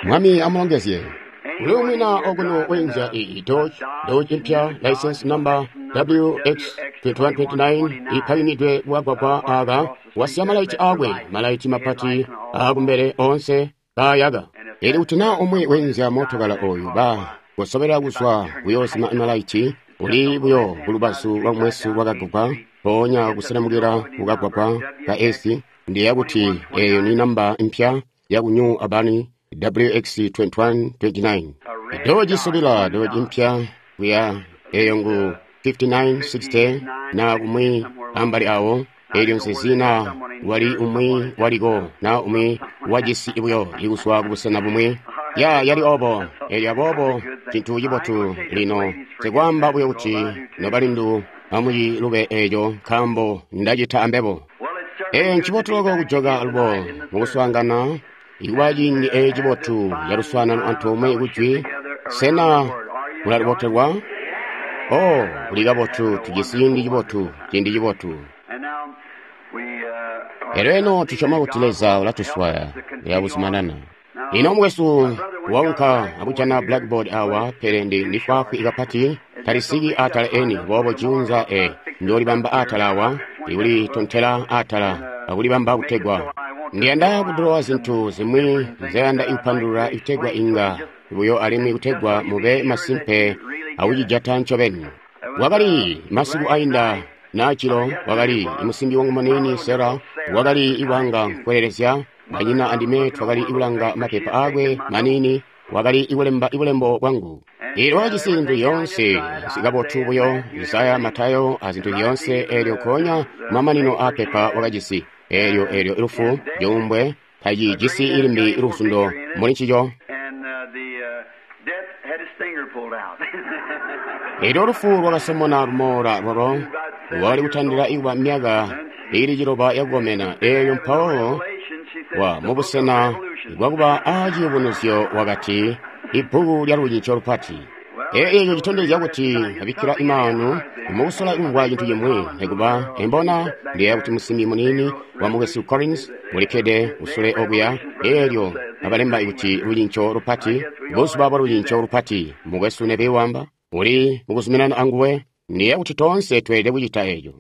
Mwami amulongezye. Kuli umwi na okuno weenzya iyi Dodge, Dodge mpya, license number WX2129, ipakingidwe kukagwagwa aka, wasiya malaiti akwe, malaiti mapati aakumbele onse kaayaka. Elyo kuti na umwi weenzya mootokala oyu, ba kosobela kuzwa kuyoozima malaiti, uli buyo kulubazu lwa mwesu lwakagwagwa, mpoonya kuselemukila kukagwagwa ka S, ndiyeeya kuti eyo ni namba mpya yaku New Albany, WX2129. Dodge isubila, Dodge mpya kuya, eyo ngu 5960 na kumwi ambali awo, elyo nsezi na wali umwi waliko na umwi wajisi buyo ikuzwa kubusena bumwi. Ya yali obo, elyo aboobo cintu cibotu lino nsikwaamba buyo kuti nobalindu amuyilube eco nkaambo ndacita ambebo. Ncibotu loko kujoka alubo mukuswaangana, ikuba ciindi eci cibotu caluswaanano antoomwe kujwi. Sena mulalibotelwa? Oh, kuli kabotu, tujisi ciindi cibotu, ciindi cibotu. Elyo eno tusyoma kuti Leza ulatuswaya kuyabuzumanana. Ino mukwesu waunka akujana blackboard awa, pele ndi fwaafwi kapati, talisiki atala eni, boobo juunza njoolibamba atala awa, ikulitontela atala akulibamba kutegwa ndiyanda kudulowa zintu zimwi nzeyanda kupandulula kutegwa inga buyo alimwi kutegwa mube masimpe akucijata ncobeni. Wakali masiku ainda naacilo, wakali musimbi wangu muniini Sarah, wakali iwanga nkwelelezya, banyina andime twakali kulanga mapepa aakwe maniini, wakali kulemba bulembo bwangu. Elyo wakajisi zintu zyoonse zikabotu buyo, Isaya, Matayo, a zintu zyoonse, elyo nkoonya mamanino aapepa wakajisi. Elyo, elyo lufu, cuumbwe, tacijisi limbi luzundo muli ncico. Elyo lufu lwakasomona lumoola lwalo, lwakali kutandila ikuba myaka iili 9 yakukomena. Elyo mpawo wa mubusena bwakuba a ciyubunuzyo wakati, ibbuku lya lucinco lupati. Eco citondezya kuti abikkila imaanu mukusola kumvwa cintu cimwi, nekuba embona ndiyeeya kuti musimbi muniini wa mukwesu Collins ulikkede kusule okuya, elyo abalemba kuti lucinco lupati, buzuba bwa lucinco lupati, mukwesu Neville wamba, uli mukuzuminana anguwe. Ndiyeeya kuti toonse tweelede kucita eco.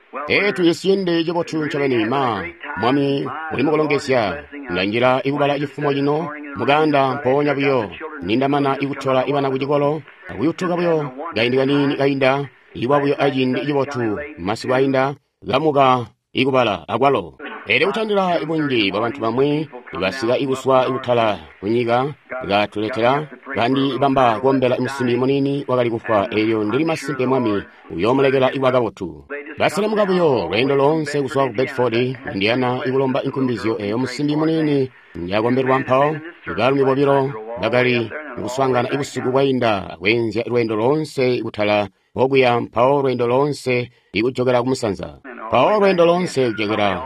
Tujisi ciindi cibotu ncobeni, ma Mwami uli mukulongezya. Ndanjila ikubala cifumo cino muganda mpoonya buyo nindamana ikutola ibana kucikolo akuyutuka buyo kaindi kaniini kainda, ikuba buyo aciindi cibotu masiku ainda kamuka ikubala akwalo. Elyo kutandila bunji bwa bantu bamwi basika ikuswa ikutala kunyika katuletela kandi bamba kuombela musimbi muniini wakali kufwa. Elyo ndili masimpe Mwami uyoomulekela ikuba kabotu. Baselemuka buyo lweendo loonse kuzwa ku Bedford, Indiana, ikulomba inkumbizyo eyo musimbi muniini njakombelwa mpawo. Baalumi bobilo bakali kuswaangana ibusiku bwainda akweenzya lweendo loonse kutala okuya, mpawo lweendo loonse ikujokela kumusanza, mpawo lweendo loonse kujokela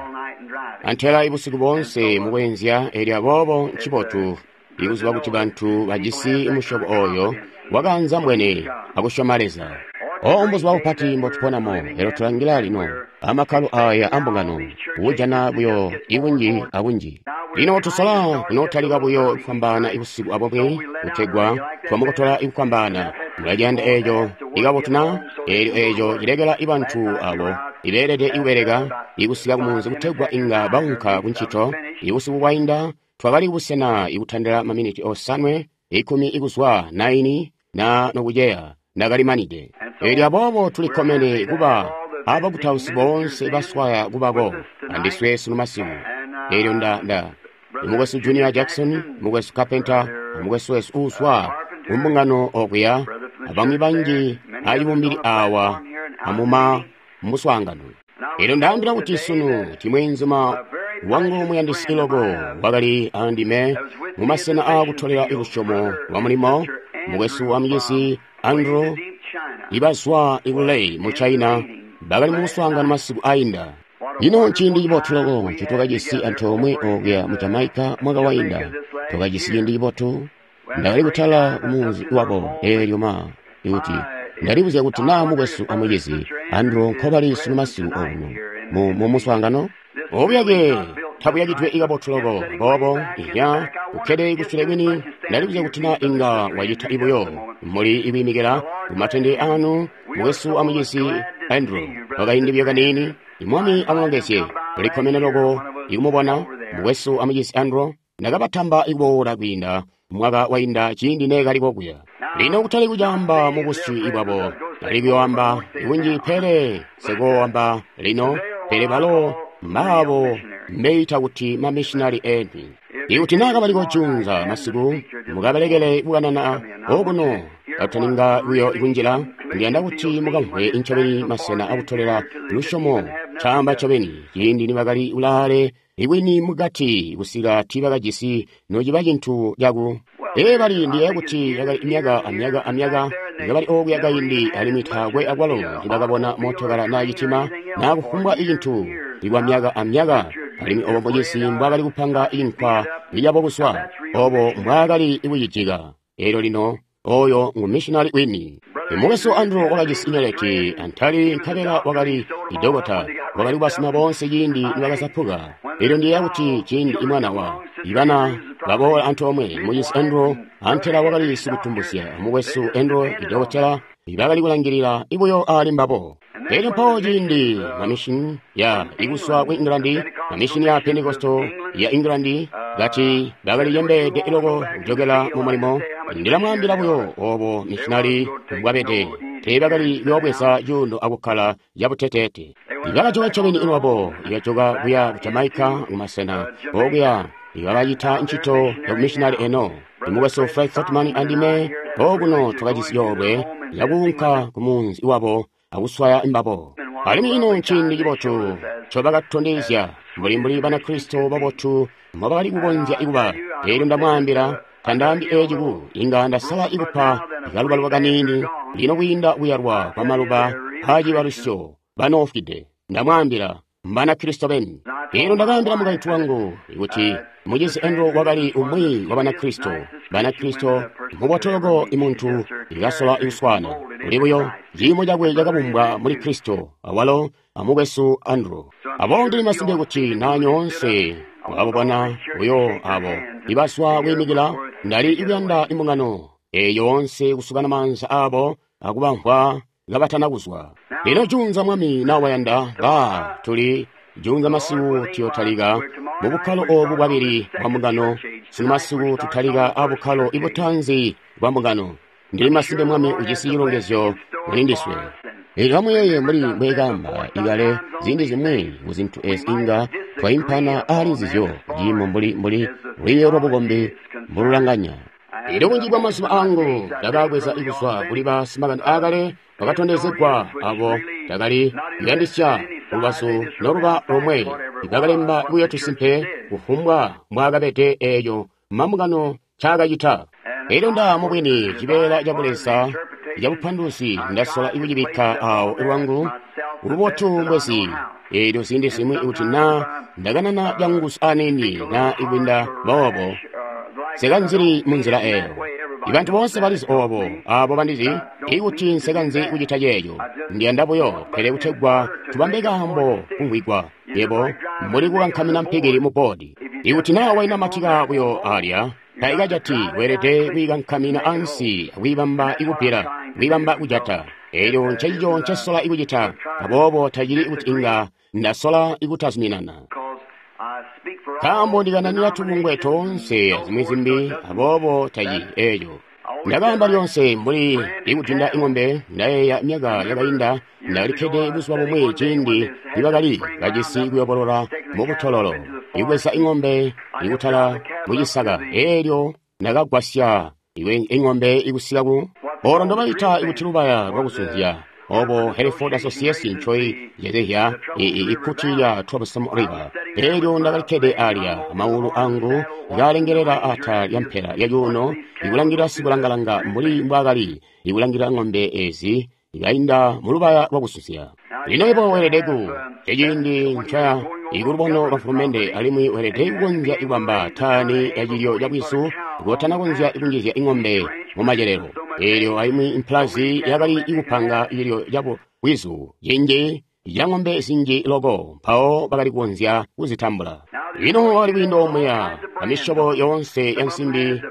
antela ibusiku boonse mukweenzya. Elyo aboobo ncibotu ikuziba kuti bantu bajisi musyobo oyo wakanza mbwene akusyoma Leza. O mbuzuba bupati mbotuponamo, elyo tulangila lino amakkalo aya ambungano kujana buyo ibunji abunji. Lino tusola kunotalika buyo kufwambaana ibusiku abomwe kutegwa twamukotola ikufwambaana. Mulaciyanda eco ikabotu na? Elyo eco cilekela ibantu abo ibeelede ikubeleka ikusika kumunzi kutegwa inga baunka kuncito. Ibusiku bwainda twakali kubusena ikutandila maminiti 5, 10 ikuzwa 9 na nokuceya ndakalimanide. Elyo aboobo tulikkomene kuba abakutausi boonse baswaya kubako andiswe sunu masiku. Elyo nda mukwesu Junior Jackson, mukwesu Carpenter, mukwesu wesu uuswa kumbungano okuya, abamwi banji acibumbili awa amuma muswaangano. Elyo ndaambila kuti sunu timweenzuma wangu muyandisi loko wakali andime mumasena aakutolela lusyomo lwa mulimo, mukwesu wa mucisi Andrew, ibazwa ikulei mu China, bakali mukuswaangana masiku ainda. Ino nciindi cibotu loko ncitwakajisi antoomwe okuya mu Jamaica mwaka wainda. Twakajisi ciindi cibotu. Ndakali kutala kumunzi wabo eelyo ma ikuti ndalibuzya kuti naa mukwesu amucizi Andrew nkobali sunu masiku okuno mu muswaangano. Obuyake tabuyakidwe kabotu loko. Aboobo, iya, ukkede kusule kwini, ndalibuzya kuti na inga wacita buyo. Muli ikwiimikila kumatende anu, mukwesu a mucizi Andrew. Kwakaindi buyo kaniini, Mwami amulongezye. Ulikkomene loko ikumubona, mukwesu a mucizi Andrew. Ndakabatamba ikuboola kwiinda mwaka wainda ciindi neekali kokuya. Lino kutali kucaamba mu busyu bwabo, ndali kuyoamba kunji pele nsikooamba lino, pele balo mbaabo mbeita kuti mamishinali eni. Ikuti naa kabaliko juunza masiku, mukabelekele kukanana okuno kataninga buyo kunjila, ndiyanda kuti mukamvwe ncobeni masena akutolela lusyomo caamba ncobeni ciindi nibakali kulaale ikwini mukati kusika tiibakajisi nociba cintu caku. Ee bali ndiyeeya kuti yakali myaka amyaka amyaka kabali okuya kaindi alimwi taakwe akwalo nibakabona mootokala naa citima naa kufumbwa icintu ikwa myaka amyaka, alimwi obo mucizi mbwaakali kupanga inkwa iyabo kuswa, obo mbwaakali kucijika. Eelyo lino oyo ngu missionary wini. Mukwesu Andrew wakajisi nyeleti antali nkabela wakali idokota, wakali kubasima boonse ciindi nibakazapuka. Eelyo ndiyeeya kuti ciindi imwana wa ibana baboola antoomwe, mucizi Andrew antela wakali sikutumbusya, mukwesu Andrew idokotela bakali kulangilila buyo ali mbabo. Elyo mpawo ciindi mamishini ya ikuswa ku England, mamishini ya Pentecostal ya England kati bakali cembeede loko kujokela mu mulimo. Ndilamwaambila buyo obo mishinali mbwabede. Teebakali kuyoobweza cuuno akukkala cabuteteete. Bakajoka ncobeni lwabo, bakajoka kuya ku Jamaica kumasena okuya bakacita ncito ya bumishinali eno. Mukwesu Fred Sothmann andime okuno twakajisi coolwe cakuunka ku munzi wabo akuswaya mbabo. Alimwi ino nciindi cibotu ncobakatondezya mbuli Banakristo babotu mbobakali kukonzya kuba. Eelyo ndamwaambila, tandaambi eeci ku inga ndasala ikupa kalubaluba kaniini lino kwiinda kuyalwa kwamaluba aacibalusyo banoofwide. Ndamwaambila, Mbanakristo beni. Eelyo ndakaambila mukaintu wangu kuti mucizi Andrew wakali umwi wa Banakristo. Banakristo mubotu loko imuntu ikasola kuswaana. Kuli buyo ciimo cakwe cakabumbwa muli Kristo, awalo amukwesu Andrew. Aboobo ndili masimpe kuti naa nyoonse mwakabubona buyo abo ibaswa kwiimikila, ndali kuyanda imbungano eeyi yoonse kusukana maanza abo akubamvwa kabatana kuzwa. Lino juunza Mwami na wayanda, ba tuli juunza masiku tuyotalika mu bukkalo obu bwabili bwa mbungano. Sunu masiku tutalika abukkalo ibutaanzi bwa mbungano. Ndili masimpe Mwami ujisi cilongezyo muli ndiswe. Eelyo amuyeeye mbuli mbweekaamba ikale ziindi zimwi ku zintu ezi inga twaimpana aali nzizyo ciimo mbuli lwiiyo lwabukombi mbululanganya. Eelyo bunji bwa mazuba angu ndakaabweza kuzwa kuli basimakani aakale bakatondezegwa abo ndakali kuyandisya lubazu noluba lomwe bakalemba buyo tusimpe kufumbwa mbwaakabede eeco mambungano ncaakacita. Eelyo nda mubwini cibeela ca Buleza cabupanduluzi ndasola kucibikka awo lwangu lubotu mbwezi. Eelyo ziindi zimwi kuti naa ndakanana canguzu aniini naa ikwiinda boobo, nsekanzili munzila eeyo. Ibantu boonse balizi oobo, aabo bandizi, ikuti nsekanzi kucita ceeco. Ndiyanda buyo, pele kutegwa tubambe kaambo kumvwigwa, yebo mbuli kukankamina mpikili mu bboodi. Ikuti naa wainamatika buyo alya, taikajati, weelede kwiikankamina ansi akwiibamba ikubbila, kwiibamba kujata. Eelyo ncencico ncesola ikucita, aboobo tacili kuti inga ndasola ikutazuminana. Nkaambo ndikananina tubungwe toonse azimwi zimbi, aboobo taci eeco. Ndakaamba lyonse mbuli ikudinda ing'ombe, ndayeeya myaka yakainda ndakalikkede buzuba bumwi ciindi nibakali bajisi kuyobolola mubutololo, ikubweza ing'ombe ikutala mucisaka. Eelyo ndakagwasya ing'ombe ikusika ku olo ndobaita ikuti lubaya lwakusunzya, obo Hereford Association ncoi yezehya ikkuti lya Troublesome River. Eelyo ndakalikkede alya, amaulu angu kaalengelela atala lya mpela ya cuuno, ikulangila sikulangalanga mbuli mbwaakali ikulangila ng'ombe ezi ikainda mulubaya lwakusunzya. Lino yebo weelede ku eciindi nca ikulubono lwa mfulumende, alimwi weelede kukonzya ikubamba tani ya cilyo ca bwizu kotanakonzya ikunjizya ing'ombe mu macelelo. Eelyo aimwi implazi yakali ikupanga cilyo ca bwizu cinji ca ng'ombe zinji loko, mpawo bakali kukonzya kuzitambula. Lino wakali kwiinda omuya amisyobo yoonse ya nsimbi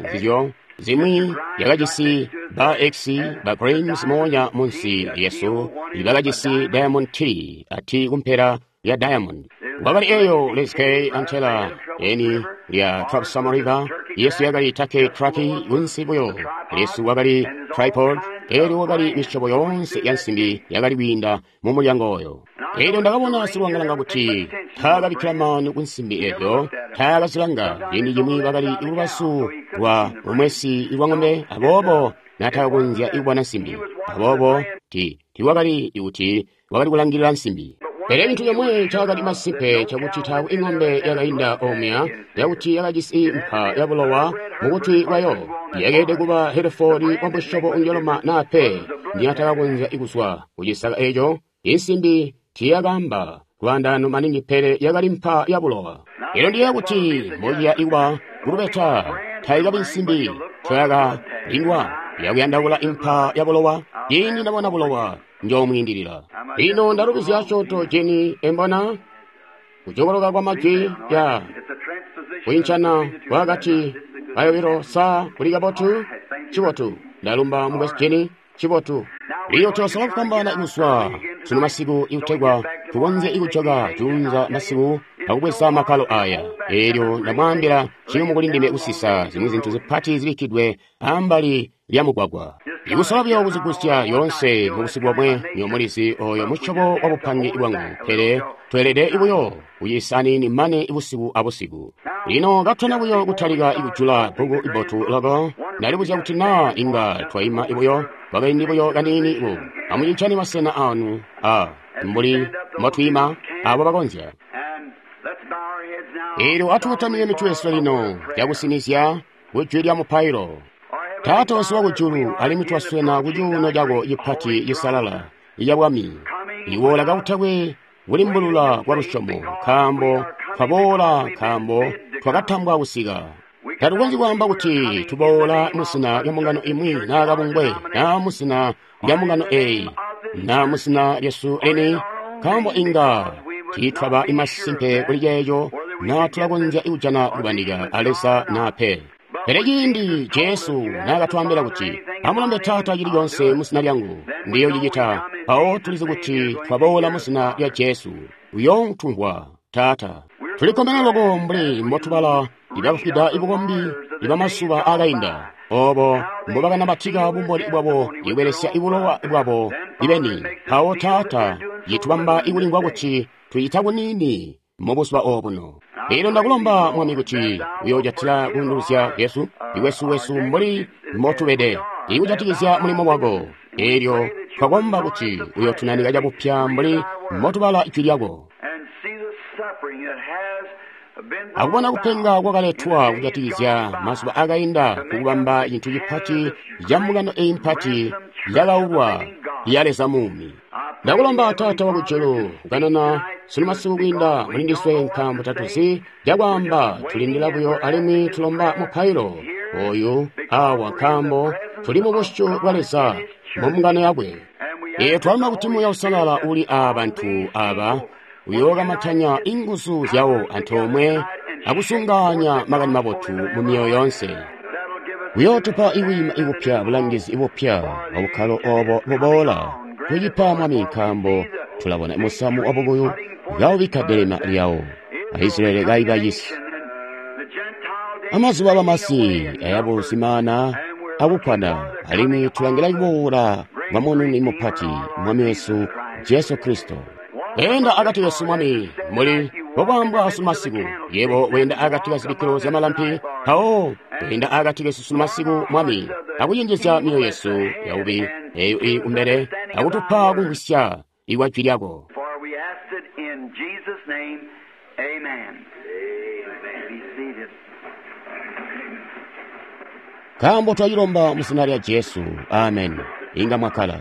nzizyo zimwi yakajisi ba X ba Grimes moonya munsi lyesu bakajisi Diamond T a T kumpela ya Diamond. Wakali eyo Les K antela eni lya Trapsam River, yesu yakali Take Traki kunsi buyo lyesu wakali tripod, elyo wakali misyobo yoonse ya nsimbi yakali kwiinda mu mulyango oyo. Elyo ndakabona silwangalanga kuti taakabikkila maanu ku nsimbi ezyo, taakazilanga. Ciindi cimwi bakali kulubazu lwa lumwesi lwa ng'ombe, aboobo natakakonzya kubona nsimbi. Aboobo tiiwakali kuti wakali kulangilila nsimbi. Pele cintu comwe cakali masimpe cakuti taakwe ing'ombe yakainda omuya yakuti yakajisi mpa ya bulowa mukutwi kwayo. Yakeelede kuba Hereford wa musyobo unjoloma naa pe niyatakakonzya kuzwa kucisaka eco. Insimbi tiiyakaamba lwaandaano maningi, pele yakali mpa ya bulowa. Elyo ndiyeeya kuti mbociya ikuba kulubeta taikabi nsimbi ncoyakalindwa yakuyandaula impa ya bulowa. Ciindi ndabona bulowa njoomwiindilila. Lino ndalubizya asyoonto jeni embona kujokoloka kwa majwi ya kuincana kwakati kayobilo sa kuli kabotu cibotu. Ndalumba mukwesu Jeni, cibotu. Lino tuyosola kufwambaana kuzwa sunu masiku ikutegwa tukonzye ikujoka juunza masiku akubweza makkalo aya. Elyo ndamwaambila ciyumu kuli ndime kusisa zimwi zintu zipati zibikkidwe ambali lya mugwagwa. Ikusola buyo kuzigusya yoonse mubusiku bomwe, nywebo mulizi oyo musyobo wa bupange bwangu, pele tweelede buyo kuyisa aniini mane busiku abusiku. Lino katuna buyo kutalika kujula bbuku ibotu loko, ndalibuzya kuti naa inga twaima buyo kwakaindi buyo kaniini ku amucincane masena anu a mbuli mbotwiima abo bakonzya. Elyo atukotamike mitwe yesu lino cakusinizya kujwi lya mupailo. Taata wesu wakujulu, alimwi twaswena kucuuno cako cipati cisalala ica bwami, iwoola kakutakwe kulimbulula kwa lusyomo, nkaambo twaboola, nkaambo twakatambwa kusika. Tatukonzyi kwaamba kuti tuboola musina lya mbungano imwi naa kabungwe, naa musina lya mbungano eeyi, naa musina lyesu lini, nkaambo inga tiitwaba imasimpe kuli ceeco, naa tulakonzya kujana kubandika a Leza naa pe. Pele ciindi Jesu naakatwaambila kuti, amulombe Taata cili coonse musina lyangu, ndiyoocicita, mpawo tulizi kuti twaboola musina lya Jesu, uyootumvwa Taata. Tulikkomene loko mbuli mbotubala ibakafwida ibukombi ibamazuba aakainda, oobo mbobakanamatika bumboni bwabo ikubelesya ibulowa bwabo ibeni. Mpawo Taata citubamba ikulimvwa kuti tucita kuniini mubuzuba obuno. Lino ndakulomba Mwami kuti uyoojatila kuunduluzya Yesu ikwesu wesu mbuli mbotubede ikujatikizya mulimo wako. Elyo twakomba kuti uyootunanika cabupya mbuli mbotubala ijwi lyako, akubona kupenga kwakaletwa kujatikizya mazuba akainda kukubamba cintu cipati ca mbungano eyi mpati yakaulwa ya Leza muumi. Ndakulomba Taata wakujulu kukanana sunu masiku kwiinda muli ndiswe, nkaambo tatuzi cakwaamba, tulindila buyo alimwi tulomba mupailo oyu awa, nkaambo tuli mu busyu bwa Leza mu mbungano yakwe. Ee, twalomba kuti Muuya Uusalala uli aa bantu aba uyookamatanya inguzu zyawo antoomwe akusunganya makani mabotu mu myoyo yoonse. Uyootupa ikwiima ikupya, bulangizi ibupya abukkalo obo buboola. Tucipa Mwami, nkaambo tulabona musamu wabukuyu kaubikka delema lyawo, Aisraeli kaibacisi. Amazuba abamasi ayabuzimaana akukkwana, alimwi tulangila kuboola kwa Mununi mupati, Mwami wesu Jesu Kristo. Weenda akati kesu Mwami, mbuli mbokwaambwa sunu masiku. Yebo weenda akati ka zibikkilo zyamalampi, mpawo weenda akati kesu sunu masiku Mwami, akucenjezya myoyo yesu yaubi eyo ili kumbele, akutupa kumvwisya ikwa jwi lyako. Nkaambo twacilomba mu zina lya Jesu, amen. Inga mwakkala.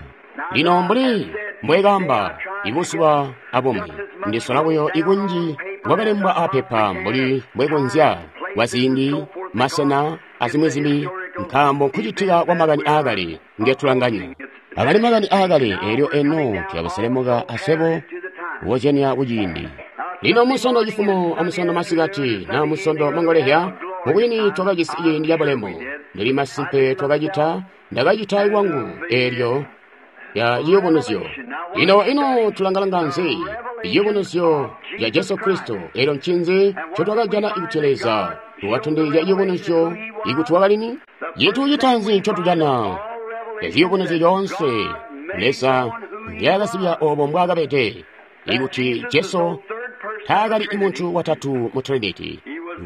Lino mbuli mbwekaamba ibuzuba abumwi, ndisola buyo ikunji bwakalembwa apepa mbuli mbwekonzya kwa ziindi, masena azimwi zimbi, nkaambo nkucitika kwa makani aakale ngetulanganya. Akali makani aakale, elyo eno tuyabuselemuka aswebo kukozyanya kuciindi. Lino Munsondo cifumo a Munsondo masikati na Munsondo mangolezya, mubwini twakajisi ciindi cabulemu. Ndili masimpe twakacita, ndakacita lwangu eelyo ya ciyubunuzyo. Lino ino tulangalanga nzi? Ciyubunuzyo ca Jesu Kristo. Eelyo ncinzi ncotwakajana ikuti Leza wakatondezya ciyubunuzyo ikuti wakali ni? Cintu citaanzi ncotujana ciyubunuzyo coonse Leza nzyaakazibya obo mbwaakabede, ikuti Jesu taakali muntu watatu mu Trinity.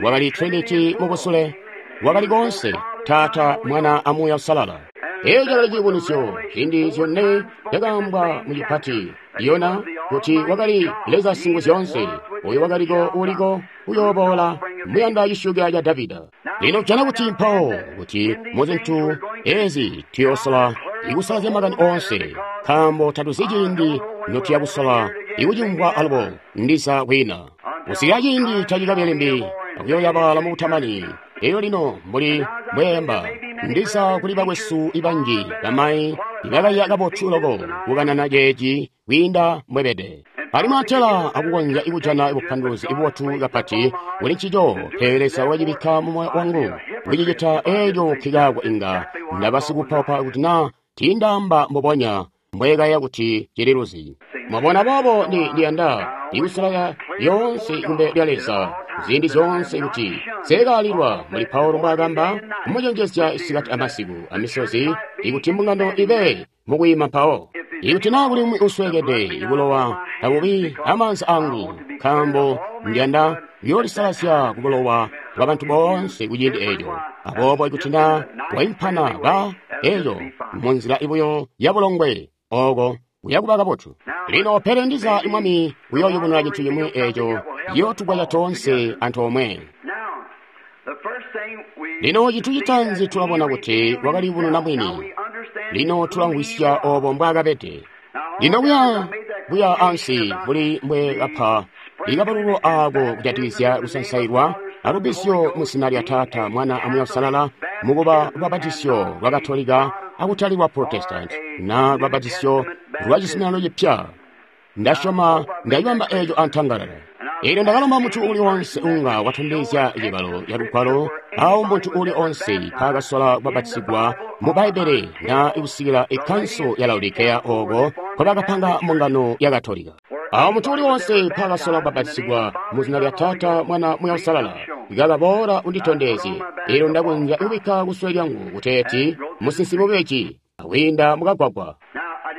Wakali Trinity mubusule, wakali koonse, Taata, Mwana, a Muuya Uusalala. Eeco cakali ciyubunuzyo, ziindi zyone zyakaambwa mu cipati, Yona, kuti wakali Leza Singuzyoonse, oyo wakaliko, uliko, uyooboola, muyanda cisyuukila ca Davida. Lino tujana kuti mpawo, kuti mu zintu ezi tuyoosola ikusalazya makani oonse, nkaambo tatuzi ciindi notuya kusola ikucimvwa alubo ndiza kwina. Kusikila ciindi tacikabe limbi, akuyooyabala mu butamani. Elyo lino mbuli mbweemba, ndiza kuli bakwesu banji bamayi ibakaiya kabotu loko kukanana ceeci kwiinda mbwebede. Alimwi atela akukonzya kujana bupanduluzi bubotu kapati kuli ncico, pele Leza wakacibikka mu moyo wangu kucicita eelyo nkikaako inga ndaba sikupapa kuti naa tiindaamba mbubonya mbweekaiya kuti cililuzi. Mwabona, boobo ndiyanda ikusalala lyoonse kumbele lya Leza ziindi zyoonse kuti nseekaalilwa mbuli Paulo mbwaakamba kumucenjezya isikati amasiku amisozi ikuti mbungano ibe mukwiima mpawo. Ikuti naa kuli umwi usweekede, bulowa tabubi amaanza angu, nkaambo ndiyanda kuyoolisalazya kubulowa bwa bantu boonse kuciindi eeco. Aboobo ikuti naa waimpana ba eeco munzila ibuyo yabulongwe, ooko kuyakuba kabotu. Lino pele ndiza Mwami uyooyubununa cintu cimwi eeco ciyootugwasya toonse antoomwe. Lino cintu citaanzi tulabona kuti wakaliyubununa mwini. Lino tulamvwisya obo mbwaakabede. Lino kuya ansi mbuli mbwe kapa ikapalulo aako kujatikizya kusansailwa alubbizyo mu zina lya Taata, Mwana, a Muuya Uusalala, mukuba lubabatisyo lwa Katolika akutali lwa Protestant na lubabatisyo lwa Cizuminano Cipya. Ndasyoma ndacibamba eeco antangalala. Eelyo ndakalomba muntu uuli onse unga watondezya cibalo ca Lugwalo awo muntu uuli onse mpaakasola kubabatizigwa mu Bbaibbele na kusikila ikkanso ya Laodikeya ooko nkobakapanga mbungano ya Katolika. Awo muntu uuli onse mpaakasola kubabatizigwa mu zina lya Taata, Mwana, Muuya Uusalala, ikakaboola unditondezye. Eelyo ndakonzya kubikka kusule lyangu kuteeti musinsimi mubeji akwiinda mukagwagwa.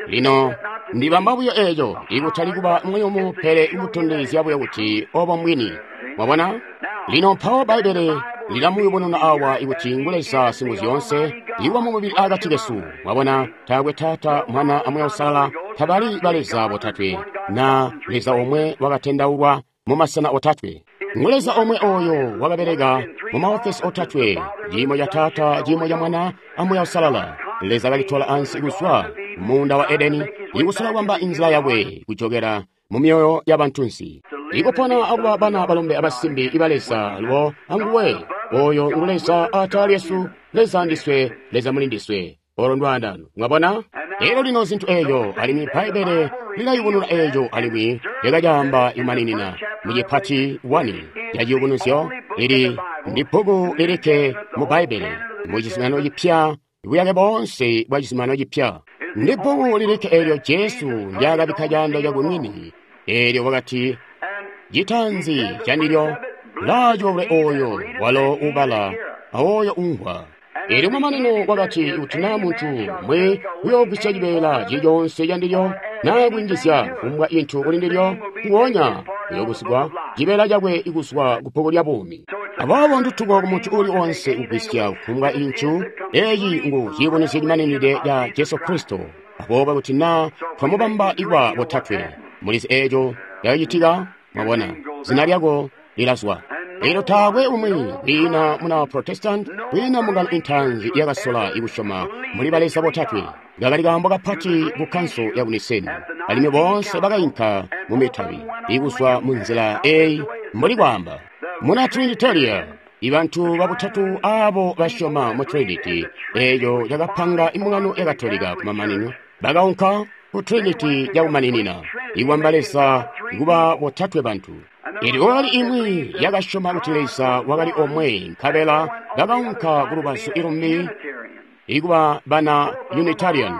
Lino ndibamba buyo eeco ikutali kuba muyumu pele ikutondezya buyo kuti obo mbwini. Mwabona? Lino mpawo Bbaibbele lilamuyubununa awa ikuti ngu Leza Singuzyoonse iwa mu mubili akati kesu. Mwabona, taakwe Taata, Mwana, a Muuya Uusalala tabali ba Leza botatwe, na Leza omwe wakatendaulwa mu masena otatwe. Ngu Leza omwe oyo wakabeleka mu maofesi otatwe, ciimo ca Taata, ciimo ca Mwana, a Muuya Uusalala. Leza kalitola ansi kuzwa muunda wa Edeni, ikusola kubamba inzila yakwe kujokela mu myoyo ya bantunsi, ikupona akuba bana balombe abasimbi iba Leza alubo anguwe. Oyo ngu Leza atala lyesu, Leza ndiswe, Leza muli ndiswe. Olo ndwaandano. Mwabona? Elyo lino zintu eeco, alimwi Bbaibbele lilayubununa eeco, alimwi lyakacaamba imaninina mu cipati 1 ca ciyubunuzyo. Lili ndi bbuku lilikke mu Bbaibbele mu Cizuminano Cipya, buyake boonse bwa Cizuminano Cipya. Ndi bbuku lilikke eelyo Jesu ndyaakabikka caando cakwe mwini, eelyo wakati, citaanzi candilyo laacoolwe oyo walo ubala awoyo umvwa. Eelyo mamanino wakati, kuti naa muntu mwe uyoogwisya cibeela cili coonse candilyo naa kwinjizya kufumbwa cintu kuli ndilyo, nguonya uyoogusigwa cibeela cakwe kuzwa ku bbuku lya buumi. Aboobo ndutuko ku muntu uuli onse kugwisya kufumbwa cintu. Eeci ngu ciyubunuzyo cimaninide ca Jesu Kristo. Aboobo kuti naa twamubamba ikwa botatwe, mulizi eeco cakacitika. Mwabona, zina lyako lilazwa. Elyo taakwe umwi, kwiina muna Protestant, kwiina mbungano intaanzi yakasola ikusyoma muli baleza botatwe. Kakali kaambo kapati ku kkanso ya ku Niseni, alimwi boonse bakainka mu mitabi ikuzwa mu nzila eyi mbuli kwaamba. Muna Trinitaria, ibantu babutatu aabo basyoma mu Trinity, eeco cakapanga imbungano ya Katolika kumamanino, bakaunka ku Trinity yakumaninina, ikwamba Leza kuba botatwe bantu. Elyo kwakali imwi yakasyoma kuti Leza wakali omwe, nkabela bakaunka ku lubazu lumbi ikuba bana Unitarian.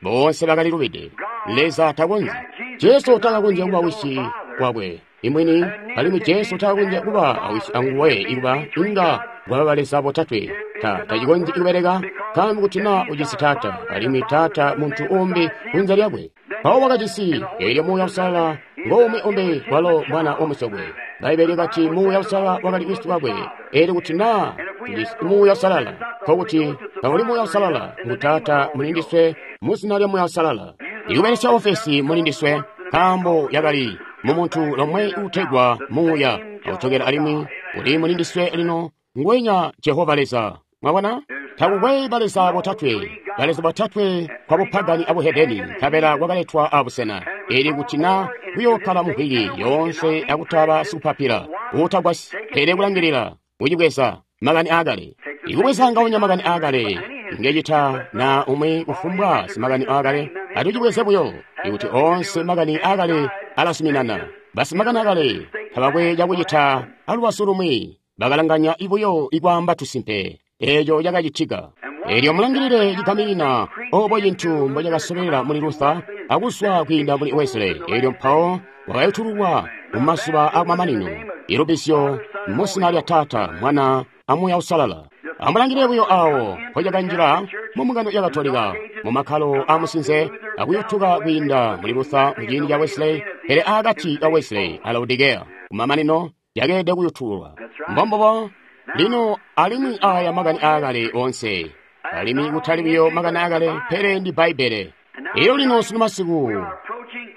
Boonse bakali lubide. Leza takonzyi. Jesu takakonzya kuba wisi wakwe imwini, alimwi Jesu takakonzya kuba awisi anguwe ikuba inga bwaba baleza botatwe. Tacikonzyi kubeleka, nkaambo kuti naa ujisi Taata, alimwi Taata muntu umbi kunze lyakwe. Mpawo wakajisi, eelyo Muuya Uusalala ngoumwi umbi walo mwana wamusokwe. Bbaibbele lyakati Muuya Uusalala wakali wisi wakwe. Eelyo kuti naa tujisi Muuya Uusalala, nkokuti tauli Muuya Uusalala ngu Taata muli ndiswe mu zina lya Muuya Uusalala. Ikubelesya ofesi muli ndiswe, nkaambo yakali mu muntu lomwe uutegwa Muuya, akutokela alimwi uli muli ndiswe lino ngwenya Jehova Leza. Mwabona? Takukwe baleza botatwe, baleza botatwe kwa bupagani abuhedeni, nkabela kwakaletwa abusena. Eli kuti na kuyokkala muvwiki yoonse akutaba sikupapila uutagwasyi, pele kulangilila kucibweza makani aakale. Ikubweza ngaunya makani aakale ngecita na umwi kufumbwa simakani aakale, atucibweze buyo ikuti oonse makani aakale alasuminana. Basimakani aakale tabakwe cakucita alubazu lumwi, bakalanganya buyo ikwaamba tusimpe. Eeco cakacitika. Eelyo mulangilile cigaminina obo cintu mbo cakasobelela muli Luther akuzwa kwiinda muli Wesley. Eelyo mpawo wakayutululwa mu mazuba akumamanino, ilubizyo mu zina lya Taata, Mwana, a Muuya Uusalala. Amulangilile buyo awo mpo cakanjila mu mbungano ya Katolika, mu makkalo aamusinze, akuyutuka kwiinda muli Luther mu ciindi ca Wesley, pele aakati ka Wesley a Laodicea, kumamanino yakeelede kuyutululwa. Mbombubo. Lino alimwi aya makani aakale oonse, alimwi kutali buyo makani aakale, pele ndi Bbaibbele. Elyo lino sunu masiku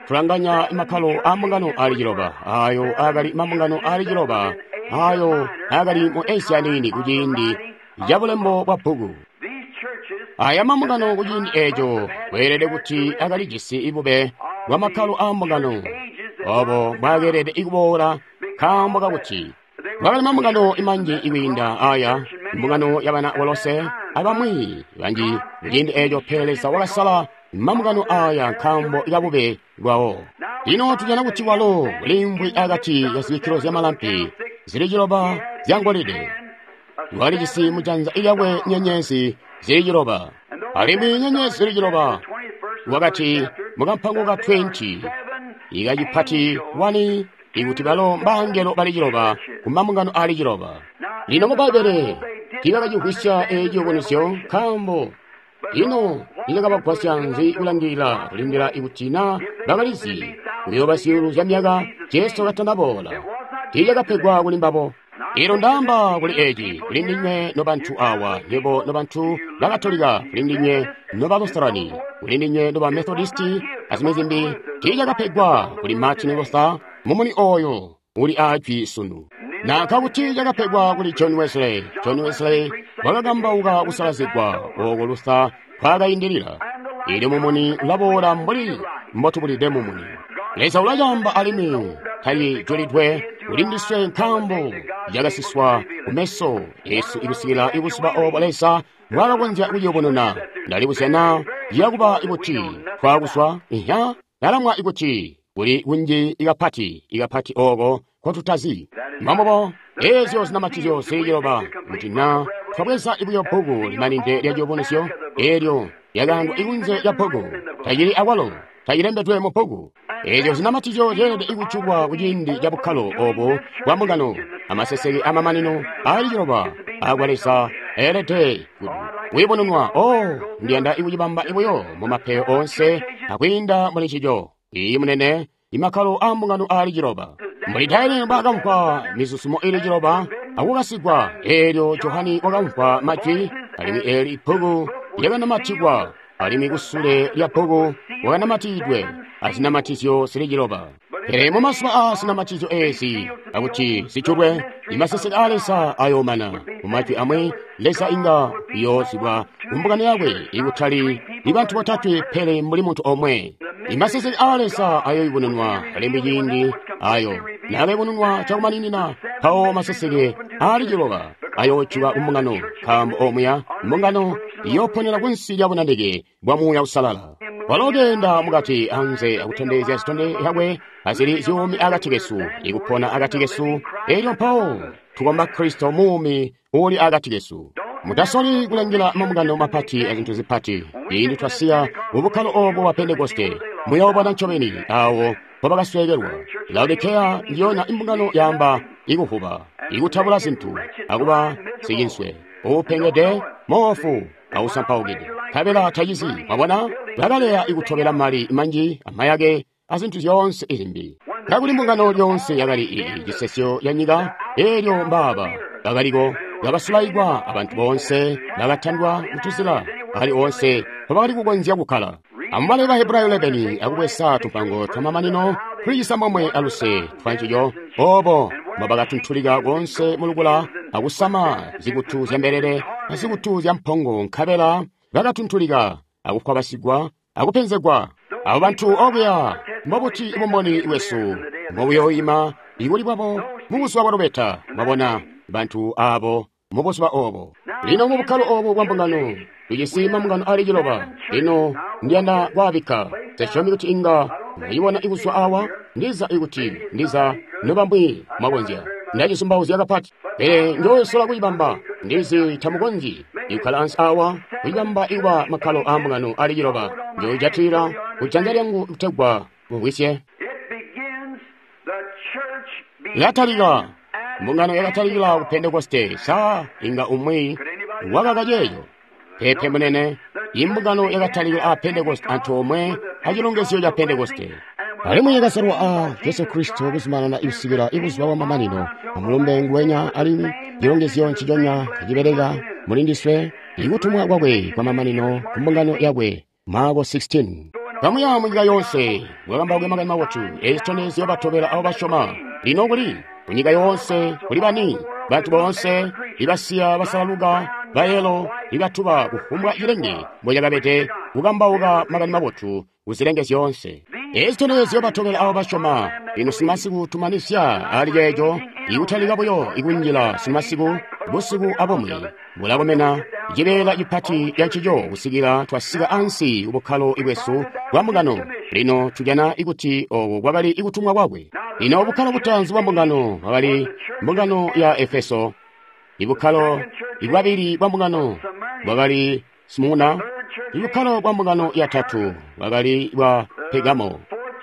tulanganya makkalo aambungano aali ciloba, ayo aakali mambungano aali ciloba, ayo aakali mu Asia Niini kuciindi ca bulembo bwa bbuku. Aya mambungano kuciindi eco kweelede kuti akalijisi bube bwa makkalo aambungano obo mbwaakeelede kuboola, nkaambo kakuti kwakali mambungano manji ikwiinda aya, mbungano ya bana Kolose abamwi banji kuciindi eco, pele Leza wakasala mambungano aya nkaambo kabube bwawo. Lino tujana kuti walo uliimvwi akati ka zibikkilo zyamalampi zili ciloba zyangolide. Walijisi mujanza lyakwe nyenyezi zili ciloba, alimwi nyenyezi zili ciloba wakati mukampango ka 20 ikacipati 1 ikuti balo mbangelo bali ciloba ku mambungano ali ciloba. Lino mu Bbaibbele tiibakacimvwisya eeci ciyubunuzyo, nkaambo ino nicakabagwasya nzi kulangilila kulindila ikuti na bakalizi kuyooba zyuulu zya myaka Jesu katanaboola. Tiicakapegwa kuli mbabo. Elyo ndaamba kuli eci, kuli ndinywe nobantu awa, nywebo nobantu ba Katolika, kuli ndinywe noba Lutherani, kuli ndinywe noba Methodisti, azimwi zimbi, tiicakapegwa kuli Martin Luther mumuni oyo uli aajwi sunu. Nanka kuti cakapegwa kuli John Wesley. John Wesley wakakambauka kusalazigwa oko Luther kwakaindilila. Elyo mumuni ulaboola mbuli mbotubulide mumuni. Leza ulacamba alimwi tacijulidwe kuli ndiswe nkaambo cakasiswa kumeso esu ikusikila ibuzuba obo Leza mbwakakonzya kuciyubununa. Ndalibuzya naa ciyakuba ikuti twakuzwa ihya ndalamwa ikuti kuli kunji ikapati ikapati oko nkotutazi. Mbombubo eezyo zinamatizyo zili ciloba kuti naa twabweza buyo bbuku limanide lya ciyubunuzyo, eelyo lyakaandwa ikunze lya bbuku, tacili akwalo tacilembedwe mu bbuku. Eezyo zinamatizyo zyeelede kujulwa kuciindi ca bukkalo obo bwa mbungano, amaseseke amamanino aali ciloba akwa Leza eelede kuyubununwa. Oh, ndiyanda kucibamba buyo mu mapeyo oonse akwiinda muli ncico. Iyi munene, imakkalo aambungano aali ciloba. Mbuli Daniele mbwaakamvwa mizuzumo ili ciloba akukasigwa, eelyo Johani wakamvwa majwi, alimwi eeli bbuku lyakanamatikwa, alimwi kusule lya bbuku wakanamatikidwe azinamatizyo zili ciloba. Pele mumazuba aa zinamatizyo eezi akuti zijulwe, imaseseke aa Leza ayoomana. Mumajwi amwi, Leza inga uyoozibwa kumbungano yakwe ikutali ibantu botatwe pele mbuli muntu omwe. Imaseseke aa Leza ayoyubununwa alimwi ciindi ayo naakayubununwa cakumaninina, mpawo maseseke aali ciloba ayoojuka kumbungano, nkaambo omuya mbungano iyooponera kunsi lya bunanike bwa Muuya Uusalala. Walo keenda mukati anze akutondezya zitondezyo zyakwe azili zyuumi akati kesu, ikupona akati kesu, elyo mpawo tukomba Kristo muumi uuli akati kesu. Mutasoli kulangila mambungano mapati azintu zipati. Ciindi twasiya mubukkalo obo bwa Pentekoste, muyoobona ncobeni awo mpobakasweekelwa. Laodikeya ndiyona imbungano yaamba ikuvuba, ikutabula zintu, akuba sicinswe, uupengede, moofu, ausampaukide. Nkabela tacizi, mwabona, bakaleya ikutobela mali manji, amayake, azintu zyoonse izimbi. Kakuli mbungano lyonse yakali ii cisesyo ya nyika, elyo mbaaba bakaliko kabasulaikwa abantu boonse, bakatandwa mutuzila akali oonse mpobakali kukonzya kukkala. Amubale ba Hebrayo 11 akubweza tumpango twamamanino tuli cisambomwe aluse twancico, obo mbobakatuntulika konse mulukula akusama zikutu zyambelele azikutu zyampongo, nkabela bakatuntulika akukwabasigwa akupenzegwa. Abo bantu okuya, mbobuti bumboni bwesu mbobuyoima ikuli bwabo mubuzuba bwa lubeta? Mwabona bantu abo mubuzuba obo. Lino mubukkalo obu bwa mbungano tujisi mambungano ali ciloba. Lino ndiyanda kwaabikka. Nsesyomi kuti inga mwayibona ikuzwa awa, ndiza ikuti ndiza nobambwi mwakonzya. Ndacizumbauzya kapati, pele njoosola kuyibamba. Ndizi tamukonzyi ikukkala ansi awa kuyibamba ikuba makkalo aa mbungano ali ciloba. Njoojatilila kujanza lyangu kutegwa mumvwisye. Ilatalika. Mbungano yakatalikila ku Pentekoste. Sa inga umwi wakaka ceeco? Peepe munene. Imbungano yakatalikila a Pentekoste antoomwe acilongezyo ca Pentekoste. Alimwi yakasalwa a Jesu Kristo kuzumanana ikusikila ibuzuba bwa mamanino. Amulumbe nguwenya alimwi cilongezyo nciconya kacibeleka muli ndiswe, ikutumwa kwakwe kwa mamanino ku mbungano yakwe. Marko 16. Kamuya munyika yonse, mukakambauke makani mabotu. Eeci citondezyo batobela abo basyoma. Lino kuli kunyika yoonse kuli bani? Bantu boonse ibasiya basalaluka, bayelo, ibatuba kufumbwa cilenge mbocakabede, kukambauka makani mabotu kuzilenge zyoonse. Eeci citondezyo batobela abo basyoma. Lino simasiku tumanisya ali ceeco, ikutalika buyo ikunjila simasiku, busiku abumwi bulakomena cibeela cipati cancico kusikila twasika ansi kubukkalo bwesu bwa mbungano. Lino tujana ikuti oku kwakali ikutumwa kwakwe. Lino bukkalo butaanzi bwa mbungano bwakali mbungano ya Efeso. Ibukkalo bwabili bwa mbungano bwakali Smurna. Ibukkalo bwa mbungano yatatu bwakali bwa Pergamo.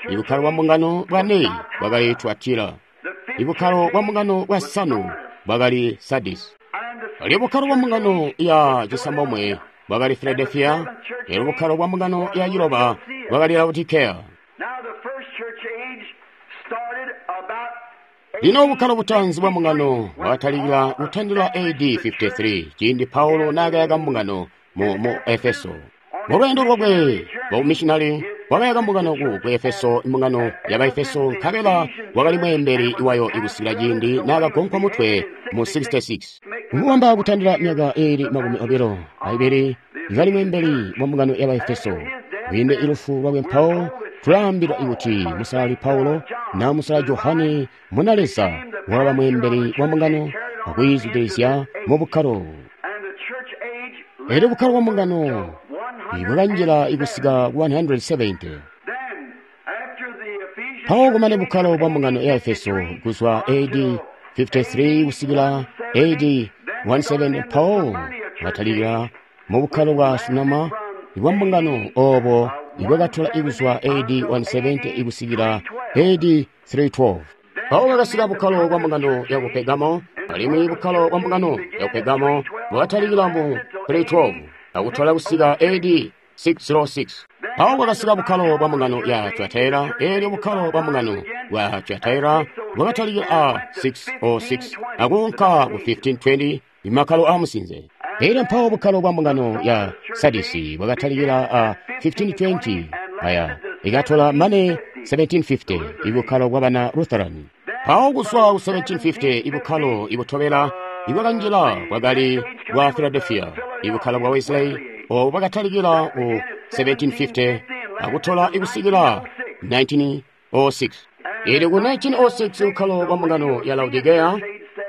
Ibukkalo bwa mbungano bwane bwakali Tuatira. Ibukkalo bwa mbungano bwasanu bwakali Sardis. Elyo bukkalo bwa mbungano ya cisambomwe bwakali Philadelphia. Elyo bukkalo bwa mbungano ya ciloba bwakali Laodicea. Lino bukkalo butaanzi bwa mbungano bwakatalikila kutandila AD 53, ciindi Paulo naakayaka mbungano mu Efeso. Mu lweendo lwakwe lwa bumissionari wakayaka mbungano ku Efeso, mbungano ya Baefeso, nkabela wakali mweembeli wayo ikusikila ciindi naakagonkwa mutwe mu 66. Nkubamba kutandila myaka iili 22 kali mweembeli wa mbungano ya Baefeso. Kwiinde ilufu lwakwe mpawo tulaambilwa kuti musalali Paulo na musalali Johane muna Leza wakaba mweembeli wa mbungano akuyizwidilizya mu bukkalo. Elyo bukkalo bwa mbungano bwakanjila ikusika ku 170. Mpawo kumane bukkalo bwa mbungano ya Efeso kuzwa AD 53 kusikila AD 17, mpawo bwatalikila mu bukkalo bwa Smurna bwa mbungano obo ibwakatola ikuzwa AD 170 ikusikila AD 312. Mpawo bwakasika bukkalo bwa mbungano ya ku Pergamo, alimwi bukkalo bwa mbungano ya ku Pergamo bwakatalikila mu 312 akutola kusika AD 606. Mpawo bwakasika bukkalo bwa mbungano ya Tuatira, elyo bukkalo bwa mbungano bwa Tuatira bwakatalikila a 606 akuunka ku 1520 imakkalo aamusinze. Elyo mpawo bukkalo bwa mbungano ya Sardisi bwakatalikila a 1520 aya ikatola mane 1750 ibukkalo bwa bana Lutheran. Mpawo kuzwa ku 1750 ibukkalo ibutobela ibwakanjila bwakali bwa Philadelphia, ibukkalo bwa Wesley obo bwakatalikila ku 1750 akutola ikusikila 1906. Elyo ku 1906 bukkalo bwa mbungano ya Laodicea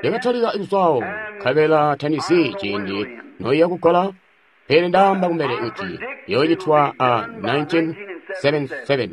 yakatalika ikuzwawo, nkabela tanizi ciindi noiya kugola. Pele ndaamba kumbele kuti yoocitwa a 1977.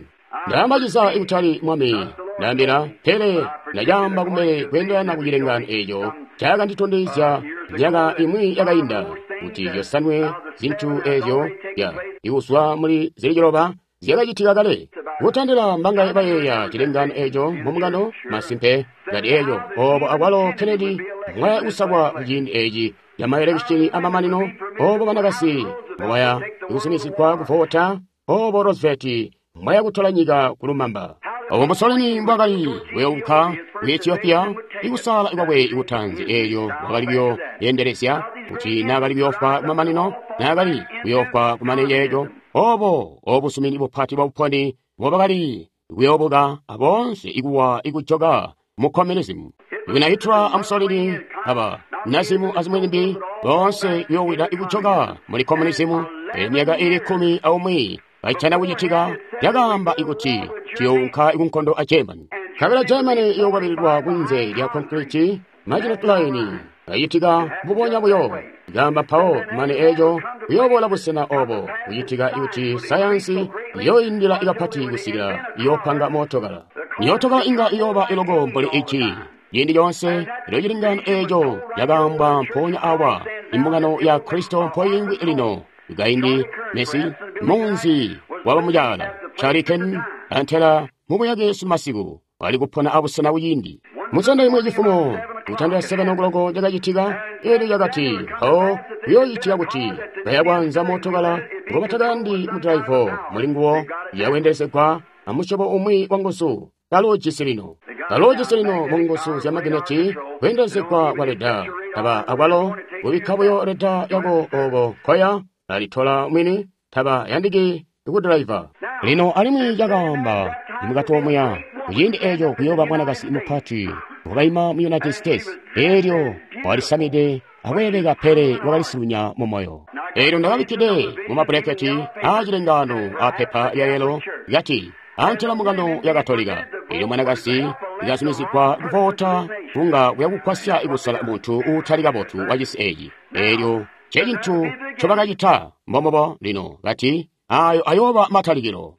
Ndaamba ciza ikutali Mwami ndaambila, pele ndacaamba kumbele kweendelana ku cilengaano eeco cakanditondezya myaka imwi yakainda, kuti zyosanwe zintu eezyo ya ikuzwa muli zili ciloba zyakacitika kale. Kutandila mbangaye bayeeya cilengaano eeco mumbungano? Masimpe ngati eeco obo akwalo Kennedy mwaya kusakwa kuciindi eeci camaelekishini amamanino, obo banakasi mbobaya kusumisigwa kuvota, obo Roosevelt mwaya kutola nyika kulumamba, obo Mussolini mbwakali kuyounka ku Ethiopia ikusala kwakwe ikutanzi eelyo wakali kuyoyendelezya kuti naakali kuyoofwa kumamanino, naakali kuyoofwa kumane yeeco, obo obusumini bupati bwa buponi mbobakali kuyoobuka aboonse ikuwa ikujoka mu communism. Ikuna Hitler a Mussolini aba Nazimu azimwi zimbi boonse kuyoowida ikujoka muli communism. Pele myaka ili 11 kayitana kucitika yakaamba ikuti tuyounka ikunkondo a Germany. Kabila Germany iyokwabililwa kunze lya concrete Maginot Line kayitika mbubonya buyo. Gamba mpawo kumane eeco kuyoobola busena obo kucitika ikuti sayansi iyoindila ikapati kusikila iyoopanga mootokala. Myootokala inga iyooba iloko mbuli ici. Ciindi coonse ilo cilingano eeco yakaambwa mpoonya awa imbungano ya Kristo mpoingwi lino. Kaindi Messi munzi wabamucaala Charlie Ken antela mubuyake masiku wali kupona abusena kuciindi. Musanda imwe cifumo kutandila 7 o'clock cakacitika eelyo cakati mpawo kuyoocitika kuti bayakwanza mootokala ngobatakayandi mudraivo mulinguwo yawendelezegwa amusyobo umwi wa nguzu kaloojisi lino. Kaloojisi lino mu nguzu zya magineti kweendelezegwa kwa leda taba akwalo kubikka buyo leda yako oko koya alitola mwini taba yandiki kudriver. Lino alimwi cakaamba imukati omuya kuciindi eeco kuyooba mwanakasi mupati wakaima mu United States eelyo walisamide akweeleka pele wakalisunya mu moyo. Eelyo ndakabikkide mu mabuleketi aacilengaano apepa lya yelo kati antela mbungano ya Katolika. Eelyo mwanakasi ikazumizigwa kuvota kunga kuyakukwasya ikusala muntu uutali kabotu wa cisi eeci. Eelyo ncecintu ncobakacita mbombobo lino kati ayo ayooba matalikilo.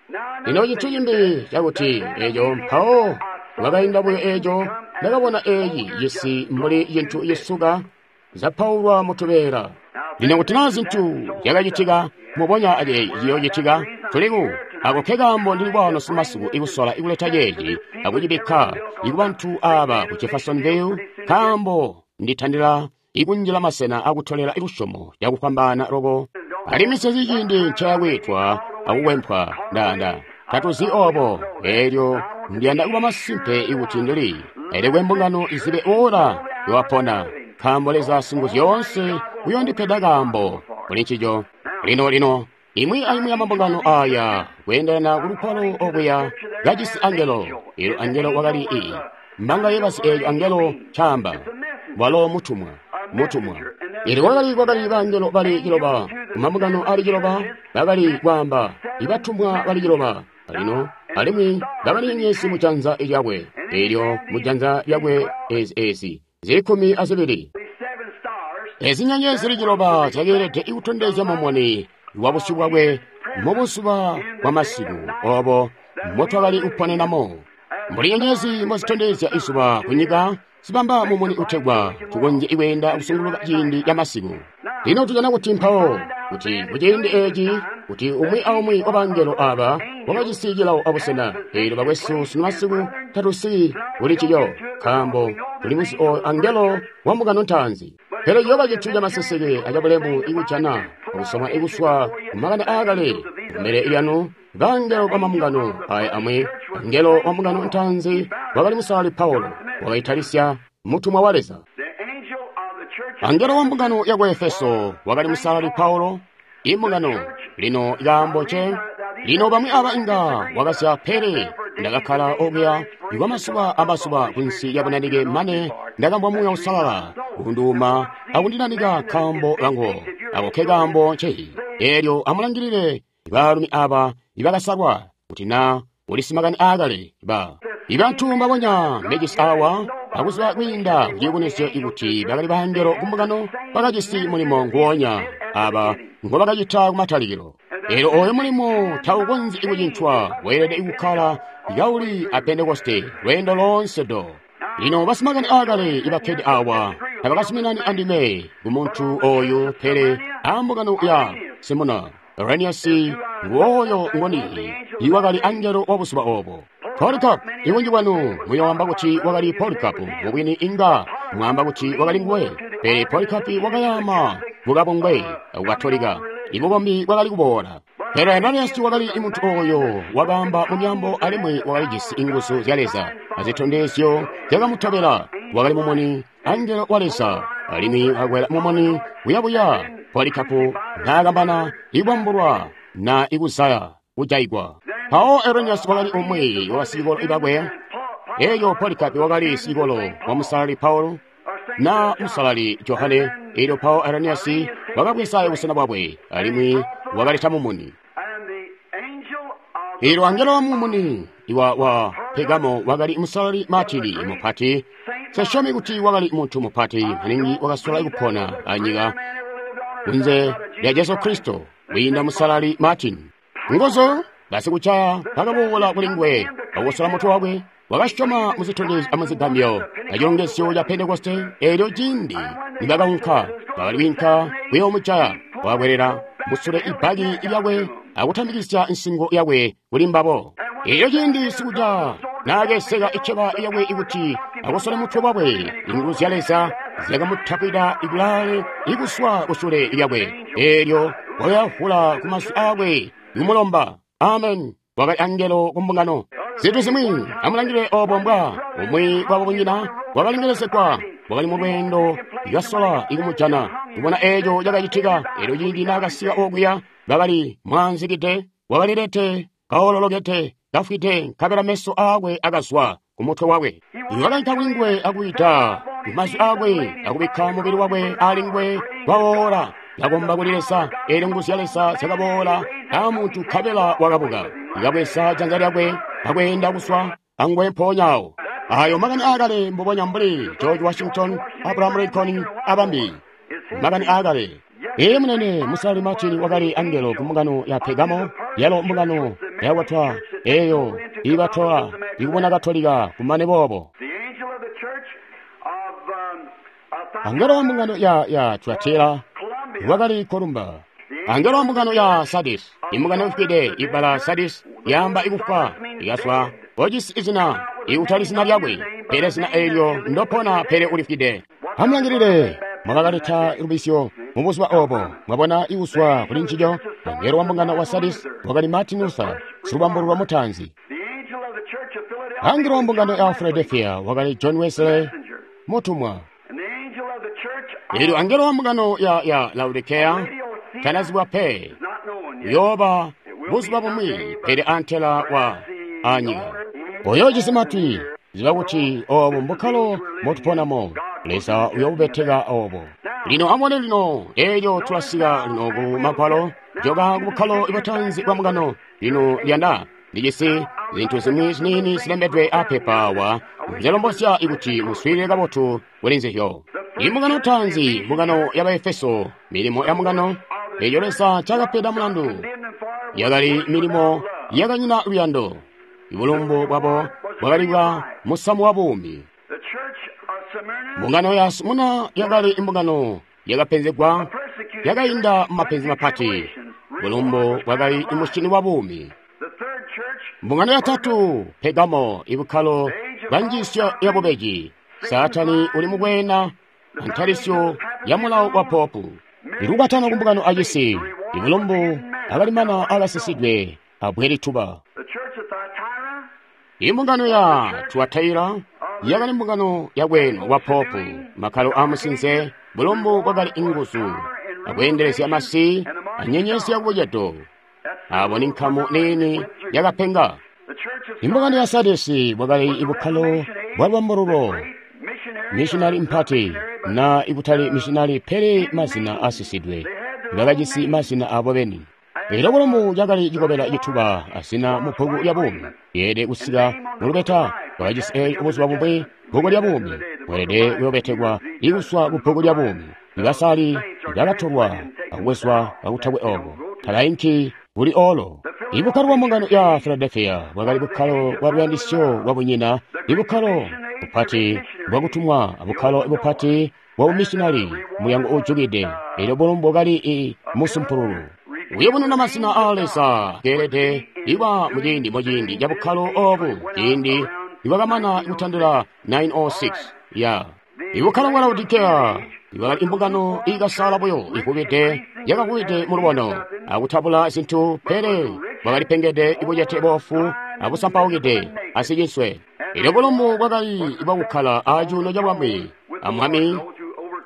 Lino cintu cimbi cakuti eeco mpawo wakainda buyo eeco ndakabona eeci cisi mbuli cintu cisuka zapaulwa mutubeela. Lino kuti naa zintu zyakacitika mubonya aceeci ciyoocitika tuliku ako ke kaambo ndili kwano simasiku ikusola ikuleta ceeci akucibikka ikubantu aaba ku Jeffersonville, kaambo nditandila ikunjila masena akutolela lusyomo cakufwambaana loko. Alimwi sezi ciindi ncayakwiitwa akukwempwa ndanda tatuzi obo. Eelyo ndiyanda kuba masimpe ikuti ndili elekwe mbungano izibe ora yowapona, nkaambo Leza Singuzyoonse uyondipeda kaambo kuli ncico. Lino lino imwi aimwi ya mambungano aya kweendelana kulupalo okuya kajisi angelo. Eelyo angelo wakali ii mbanga yebasi eelyo angelo caamba walo mutumwa mutumwa. Eelyo kwakali bangelo bali ciloba kumambungano ali ciloba bakali kwaamba ibatumwa bali ciloba. Lino alimwi bakali nyenyezi mujanza lyakwe. Eelyo mujanza lyakwe ezi zili 12. Ezi nyenyezi zili ciloba zyakeelede ikutondezya mumuni wa busyu bwakwe mubuzuba bwa masiku obo motwakali kuponenamo. Mbuli nyenyezi mbozitondezya izuba kunyika zibamba mumuni utegwa tukonzye ikweenda kusunguluka ciindi ca masiku. Lino tujana kuti mpawo kuti kuciindi eeci kuti umwi aumwi wa bangelo aba wakajisi cilawo abusena. Eelyo bakwesu sunu masiku tatusi kuli ciyo, nkaambo tuli muzi oyo angelo wa mbungano ntaanzi. Pele ciyooba cintu camaseseke acabulemu ikujana akusoma ikuswa kumakani aakale kumbele lyanu bangelo ba mambungano aya amwi. Angelo wa mbungano ntaanzi wakali Musalali Paulo, wakaitalisya mutumwa wa Leza. Angelo wa mbungano ya ku Efeso wakali Musalali Paulo, imbungano lino ikaambo nce. Lino bamwi aba inga wakasya, pele ndakakkala okuya kwamazuba amazuba kunsi ya bunanike mane ndakambwa Muuya Uusalala kunduuma akundinanika kaambo kangu. Ako ke kaambo nce. Eelyo amulangilile baalumi aba ibakasalwa kuti naa ulisi makani aakale ba ibantu mbabonya mbejisi awa akuziba kwiinda kuciyubunuzyo ikuti bakali bangelo kumbungano bakajisi mulimo nguwonya. aba ngo bakacita kumatalikilo. Elyo oyo mulimo taukonzyi kucincwa, weelede kukkala kauli a Pentekoste lweendo loonse do. Lino basimakani aakale ibakkede awa tabakazuminani andime ku muntu oyu, pele ambungano ya Simuna Irenaeus nguoyo ngoni iwakali angelo wa buzuba obo. Polycarp, ibunji bwanu muyoamba kuti wakali Polycarp, mubwini inga mwaamba kuti wakali nguwe, pele Polycarp wakayama kukabungwe Katolika, ibukombi bwakali kuboola. Pele Irenaeus wakali muntu oyo wakaamba mu myaambo alimwi wakalijisi inguzu zya Leza azitondezyo zyakamutobela. Wakali mumuni angelo wa Leza, alimwi wakakwela mumuni buyabuya. Polycarp naakambana ikwambulwa na ikuzaya kujaigwa. Mpawo Irenaeus wakali umwi wa basicikolo bakwe. Elyo Polycarp wakali sicikolo wa Musalali Paulo na Musalali Johane. Elyo mpawo Irenaeus wakabweza busena bwakwe alimwi wakaleta mumuni. Elyo angelo wa mumuni wa Pergamo wakali Musalali Martini mupati. Sesyomi kuti wakali muntu mupati maningi wakasola kupona anyika kunze lya Jesu Kristo kwiinda Musalali Martin. Nguzu basikucaya bakaboola kuli nguwe bakosola mutwe wakwe. Wakasyoma muzitondezyo amuzigambyo acilongezyo ca Pentekoste. Elyo ciindi nibakaunka bakali kwiinka kuyoomujaya, wakakwelela musule ibbaki lyakwe akutambikisya nsingo yakwe kuli mbabo. Elyo ciindi sikuca naakeseka iceba yakwe ikuti akosole mutwe wakwe, inguzu zya Leza zyakamutapwida ikulaale ikuswa kusule lyakwe. Elyo wakayavula ku mazwi aakwe kumulomba. Amen. Wakali angelo ku mbungano. Zintu zimwi amulangile obo mbwa umwi wabo bunyina wakalengelezegwa, wakali mu lweendo lwasola ikumujana kubona eeco cakacitika. Elyo ciindi naakasika okuya, bakali mwaanzikide, wakalilete kaololokete kafwide, nkabela meso aakwe akazwa ku mutwe wakwe. Wakainka kuli nguwe akwiita mazwi aakwe akubikka mubili wakwe ali nguwe wawoola. Kakomba kuli Leza, elyo nguzu zya Leza zyakaboola amuntu nkabela wakabuka. Kabweza janza lyakwe akweenda kuswa anguwe mpoonya awo. Ayo makani aakale mbubonya mbuli George Washington, Abraham Lincoln abambi. Makani aakale. Ee munene, Musalali Martin wakali angelo ku mbungano ya Pergamo, yalo mbungano yakwatwa eyo ibatola ikubona Katolika kumane boobo. Angelo wa mbungano ya Tuatira wakali Columba. Angelo wa mbungano ya Sardis, imbungano ifwide. Ibala Sardis yaamba ikufwa, ikaswa ojisi izina ikutali zina lyakwe, pele zina elyo ndopona, pele ulifwide. Amulangilile, mwakakaleta lubisyo mu buzuba obo, mwabona ikuswa kuli ncico. Angelo wa mbungano wa Sardis wakali Martin Luther, silubambululwa mutaanzi. Angelo wa mbungano ya Philadelphia wakali John Wesley, mutumwa. Elyo angelo wa mbungano ya Laodicea tanazibwa pe, uyooba buzuba bumwi, pele antela wa anyika. Oyo ujisi matwi, ziba kuti obo mbukkalo motuponamo. Leza uyobubeteka obo. Lino amubone lino, elyo tulasika lino ku magwalo, joka ku bukkalo butaanzi bwa mbungano. Lino lyanda ndijisi zintu zimwi ziniini zilembedwe apepa awa, nzelombozya ikuti muswiilile kabotu kuli nzizyo. Imbungano taanzi, mbungano ya Baefeso, milimo ya mbungano eyo Leza cakapeda mulandu yakali milimo yakanyina luyando. Ibulumbu bwabo bwakali bwa musamu wa buumi. Mbungano ya Simuna yakali imbungano yakapenzegwa, yakainda mumapenzi mapati. Bulumbu bwakali imusyini wa buumi. Mbungano yatatu, Pergamo, ibukkalo bwa njiisyo ya bubeji. Saatani uli mukweena antalisyo ya mulawo wa popu. Ilukwatano ku mbungano acisi, ibulumbu akalimana akasisidwe abwe lituba. Imbungano ya Tuatira yakali mbungano yakweenwa kwa popu, makkalo amusinze, bulumbu bwakali inguzu akweendelezya masi anyenyezi yakubucedo. Abo ni nkamu niini yakapenga. Imbungano ya Sadesi bwakali ibukkalo bwa lubambululo, missionary mpati na ikutali missionary pele mazina asisidwe, bakajisi mazina abo beni. Elyo bulumbu cakali cikobela cituba azina mu bbuku lya buumi, yeelede kusika mulubeta. Bakajisi eelyo buzuba bumwi bbuku lya buumi bweelede kuyobetekwa ikuswa ku bbuku lya buumi. Ibasali bakatolwa akubwezwa kakutakwe obo. Talainki kuli olo. Ibukkalo bwa mbungano ya Philadelphia bwakali bukkalo bwa luyandisyo lwa bunyina, ibukkalo bupati bwakutumwa, bukkalo bupati bwa bumissionari, mulyango uujukide, elyo bulumbu bwakali musumpululu. Uyubununa mazina aa Leza keelede iba muciindi muciindi ca bukkalo obu, ciindi ibwakamana kutandila 906 ya ibukkalo bwa Laodikea ibwakali imbungano iikasaala buyo ivubide yakavubide mulubono akutabula zintu, pele bwakalipengede ibucete boofu abusampaukide asicinswe. Elyo bulumbu bwakali bwakukkala acuuno cabwami amwami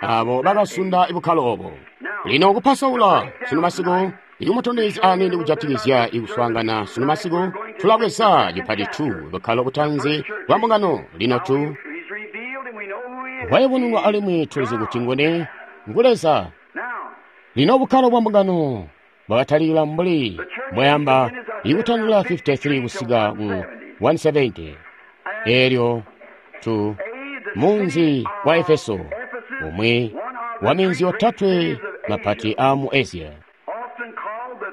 abo bakasunda ibukkalo obo. Lino kupasaula sunu masiku ikumutondezya aniini kujatikizya ikuswaangana sunu masiku, tulabweza cipati 2 bukkalo butanzi bwa mbungano. Lino tu wayubununwa alimwi tulizi kuti nguni ngu Leza. Lino bukkalo bwa mbungano bwakatalikila mbuli mbwayamba ikutandila 53 kusika ku 170. Elyo tu munzi wa Efeso, umwi wa minzi yotatwe mapati a mu Asia,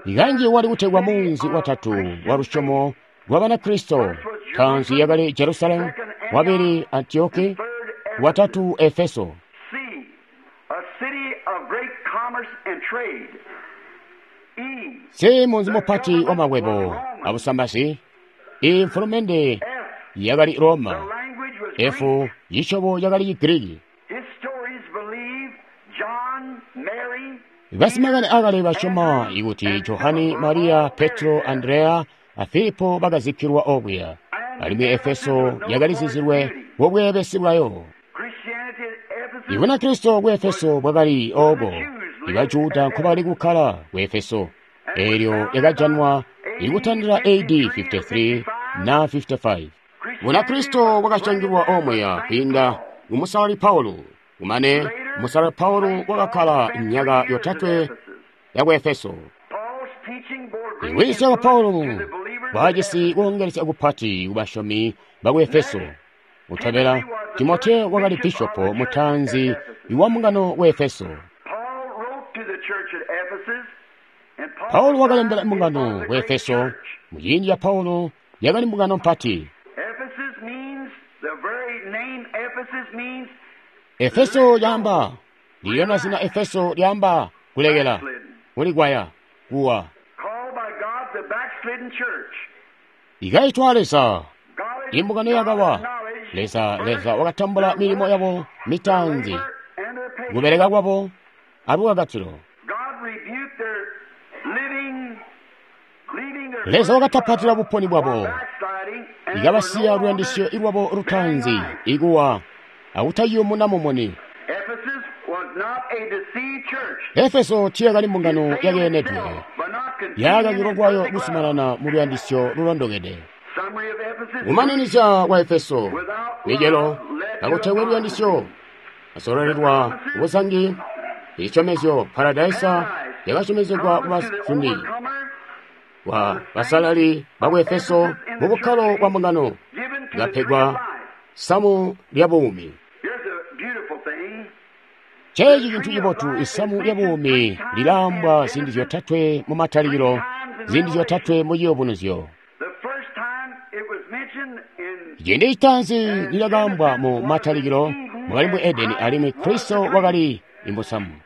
ikanji wali kutegwa munzi watatu wa lusyomo lwa Banakristo. Tanzi yakali Jerusalemu, wabili Antioki, watatu Efeso. Si munzi mupati wa makwebo abusambazi. Imfulumende yakali Roma. F cisyobo yakali Chigiriki. Basimakani akale basyoma ikuti Johani, Mariya, Petro, Andreya a Filipo bakazikkilwa okuya, alimwi Efeso yakalizizilwe bubweebesi bwayo. Ibunakristo ku Efeso bwakali obo, ibajuda nkobakali kukkala ku Efeso, elyo yakajanwa ikutandila AD 53 na 55. Bunakristo bwakacangilwa omweya kwiinda ku Musalali Paulo. Kumane Musalali Paulo wakakkala myaka yotatwe ya ku Efeso. Iwiisya kwa Paulo bwajisi kuongelesya kupati kubasyomi baku Efeso. Kutobela, Timoteo wakali bishopo mutanzi wa mbungano ku Efeso. Paulo wakalembela mbungano ku Efeso. Muciindi ca Paulo yakali mbungano mpati. Efeso lyaamba ndilyo zina Efeso lyaamba kulekela, kulikwaya, kuwa. Ikaitwa Leza imbungano yakawa. Leza Leza wakatambula milimo yabo mitanzi, kubeleka kwabo abukakatilo. Leza wakatapatila buponi bwabo, ikabasiya luyandisyo ilwabo lutanzi ikuwa akutayumuna mumuni. Efeso tiyakali mbungano yakeenedwe, yakakilwa kwayo kusumanana mu luyandisyo lulondokede. Kumaninizya kwa Efeso micelo kakutekwe luyandisyo asololelwa kubuzangi. Ichisyomezyo paradaisa yakasyomezegwa kubafundi wa basalali baku Efeso mu bukkalo bwa mbungano, ikapegwa samu lya buumi. Chechi cintu cibotu, isamu lya buumi lilambwa ziindi zyotatwe mu Matalikilo, ziindi zyotatwe mu Ciyubunuzyo. Ciindi citaanzi lilyakaambwa mu Matalikilo mwakali mu Edeni, alimwi Kristo wakali imbusamu.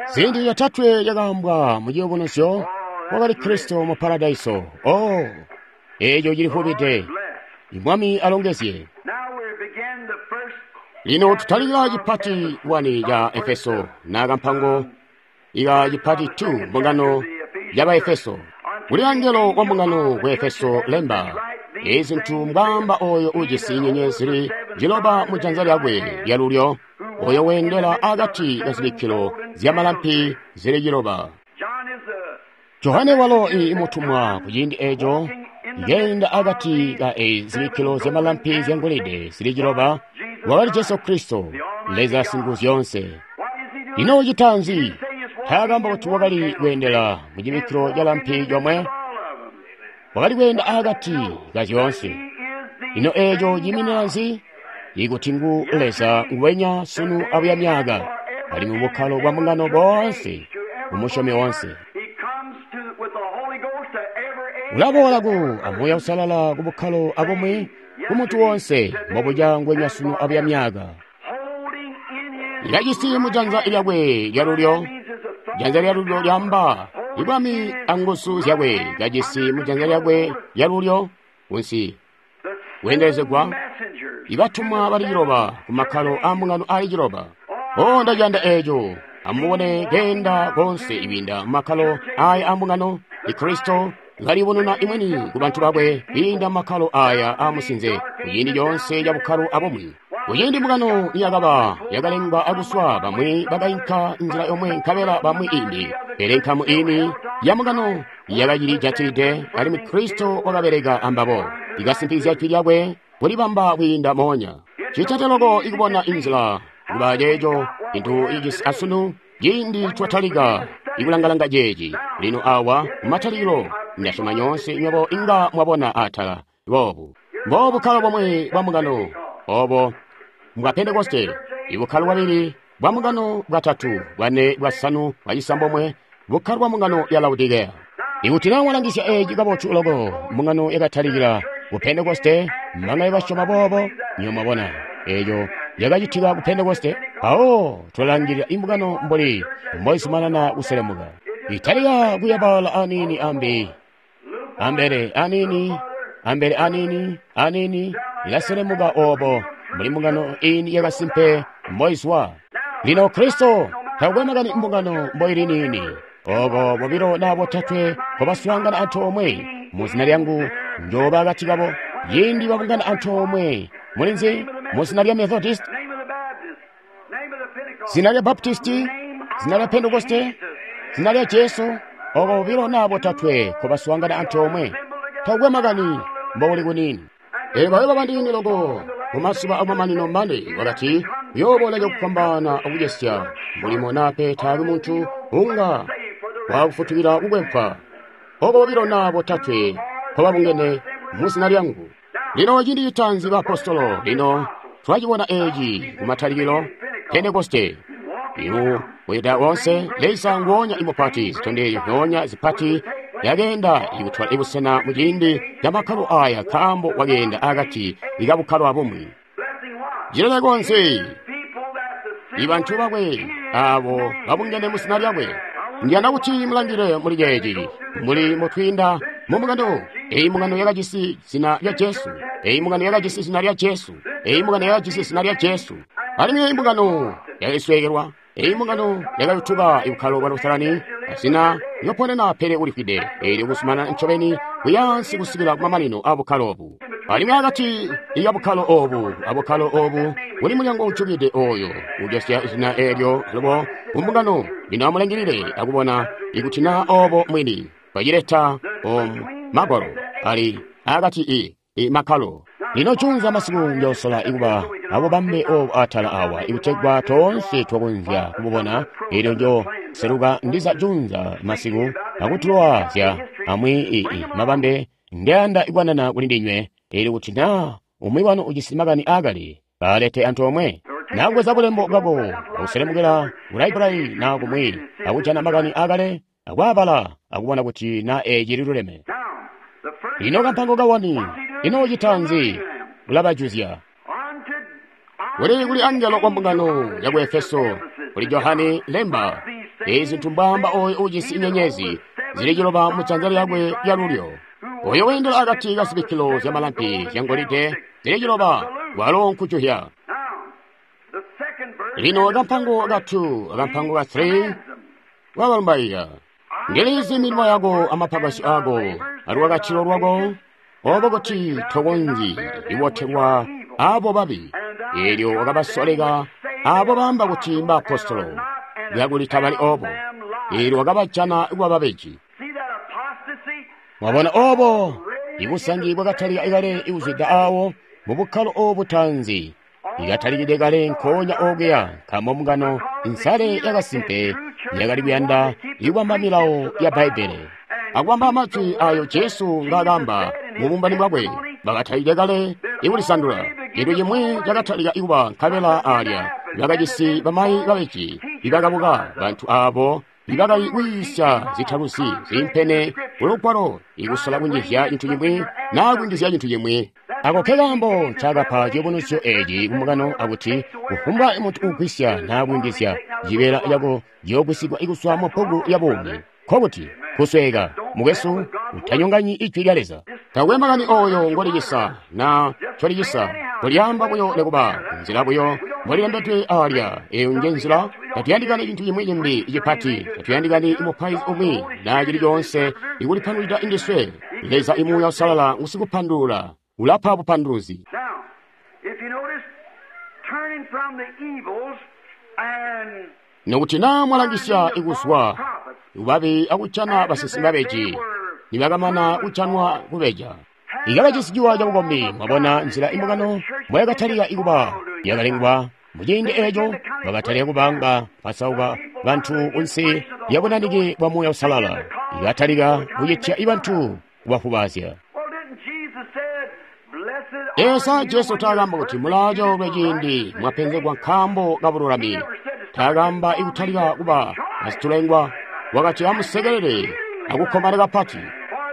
Ziindi zyotatwe lyakaambwa mu Ciyubunuzyo wakali Kristo mu Paradaiso. Oh, eco cilifubide. Mwami alongezye. Lino tutalikila cipati 1 ca Efeso na kampango ika cipati 2 mbungano ya Baefeso. Kuli angelo wa mbungano ku Efeso lemba, ezi zintu mbwaamba oyo ujisi nyenyezi zili ciloba mu janza lyakwe lyalulyo, oyo weendela akati ka zibikkilo zyamalampi zili ciloba. Johane walo imutumwa ku ciindi eco ngeenda akati ka zibikkilo zyamalampi zyangolide zili ciloba wakali Jesu Kristo, Leza Singuzyoonse. Ino ucita nzi? Taakamba kuti wakali kweendela mu cibikkilo ca lampi comwe, wakali kweenda akati ka zyoonse. Ino eeco ciiminina nzi? Ikuti ngu Leza nguwenya sunu abuya myaaka, alimwi bukkalo bwa mbungano boonse, kumusyomi woonse. Ulaboola ku amuuya usalala ku bukkalo abumwi ku muntu woonse mbobuca ngwenya sunu abuya myaaka. Ilajisi mu janza lyakwe lyalulyo, janza lyalulyo lyamba ibwami anguzu zyakwe kajisi mu janza lyakwe lyalulyo kunsi kweendelezegwa ibatumwa bali ciloba ku makkalo aa mbungano aali ciloba. O ndaciyanda eeco. Amubone keenda konse ibinda mu makkalo aaya aa mbungano. Ikristo kalibonena imweni ku bantu bakwe kwiinda mu makkalo aaya aamusinze kuciindi coonse ca bukkalo abumwi. Kuciindi mbungano niyakaba yakalengwa akuswa, bamwi bakainka nzila yomwe nkabela bamwi imbi, pele nkamu ini ya mbungano yakacili jatilide, alimwi Kristo wakabeleka ambabo ikasimpikizya jwi lyakwe kulibamba kwiinda moonya. Citete loko ikubona inzila kuba ceeco cintu ijisi asunu ciindi twatalika ikulangalanga ceeci. Lino awa kumatalikilo ndasyoma nyoonse nywebo inga mwabona atala boobu. Mbo bukkalo bomwe bwa mbungano obo mbwa Pentekoste, ibukkalo bwabili bwa mbungano, bwatatu, bwane, bwasanu, bwacisambomwe, bukkalo bwa mbungano ya Laodikea. Ikuti naa walangisya eeci kabotu loko, mbungano yakatalikila ku Pentekoste, mbangano basyoma boobo, nywebo mwabona eeco yakacitika ku Pentekoste. Mpawo tulalangilila imbungano mbuli mboizumanana kuselemuka, italika kuyabala aniini ambi ambele aniini ambele aniini aniini, ilaselemuka obo mbuli mbungano ini yakasimpe mboizwa. Lino Kristo takukwe makani mbungano mboili niini, oko bobilo naa botatwe nkobaswaangana antoomwe mu zina lyangu, njooba akati kabo. Ciindi babungana antoomwe mulinzi mu zina lya Methodist, zina lya Baptisti, zina lya Pentekoste, zina lya Jesu, oko bobilo naa botatwe nkobaswaangana antoomwe, takukwe makani mbouli kuniini. Elyo bayoba bandiini loko mumazuba amamanino mane wakati uyooboola cakufwambaana akucesya mulimo nape taakwe muntu unga wakufutukila kukwempwa. Oko bobilo naa botatwe nkobabungene mu zina lyangu. Lino ciindi citaanzi baapostolo, lino twacibona eeci kumatalikilo, Pentekoste. Imu kuyita wonse Leza nguonya imupati, zitondezyo zyoonya zipati yakeenda ikutwala ibusena mu ciindi ca makkalo aya, nkaambo wakeenda akati ikabukkalo abumwi. Cileleko nzi ibantu bakwe abo babungene mu zina lyakwe. Ndiyanda kuti mulangile muli ceeci mbuli mutwiinda mu mbungano. Eyi mbungano yakajisi zina lya Jesu. Eyi mbungano yakajisi zina lya Jesu. Eyi mbungano yakajisi zina lya Jesu. Alimwi eyi mbungano yakasweekelwa. Eyi mbungano yakayutuka ibukkalo bwa Lusalani, zina lyoponena pele ulifwide, eelyo kuzumanana ncobeni kuyaansi kusikila kumamanino a bukkalo obu. Alimwi akati ya bukkalo obu abukkalo obu kuli mulyango ujukide oyo ujosya zina eelyo alubo ku mbungano. Lino amulangilile akubona ikuti naa obo mwini bacileta omu magwalo ali akati i makkalo. Lino junza masiku njoosola ikuba abubambe obu atala awa ikutegwa toonse twakonzya kububona. Eelyo njo seluka ndiza junza masiku akutulowa zya amwi ii mabambe ndiyanda ikwanana kuli ndinywe. Eelyo kuti naa umwi wanu ujisi makani aakale, baalete antoomwe. Nakubweza bulembo bwako akuselemukila ku library naa kumwi akujana makani aakale akwaabala akubona kuti naa eeci liluleme. Lino kampango kawani, ino ucita nzi? Ulabajuzya. Kuli kuli angelo wa mbungano ya ku Efeso, kuli Johani lemba, ezi zintu mbwaamba oyo ujisi inyenyezi zili ciloba mu janza lyakwe lyalulyo, oyo weendela akati ka zibikkilo zyamalampi zyangolide zili ciloba, walo nkujuhya. Lino kampango ka 2 akampango ka 3 wabalumbaika. Ndilizi milimo yako amapakasyo ako alwakatilo lwako, obo kuti tokonzyi ibotelwa abo babi. Eelyo wakabasoleka abo baamba kuti mbaapostolo, kakuli tabali obo. Eelyo wakabajana kuba babeji. Mwabona obo ibusangi bwakatalika kale ikuzwida awo mu bukkalo obu butaanzi, ikatalikide kale nkoonya okuya, nkaambo mbungano insale yakasimpe yakali kuyanda ikubamba milawo ya Bbaibbele akubamba majwi ayo Jesu ngaakamba mu bumbani bwakwe. Bakatalike kale ikulisandula. Cintu cimwi cakatalika kuba nkabela alya bakajisi bamayi babeji ibakabuka, bantu abo ibakali kuyiisya zitaluzi ziimpene kulugwalo, ikusola kunjizya cintu cimwi naa kunjizya cintu cimwi. Ako nkekaambo ncakapa ciyubunuzyo eci kumbungano, akuti kufumbwa muntu uugwisya naa kuyungizya, cibeela cako ciyoogwisigwa kuzwa mu bbuku lya buumi. Nkokuti kusweeka, mukwesu, utanyonganyi Ijwi lya Leza. Takwe makani oyo ngolicisa na ncolicisa, kolyaamba buyo nekuba nzila buyo mbolilembedwe alya. Eyo nje nzila. Tatuyandikani cintu cimwi cimbi cipati, tatuyandikani mupaizi umwi na cili coonse ikulipandulwida indiswe. Leza imuuya Uusalala ngusikupandulula, ulapa bupanduluzi. Now, if you notice, turning from the evils and Nokuti naa mwalangisya ikuzwa kubabi akujana basinsimi babeji, nibakamana kujanwa kubeja, ikabajisi ciwa cabukombi. Mwabona nzila imbungano mboyakatalika ikuba yakalengwa muciindi eeco, bakatalika kubanga pasauka bantu kunsi lya bunanike bwa Muuya Uusalala, ikatalika kucitya ibantu kubafubaazya. Well, didn't Jesus said, Blessed are Esa you Jesu when taakamba you're kuti mulaacoolwe ciindi mwapenzegwa nkaambo kabululami. Taakamba ikutalika kuba basitulengwa. Wakati amusekelele akukkomana kapati,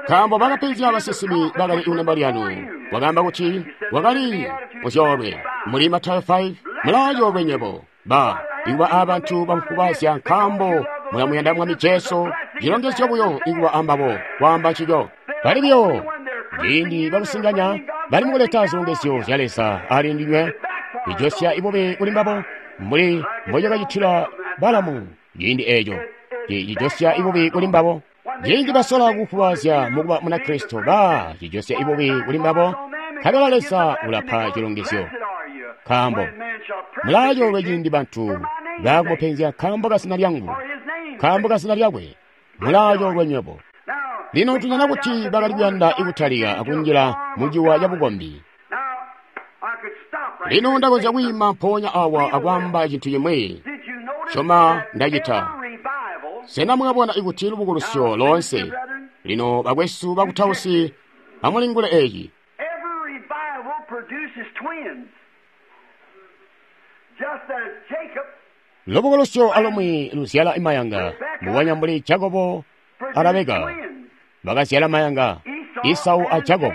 nkaambo bakapenzya basinsimi bakali kunembo lyanu. Wakaamba kuti wakali muzyoolwe muli Matayo 5, mulaacoolwe nywebo ba ikuba abantu bamukubazya nkaambo mulamuyanda Mwami Jesu. Cilongezyo buyo ikuba ambabo kwaamba ncico. Bali buyo ciindi bakusinganya bali mukuleta zilongezyo zya Leza ali ndinywe, ijosya ibubi kuli mbabo mbuli mbocakacitila Balamu ciindi eeco. Cijosya ibubi kuli mbabo ciindi basola kufubaazya mukuba Munakristo, ba cijosya ibubi kuli mbabo, nkabela Leza ulapa cilongezyo. Nkaambo mulaacoolwe ciindi bantu baakumupenzya nkaambo ka zina lyangu, nkaambo ka zina lyakwe, mulaacoolwe nywebo. Lino tujana kuti bakali kuyanda ikutalika akunjila muciwa cabukombi. Now, I could stop right Lino here. ndakonzya kwiima mpoonya awa akwaamba cintu chimwi. Did you notice Syoma that ndacita. every revival Sena mwabona ikuti lubukulusyo loonse? Lino bakwesu bakutausi, amulingule eci. Every revival produces twins. Just as Jacob Lubukulusyo alumwi luzyala imayanga, mbubonya mbuli Jakobo produced a Rabeka twins. bakazyala mayanga, Isau a Jakobo.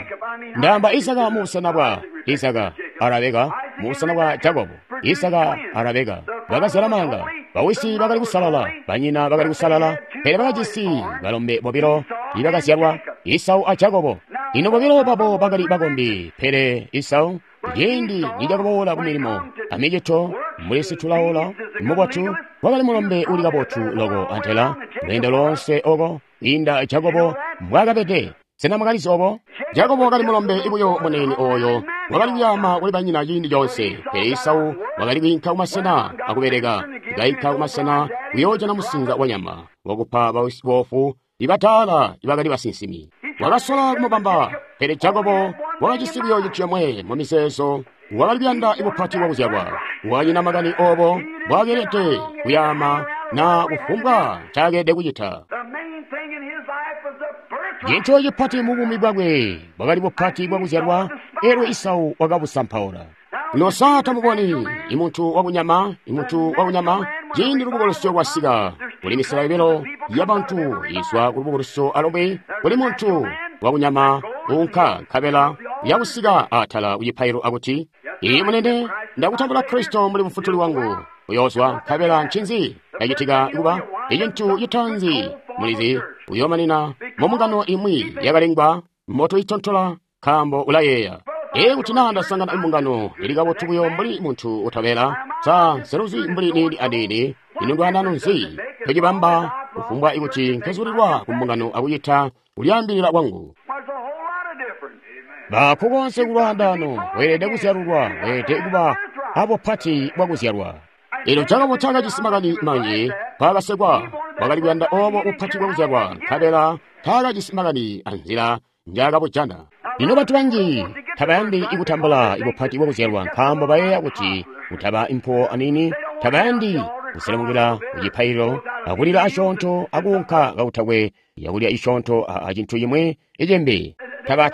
Ndaamba Isaka mu busena bwa Isaka a Rabeka mu busena bwa Jakobo. Isaka a Rabeka bakazyala mayanga. Bawisi bakali kusalala, banyina bakali kusalala, pele bakajisi balombe bobilo ibakazyalwa, Isau a Jakobo. Ino bobilo babo bakali bakombi, pele Isau ciindi nicakaboola ku milimo amicito mbuli situlaola mubotu, wakali mulombe uli kabotu loko antela lweendo loonse oko inda Jakobo mbwaakabede. Sena mwakalizi obo? Jakobo wakali mulombe ibuyo munene oyo wakali kuyama kuli banyina ciindi coonse, pele Isau wakali kwiinka kumasena akubeleka, kainka kumasena kuyoojana musinza wa nyama wakupa boofu ibataala ibakali basinsimi. Wakasola kumubamba, pele Jakobo wakajisi buyo cintu comwe mu mizeezo, wakali kuyanda ibupati bwakuzyalwa. Wanyina makani obo mbwaakeelede kuyama na kufumbwa ncaakeelede kucita. The main thing in his life was the birthright. Cintu cipati mu buumi bwakwe bwakali bupati bwakuzyalwa, elyo Isau wakabusampaula. Lino sa tamuboni imuntu wakunyama, imuntu wakunyama, ciindi lubukulusyo lwasika, kuli misela yobilo yabantu izwa ku lubukulusyo alumwi, kuli muntu wakunyama uunka nkabela yakusika atala kucipailo akuti, Iye munene, ndakutambula Kristo mbuli mufutuli wangu. Uyoozwa nkabela ncinzi cacitika kuba icintu citaanzi mulizi uyoomanina mumbungano imwi yakalengwa moto itontola nkaambo ulayeeya. Ee, kuti naa ndasangana imbungano ili kabotu buyo mbuli muntu utabela, sa nseluzi mbuli niini aniini, ino ndwanano nzi tocibamba kufumbwa ikuti nkezulilwa ku mbungano akucita kulyaambilila kwangu. There's a whole lot of difference. Bako konse kulwaandano, weelede kuzyalulwa, weelede kuba abupati bwakuzyalwa. Elyo Jakobo taakajisi makani manji, mpaakasekwa, wakali kuyanda obo bupati bwakuzyalwa, nkabela taakajisi makani anzila njaakabujana. Lino bantu banji tabayandi kutambula ibupati bwakuzyalwa nkaambo bayeeya kuti kutaba impuwo aniini, tabayandi kuselemukila kucipaililo akulila asyoonto akuunka kakutakwe yakulya isyoonto acintu cimwi icimbi. Taba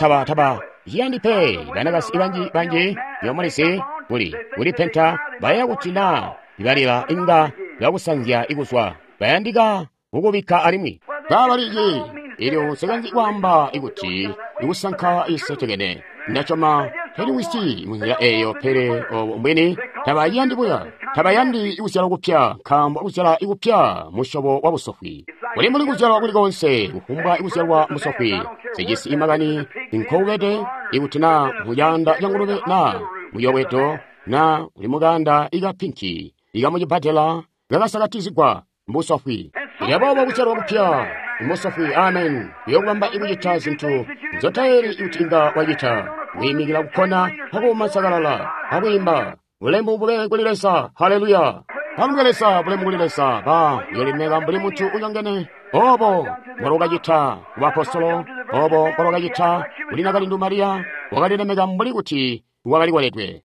ciyandi pe. Banakasi banji banji yomulisi kuli kulipenta baya kuti na ibalila inga bakusanzya ikuzwa bayandika kukubikka alimwi kabaliki elyo nsikanzi kwaamba ikuti ikusanka isetekene ndachoma teliwisi munzila eyo pele obo mbwini tabayandi buya tabayandi ikuzyalwa kupya nkaambo kuzyala ikupya musyobo wa busofwi kuli mbuli kuzyalwa kuli konse kufumbwa ikuzyalwa musofwi sijisi imakani inkoubede ikuti na muyanda cangulube na muyobwedo na uli mukanda ikapinki ikamucibbadela kakasakatizigwa mbusofwi yaboobo kuzyalwa kupya musofwi amen uyokubamba ikucita zintu nzotayeli kuti inga wacita kuyimikila kukhona akuma sakalala akuyimba bulemu bube kuli Leza haleluya balumbe Leza bulemu kuli Leza ba uyolimeka mbuli munthu unyongene obo mbwalokacita ku bapostolo obo mbwalokacita kuli nakalindu Mariya wakalilemeka mbuli kuti wakali koledwe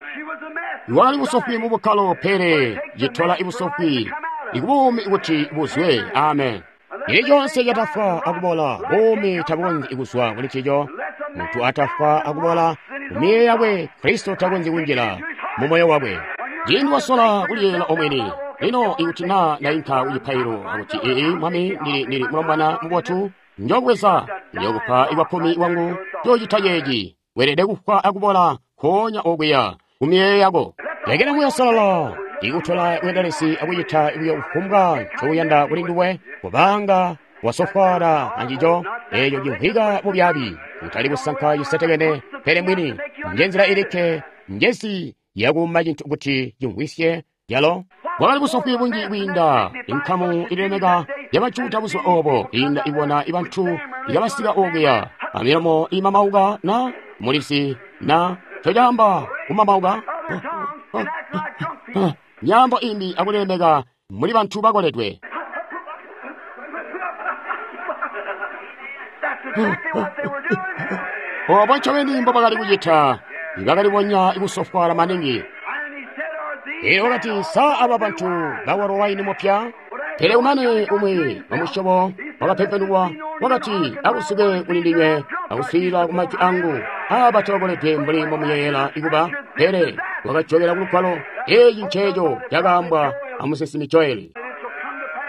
wakali busofwi mu bukkalo pele citola ibusofwi ikubuumi kuti buzwe amen ili chonse chatafwa akubola buumi tabukonzyi kuzwa kuli chicho munthu atafwa akubola mumiyeyo yakwe khristu takonzyi kunjira mu moyo wakwe ciindi wasola kuliyela omwini lino ikuti na ndayinka kuchipailo akuti ii mwami ndili mulombwana mubotu njobweza njokupa ikwakkumi wangu njocita ceeci weelede kufwa akubola nkoonya okuya kumiyeyo yako lekela Muuya Uusalala ikutola bweendelezi akucita buyo kufumbwa ncokuyanda kuli nduwe kubanga wasofwaala ancico eeco cimvwika bubyaabi kutali kusanka cisetekene pele mwini njenzila ilikke njezi yakuuma cintu kuti cimvwisye yalo bwakali busofwi bunji kwiinda inkamu ililemeka yabajuda buzuba obo kwiinda ibona ibantu ikabasika okuya amilomo imamauka na mulisi na cocaamba kumamauka nyambo imbi akulilemeka muli bantu bakoledwe obo ncobeni mbo bakali kucita bakalibonya ikusofwaala maningi elyo wakati sa aba bantu bawalwa waini mupya pele umane umwi wamusyobo wakapempenulwa wakati akusuke kuli ndinywe akuswiilila ku majwi angu aba tabakoledwe mbuli mbomuyeyela ikuba pele wakajokela kulugwalo eeci nceeco cakaambwa amusinsimi Joeli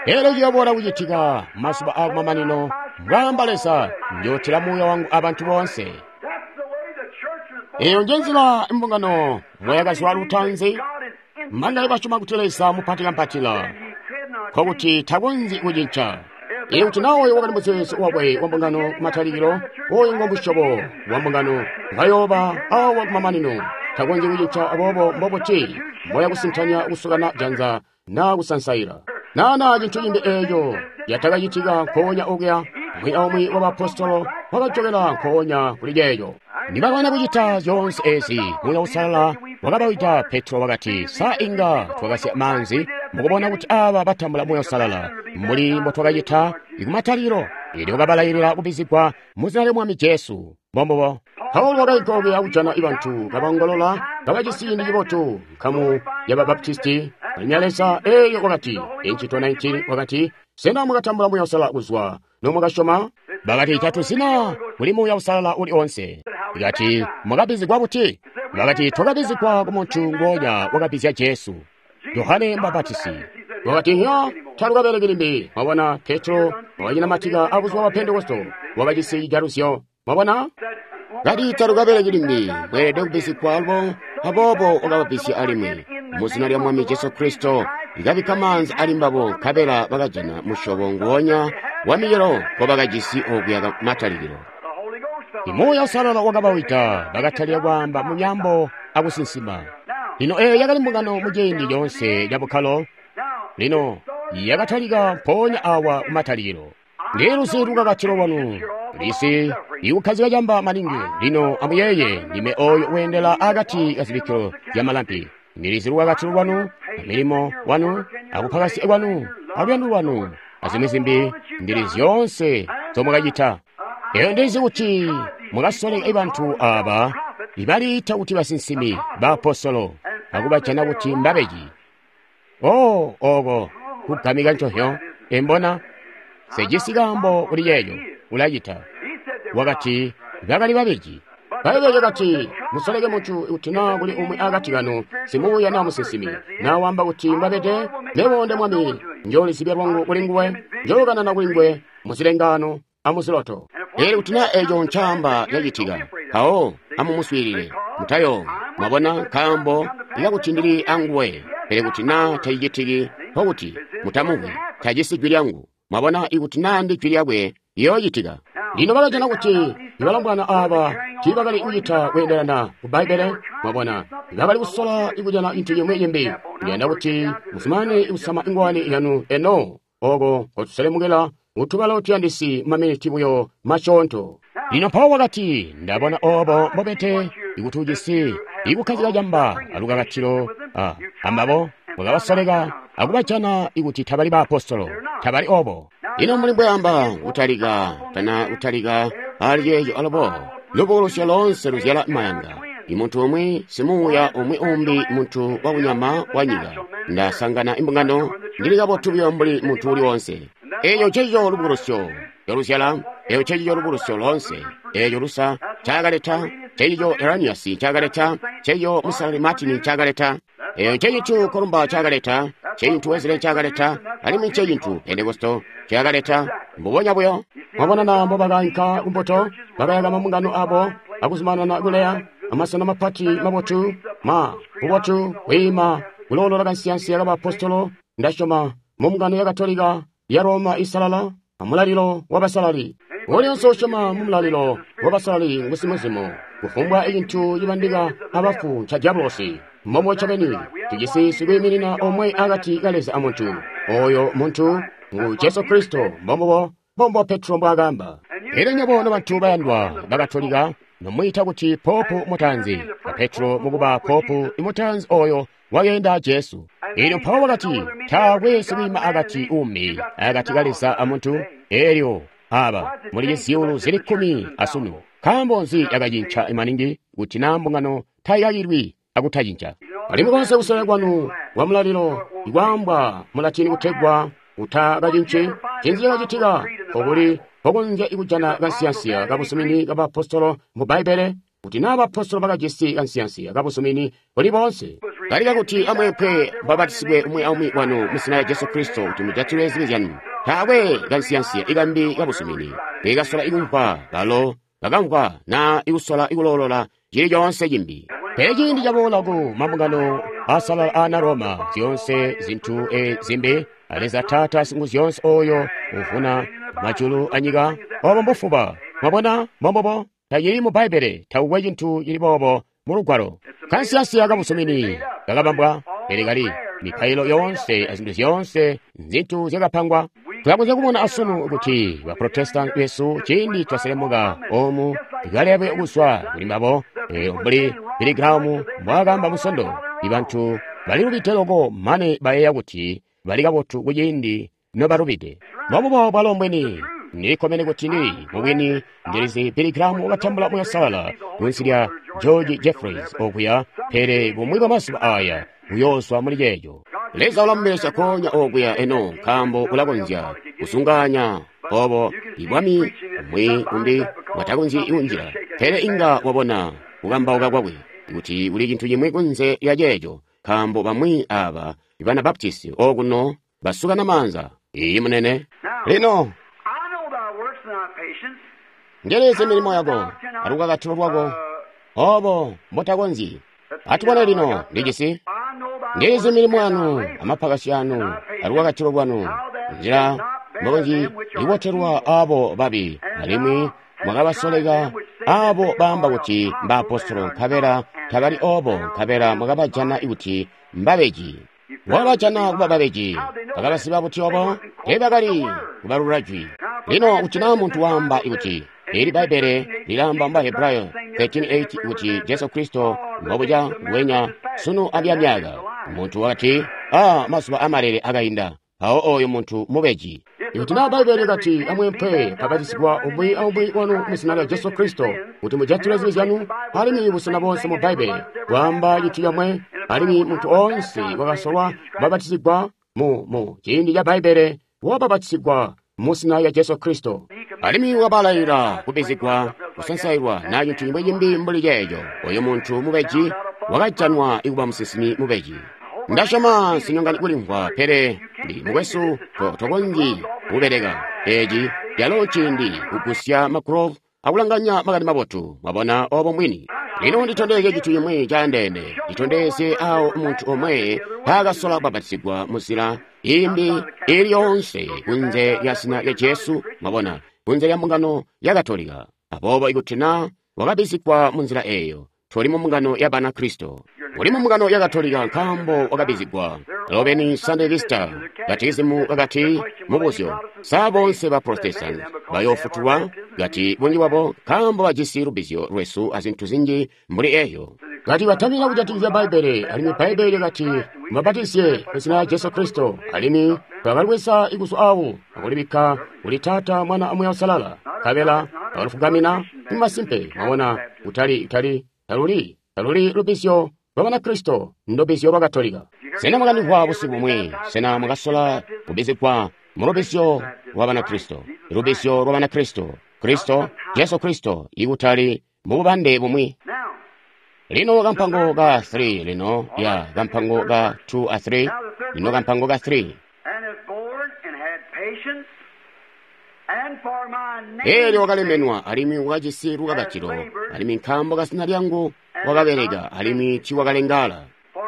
pele ciyoboola kucitika mazuba akumamanino mbwaamba Leza njootila muuya wangu abantu boonse eyo njenzila imbungano moyakazwa lutanzi mangale basyoma kuti Leza mupatikampatila nkokuti takonzyi kucinca ili kuti nawoyo wakali muzeezo wakwe wa mbungano kumatalikilo oyo ngo musyobo wa mbungano ngayooba awa kumamanino takonzyi kucinca aboobo mbobuti mboya kusintanya kusukana janza naa kusansaila nana cintu cimbi eeco yatakacitika nkoonya okuya umwi aumwi wa bapostolo wakajokela nkoonya kuli ceeco nibakwana kucita zyoonse ezi Muuya Uusalala wakabawida Petro wakati sa inga twakasya maanzi mukubona kuti aba batambula Muuya Uusalala mbuli mbotwakacita ikumatalikilo ili wakabalayilila kubizigwa muzina lya Mwami Jesu mbombubo Paulo wakainka okuya kujana ibantu kabongolola kabajisi ciindi cibotu nkamu ya Babaptisti balimya Leza eeyo wakati Incito 19 wakati sena mwakatambula Muuya Uusalala kuzwa nomwakasyoma bakati tatuzina kuli Muuya Uusalala uli onse ikati mwakabizigwa buti bakati twakabizigwa ku muntu ngonya wakabizya Jesu Yohane Mbapatisi wakati hya talukabeleki limbi mwabona Petro wakanyina abuzuba bwa Pentekosto wakajisi cijaluzyo mwabona kati talukabeleki limbi bweelede kubizigwa alubo aboobo wakababizya alimwi muzina lya Mwami Jesu Kristo ikabikka maanzi ali mbabo nkabela bakajana musyobo nguwonya wa micelo ngobakajisi okuya matalikilo Muuya Uusalala wakabawida bakatalika kwaamba mu nyambo akusinsima lino eyo yakali mbungano muciindi coonse ca bukkalo lino yakatalika mpoonya awa kumatalikilo ndiluzi lukakatilo lwanu lisi ikukhazika camba maningi lino amuyeeye ndime oyo weendela akati kazibikkilo zya malampi ndilizi lukakatilo lwanu amilimo wanu akuphakasya kwanu aluyando lwanu azimwi zimbi ndili zyoonse zomwakacita eyo ndizi kuti mwakasoleka ibantu aba ibaliita kuti basinsimi baapostolo akubajana kuti mbabeji o oko kugamika ncohyo embona sejisi kaambo kuli yeeyo ulacita wakati bakali babeji. Bbaibbele lyakati, musoleke muntu kuti naa kuli umwi akati kanu, simuuya naa musinsimi, naa wamba kuti mbabede, mebo nde Mwami, njoolizibya lwangu kuli nguwe, njookanana kuli nguwe muzilengaano amuziloto. Pele kuti naa eco ncaamba cacitika, mpawo amumuswiilile, mutayoowi. Mwabona, nkaambo ikakuti ndili anguwe. Pele kuti naa tacicitiki, nkokuti mutamumvwi, tajisi jwi lyangu. Mwabona, ikuti naa ndi jwi lyakwe, liyoocitika. Lino bakajana kuti ibalombwana aaba tiibakali kucita kweendelana ku Bbaibbele. Mwabona, bakali kusola kujana cintu cimwi cimbi. Ndiyanda kuti muzumanane kusama ingwani yanu eno, oko nkotuselemukila kutubalo tuyandisi maminiti buyo masyoonto. Lino mpawo wakati, ndabona obo mbobete ikuti ujisi ikukkazika camba alukakatilo ambabo mwakabasoleka akubajana ikuti tabali baapostolo, tabali obo. Lino mbuli mbweamba kutalika tana kutalika ali ceeco alubo, lubukulusyo loonse luzyala mayanga. Imuntu umwi simuuya umwi umbi muntu wakunyama wa nyika. Ndasangana imbungano, ndili kabotu buyo mbuli muntu uli wonse. Eeco ncecico lubukulusyo loluzyala, eeco ncecico lubukulusyo loonse. Eeco Lusa ncakaleta, ncecico Irenaeus ncakaleta, ncecico Musalali Martin ncakaleta. Eeco ncecintu Columba ncakaleta, ncecintu Wesley ncakaleta, alimwi ncecintu Pentekosto ncakaleta. Mbubonya buyo. Mwabona na mbobakainka kumbuto, bakayaka mambungano abo, akuzumanana kuleya, amasena mapati mabotu, ma bubotu, kwiima, kuloolola kansiyansiya kabaapostolo, ndasyoma mu mbungano ya Katolika ya Roma isalala, amulalilo wabasalali. Ulionse usyoma mu mulalilo wabasalali ngusimuzimu. Kufumbwa cintu cibandika abafu nca diabolosi. Momwe ncobeni, tujisi sikwiiminina omwe akati ka Leza amuntu. Oyo muntu ngu Jesu Kristo, mbombubo, mbombo Petro mbwaakaamba. Elyo nywebo nobantu bayandwa bakatolika, nomwiita kuti popu mutaanzi, a Petro mukuba popu mutaanzi oyo wakeenda Jesu. Elyo mpawo wakati, taakwe sikwiima akati umbi akati ka Leza amuntu. Elyo aba muli zyuulu zili 10 asunu. Nkaambo nzi yakacinca maningi kuti naa mbungano tayikakilwi akutacinca? Alimwi konse kusola kwanu kwa mulalilo ikwaambwa mu Latini kutegwa utakacinci, ncinzi cakacitika? Okuli mpokonzya kujana kansiyansiya kabuzumini kabaapostolo mu Bbaibbele, kuti naa baapostolo bakajisi kansiyansiya kabuzumini buli boonse. Kali kakuti amweempwe mubapatizigwe umwi aumwi wanu mu zina lya Jesu Kristo kuti mujatilwe zibi zyanu. Taakwe kansiyansiya ikambi kabuzumini nkekasola ikumvwa balo bakamvwa naa ikusola ikuloolola cili coonse cimbi. Pele ciindi caboola ku mambungano asalala aana Roma, zyoonse zintu zimbi, Leza Taata Singuzyoonse oyo uvuna majulu anyika, obo mbufuba. Mwabona, mbombubo, tacili mu Bbaibbele, takukwe cintu cili boobo mu Lugwalo. Kansiyansiya kabuzumini kakabambwa, pele kali mipailo yoonse azintu zyoonse nzintu zyakapangwa. Tulakonzya kubona asunu kuti ba Protestant besu ciindi twaselemuka omu ikalebe kuzwa kuli mbabo, mbuli Billy Graham mbwaakaamba Musondo, ibantu balilubide loko mane bayeeya kuti bali kabotu kuciindi nobalubide. Mbombubo bwalo mbwini. Ndilikkomene kuti ndili mubwini ndilizi Billy Graham wakatambula Muuya Uusalala kunsi lya George Jeffreys okuya, pele bumwi bwa mazuba aya uyoozwa muli ceeco. Leza ulamubelesya konya okuya eno nkaambo ulakonzya kusunganya obo ibwami umwi umbi bwatakonzyi kunjila, pele inga wabona kukambauka kwakwe kuti kuli cintu cimwi kunze lya ceeco, nkaambo bamwi aba bana Baptisti okuno basukana maanza. Iyi munene. Lino ndilizi milimo yako alukakatilo lwako obo mbotakonzyi. Atubone lino ndijisi ndilizi milimo yanu amapakasi anu alukakatilo lwanu, nzila mbokonzyi ibotelwa abo babi, alimwi mwakabasoleka abo baamba kuti mbaapostolo nkabela tabali obo, nkabela mwakabajana kuti mbabeji. Mwakabajana kuba babeji. Bakabasiba buti obo? Teebakali kubalula jwi. Lino kuti naa muntu waamba kuti eli Bbaibbele lilaamba mu Bahebrayo 13:8 kuti Jesu Kristo mbobuca nguwenya sunu abyamyaka, muntu wakati, a mazuba amalele akainda, mpawo oyo muntu mubeji. Ikuti naa Bbaibbele likati amweempwe mubapatizigwe umwi aumwi wanu mu zina lya Jesu Kristo kuti mujatilwe zibi zyanu, alimwi busena bonse mu Bbaibbele bwaamba cintu comwe, alimwi muntu oonse wakasolwa kubapatizigwa mu ciindi ca Bbaibbele wabapatizigwa mu zina lya Jesu Kristo, alimwi wabalailila kubbizigwa kusansailwa na cintu cimwi cimbi mbuli ceeco. Oyo muntu mubeji wakajanwa ikuba musinsimi mubeji. Ndasyoma nsinyongani kulimvwa, pele ndi mukwesu tokonzyi kubeleka. Eci calo nciindi kugusya magrove akulanganya makani mabotu. Mwabona obo mwini. Lino nditondezye cintu cimwi caandeene. Nditondezye awo muntu omwe taakasola kubapatizigwa muzila imbi ili yoonse kunze lya zina lya Jesu, mwabona, kunze lya mbungano ya Katolika. Aboobo ikuti na wakabizigwa munzila eyo, toli mu mbungano ya Banakristo. Uli mu mbungano ya Katolika nkaambo wakabizigwa. Lobeni Sunday Vista, katizimu kakati mubuzyo, sa bonse ba Protestant bayofutulwa? Kati bunji bwabo nkaambo bajisi lubizyo lwesu azintu zinji mbuli eyo. Kati batamina kujatikizya Bbaibbele, alimwi Bbaibbele lyakati mubabatizye mu zina lya Jesu Kristo, alimwi twakalibweza iguzu awo akulibikka kuli Taata, Mwana aMuuya Uusalala, nkabela twakalufugamina. Masimpe, mwabona, kutali kutali taluli taluli lubizyo lwa Banakristo, ndubizyo lwa Katolika. Sena mwakamvwa busiku bumwi? Sena mwakasola kubizigwa mu lubizyo lwa Banakristo? Lubizyo lwa Banakristo, Kristo, Jesu Kristo, ikutali mu bubande bumwi. Lino kampango ka 3 lino, ya kampango ka 2 a 3, lino kampango ka 3. Eelyo wakalemenwa alimwi wakajisi lukakatilo, alimwi nkaambo ka zina lyangu wakabeleka, alimwi tiiwakalengala.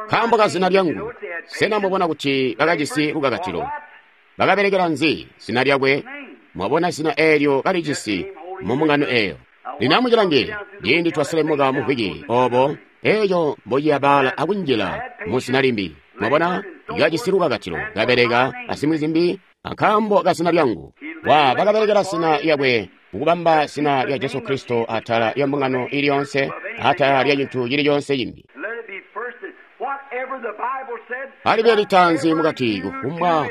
Nkaambo ka zina lyangu. Sena mwabona kuti bakajisi lukakatilo? Bakabelekela nzi? Zina lyakwe. Mwabona zina eelyo kalijisi mu mbungano eyo. Lino amucilange, ciindi twaselemuka mu mvwiki obo, eeco mbociyabaala akunjila mu zina limbi. Mwabona, kajisi lukakatilo, kabeleka azimwi zimbi, nkaambo ka zina lyangu. Wa bakabelekela zina lyakwe, kukubamba zina lya Jesu Kristo atala lya mbungano ili yonse, atala lya cintu cili conse cimbi. Alibe litanzi mukati kufumbwa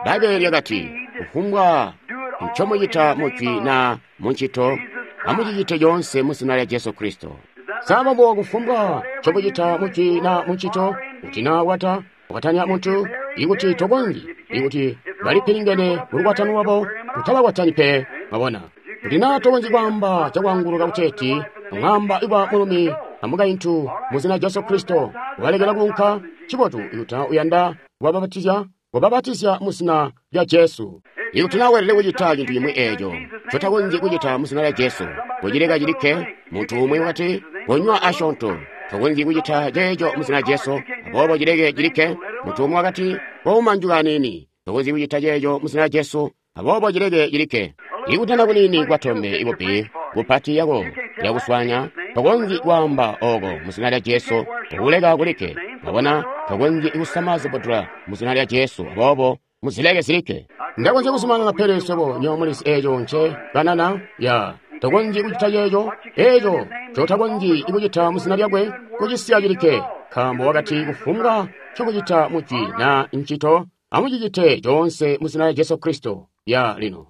Bbaibbele lyakati, kufumbwa ncomucita mujwi na muncito, amucicite coonse mu zina lya Jesu Kristo. Sababu kufumbwa ncomucita mujwi na muncito, kuti na wata kwatanya muntu, ikuti tokonzyi, ikuti balipilingene mulukwatano lwabo, utabakwatani pe. Mwabona, kuti na tokonzyi kwaamba cakwaanguluka kuteeti ng'amba iba mulumi amukaintu mu zina Jesu Kristo, walekela kuunka, ncibotu ikuti na uyanda kubabatizya, kubabatizya mu zina lya Jesu. Ikuti na weelede kucita cintu cimwi eeco ncotakonzyi kucita mu zina lya Jesu, kucileka cilikke. Muntu umwi wakati, konywa asyoonto, tokonzyi kucita ceeco mu zina lya Jesu, aboobo cileke cilikke. Muntu umwi wakati, kouma njuka aniini, tokonzyi kucita ceeco mu zina lya Jesu, aboobo cileke cilikke. Ikutana kuniini kwatombe ikupi kupati yako yakuswanya, tokonzyi kwaamba oko mu zina lya Jesu, kuleka kulikke. Mwabona, tokonzyi kusama zibudula mu zina lya Jesu, aboobo muzileke zilikke. Ndakonzya kuzumanana, pele swebo nyo mulizi eeco nce kanana ya tokonzyi kucita ceeco, eeco ncotakonzyi kucita mu zina lyakwe, kucisiya cilikke, nkaambo wakati kufumbwa ncokucita mujwi na ncito, amucicite coonse mu zina lya Jesu Kristo. Ya lino.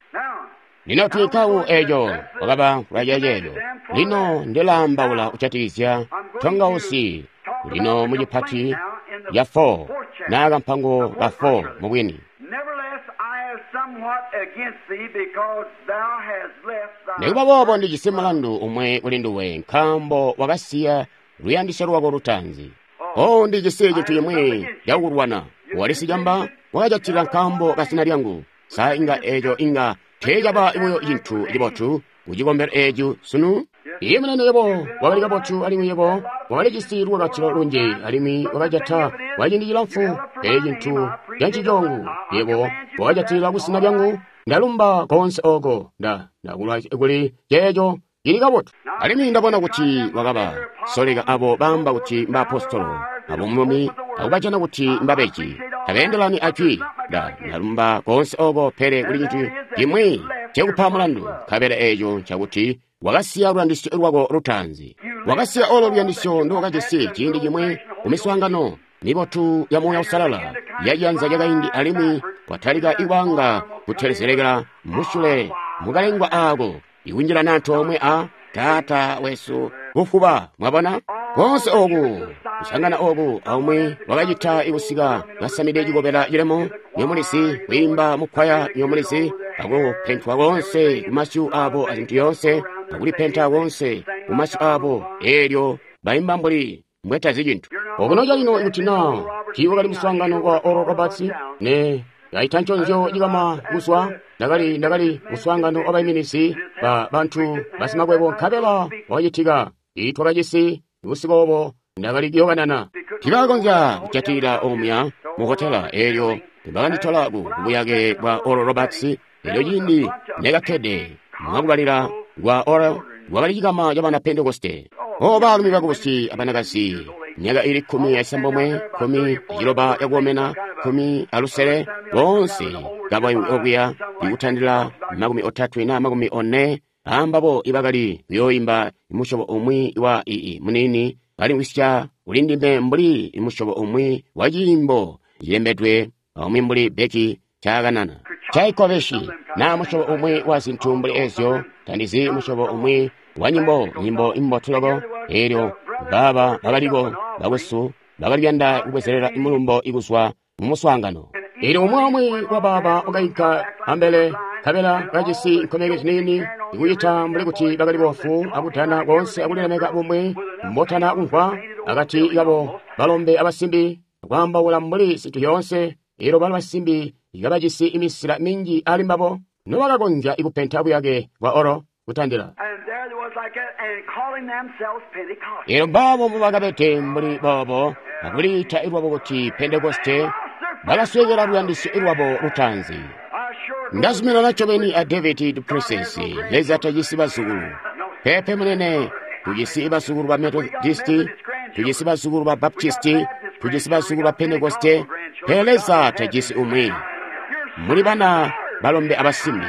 Lino tuikawu eeco wakaba lwaceeco. Lino ndilaambaula kujatikizya tongausi lino mucipati ya 4 na kampango ka 4 mubwini. Nikuba boobo ndijisi mulandu umwe kuli nduwe, nkaambo wakasiya luyandisyo lwako lutaanzi. Oh, ndijisi cintu cimwi cakukulwana. Wali sicamba, wakajatila nkaambo ka zina lyangu. Sa inga eeco inga teecaba buyo cintu cibotu kucikombelo eeco sunu? Iye munene yebo wakali kabotu, alimwi yebo wakalijisi lukakatilo lunji, alimwi wakajata kwa ciindi cilamfu, pele cintu cancicongu yebo wakajatilila kuzina lyangu. Ndalumba koonse oko ndakulwa kuli ceeco cili kabotu. Alimwi ndabona kuti wakaba soleka abo baamba kuti mbaapostolo abo mumi akubajana kuti mbabeji, tabeendelani ajwi. Ndalumba koonse oko, pele kuli cintu cimwi cekupa mulandu, nkabela eeco ncakuti wakasiya luyandisyo lwako lutaanzi. Wakasiya olo luyandisyo ndowakajisi ciindi cimwi kumiswaangano mibotu ya Muuya Uusalala yaciyanza cakaindi, alimwi watalika iwanga kutelezelekela musyule mukalengwa aako, ikunjilana antoomwe a Taata wesu kufuba. Mwabona koonse oku kusangana oku aumwi wakacita ikusika kasamide cikobela cilemo nyomulisi, kwiimba mukwaya nyomulisi, akupentwa koonse kumasyu abo azintu yoonse, akulipenta koonse kumasyu abo, eelyo baimba mbuli mbwetazi cintu. Okuno calino ikuti na tiiwakali muswaangano wa Oral Roberts, ne kaita nconzyo cikama kuzwa, ndakali muswaangano wa baiminizi ba bantu basimakwebo nkabela wakacitika. Twakajisi busiku obo ndakali kuyokanana. Tiibakakonzya kujatilila omuya mu hotela eelyo bakanditola ku buyake bwa Oral Roberts. Eelyo ciindi nekakkede mwakubalila kwa Oral kwakali cikama cabana Pentekoste. O baalumi bakubusi abanakazi, myaka ili 16, 16 yakukomena, 15, boonse kaba okuya ikutandila 30 na 40 ambabo ibakali kuyooimba musyobo umwi wa ii munini balimwisya ulindime mbuli musyobo umwi wa ciimbo cilembedwe umwi mbuli Becky caakanana Tchaikovsky na musyobo umwi wa zintu mbuli ezyo, tandizi musyobo umwi wa nyimbo nyimbo imbotu loko. Eelyo baba bakaliko bakwesu bakali kuyanda kubwezelela mulumbo ikuzwa mu muswaangano. Eelyo umwi umwi wa baba wakainka ambele nkabela kajisi nkomeki ziniini ikucita mbuli kuti bakali bofu akutana koonse akulilemeka bumwi mbotana kumvwa akati kabo balombe abasimbi kwaambaula mbuli zintu zyoonse. Eelyo balo basimbi kabajisi imisila minji ali mbabo nobakakonzya ikupenta buyake bwa oro kutandila. Eelyo mbabo mbobakabede mbuli boobo akuliita lwabo kuti Pentekoste, bakaswekela luyandisyo lwabo lutaanzi. Ndazuminana ncobeni a David du Plessis, Leza tajisi bazukulu. Pepe munene, tujisi bazukulu ba Methodisti, tujisi bazukulu ba Baptisti, tujisi bazukulu ba Pentekoste, pele Leza tajisi umwi. Muli bana balombe abasimbi.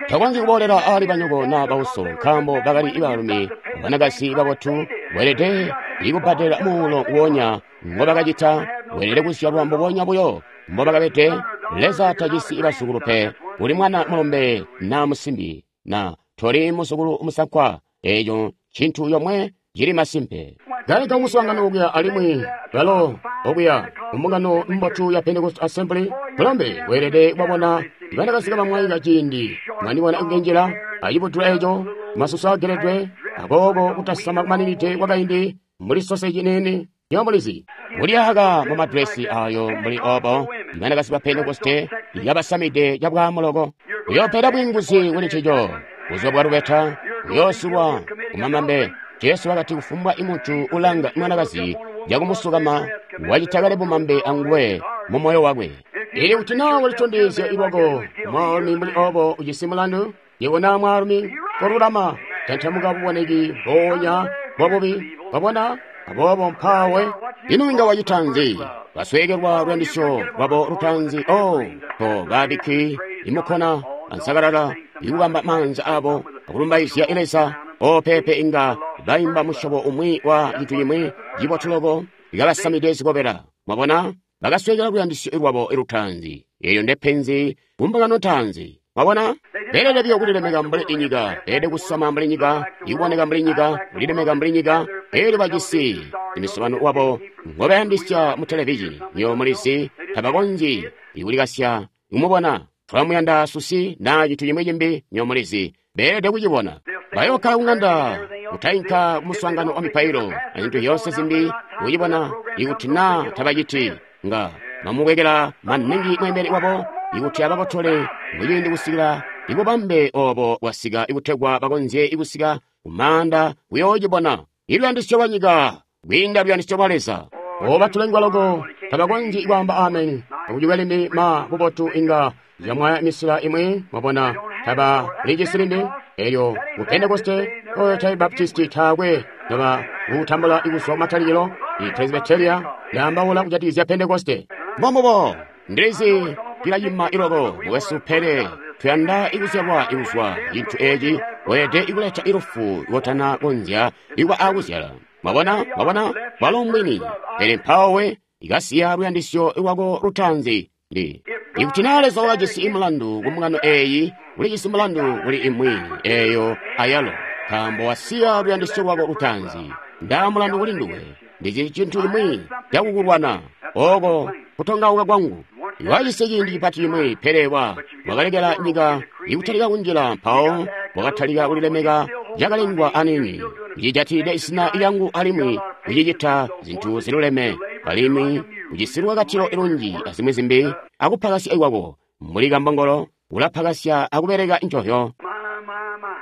Takonzyi kuboolela ali banyoko naa bauso, nkaambo bakali baalumi abanakazi babotu, weelede ikubbadela muulo nguonya ngobakacita, weelede kuzyalwa mbubonya buyo mbobakabede. Leza tajisi bazukulu pe. Uli mwana mulombe naa musimbi, na toli muzukulu musankwa. Eeco ncintu yomwe cili masimpe. Kaika muswaangano okuya alimwi balo okuya mbungano mbotu ya Pentecost Assembly, mulombe weelede kubabona banakazi kabamwaika ciindi mwandibona kunjila acibutula eco, masusu ageledwe akooko kutasama kumaninide kwakaindi mbuli soseji nini nyomulizi kulyaka mu madresi ayo mbuli obo banakazi ba Pentekoste yabasamide cabwamuloko. Uyoopela bwinguzi kuli ncico buzuba bwa lubeta, uyoosulwa kumamambe. Jesu wakati kufumbwa imuntu ulanga mwanakazi cakumusukama wacita kale bumambe anguwe mu moyo wakwe. Ili kuti naa walitondezya lwako mwaalumi mbuli obo ujisi mulandu, yebo naa mwaalumi kolulama tantamuka buboneki mpoonya bwabubi. Wabona? Aboobo mpaawe ino inga wacita nzi? Basweekelwa luyandisyo lwabo lutaanzi. O to babikki imukona ansakalala ikubamba maanza abo akulumbaizya Leza. O pepe inga baimba musyobo umwi wa cintu cimwi cibotu loko ikabasamide zikobela. Mwabona? Bakasweekela luyandisyo lwabo lutaanzi. Eelyo ndepenzi kumbungano ntaanzi. Mwabona? Beelede buyo kulilemeka mbuli inyika, beelede kusama mbuli nyika, ikuboneka mbuli nyika, kulilemeka mbuli nyika. Eelyo bajisi imisobano wabo ngobayandisya mu televizhini. Nyo mulizi tabakonzyi ikulikasya kumubona. Tulamuyanda susi naa cintu cimwi cimbi, nyo mulizi beelede kucibona. Bayookkala kuŋanda kutainka kumuswaangano wa mipailo azintu zyoonse zimbi kucibona. Ikuti naa tabaciti, nga bamubwekela maningi mweembeli wabo ikuti abakotole muciindi kusikila ibubambe obo bwasika ikutegwa bakonzye ikusika kumaanda kuyoocibona. Iluyandisyo lwa nyika kwiinda luyandisyo lwa Leza. Oba tulengwa loko tabakonzyi kwaamba ameni. Akucikwe limbi ma bubotu inga zyamwaya misila imwi. Mwabona, taba lijisi limbi. Elyo ku Pentekoste oyo tai Baptisti taakwe noba kutambula ikuzwa kumatalikilo. I Presbyteria yaambaula kujatikizya Pentekoste. Mbombubo ndilizi cilayima iloko mukwesu, pele tuyanda ikuzyalwa ikuzwa cintu eci. Weelede ikuleta ilufu kotana konzya ikuba akuzyala. Mwabona? Mwabona? Bwalo mbwini. Pele mpawo ikasiya luyandisyo lwako lutaanzi. Ndi ikuti naa Leza wakajisi mulandu ku mbungano eeyi, ulijisi mulandu kuli imwi eeyo ayalo, nkaambo wasiya luyandisyo lwako lutaanzi. Ndaa mulandu kuli nduwe. Ndicili cintu cimwi cakukulwana. Oko kutongauka kwangu. Wajisi ciindi cipati cimwi, pele wakalekela nyika ikutalika kunjila, mpawo wakatalika kulilemeka cakalengwa anini. Ucijatilide izina lyangu alimwi ucicita zintu ziluleme, alimwi ujisi lukakatilo lunji azimwi zimbi, akupakasya kwako mbuli kambongolo, ulapakasya akubeleka njovyo.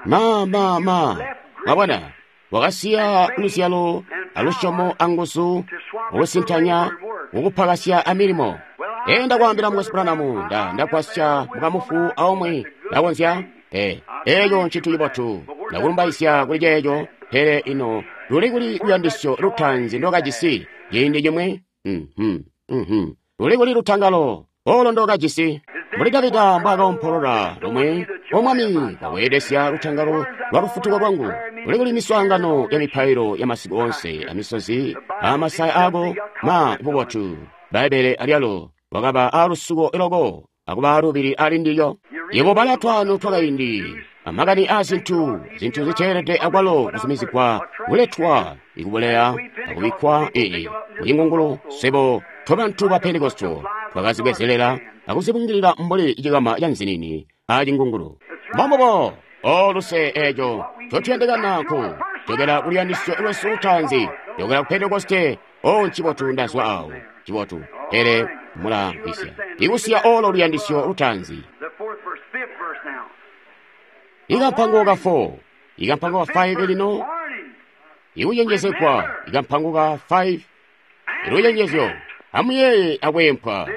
Ma mwabona, wakasiya luzyalo alusyomo anguzu ukusintanya ukupakasya amilimo. Enda kwaambila Mukwesu Branham, ndagwasya mukamufu aumwi ndakonzya. Eeco ncintu cibotu, ndakulumbaisya kuli ceeco, pele ino luli kuli luyandisyo lutaanzi ndokajisi ciindi cimwi? Luli kuli lutangalo olo ndokajisi? Mbuli Davida mbwaakaompolola lumwi, O Mwami, kaweedesya lutangalo lwa lufutuko lwangu. Luli kuli miswaangano ya mipailo ya masiku onse, amisozi amasaya aako, ma bubotu. Bbaibbele alyalo wakaba aalusuko loko akuba aalubili ali ndilyo. Yebo bala twaano twakaindi amakani aazintu, zintu ziteelede akwalo kuzumizigwa kuletwa ikubuleya akubikkwa kucingungulu. Swebo tobantu ba Pentekosto twakazibwezelela akuzibungilila mbuli cikama ca nzinini acingungulu. Mbombubo, o luse eeco ncotuyandikana nku jokela kuluyandisyo lwesu lutaanzi, jokela ku Pentekoste. O ncibotu ndazwa awo, cibotu, pele mulamvwisya ikusiya olo luyandisyo lutaanzi. Ikampango ka 4, ikampango ka 5 lino ikucenjezegwa, ikampango ka 5 ilucenjezyo. Amuyeeye akweempwa.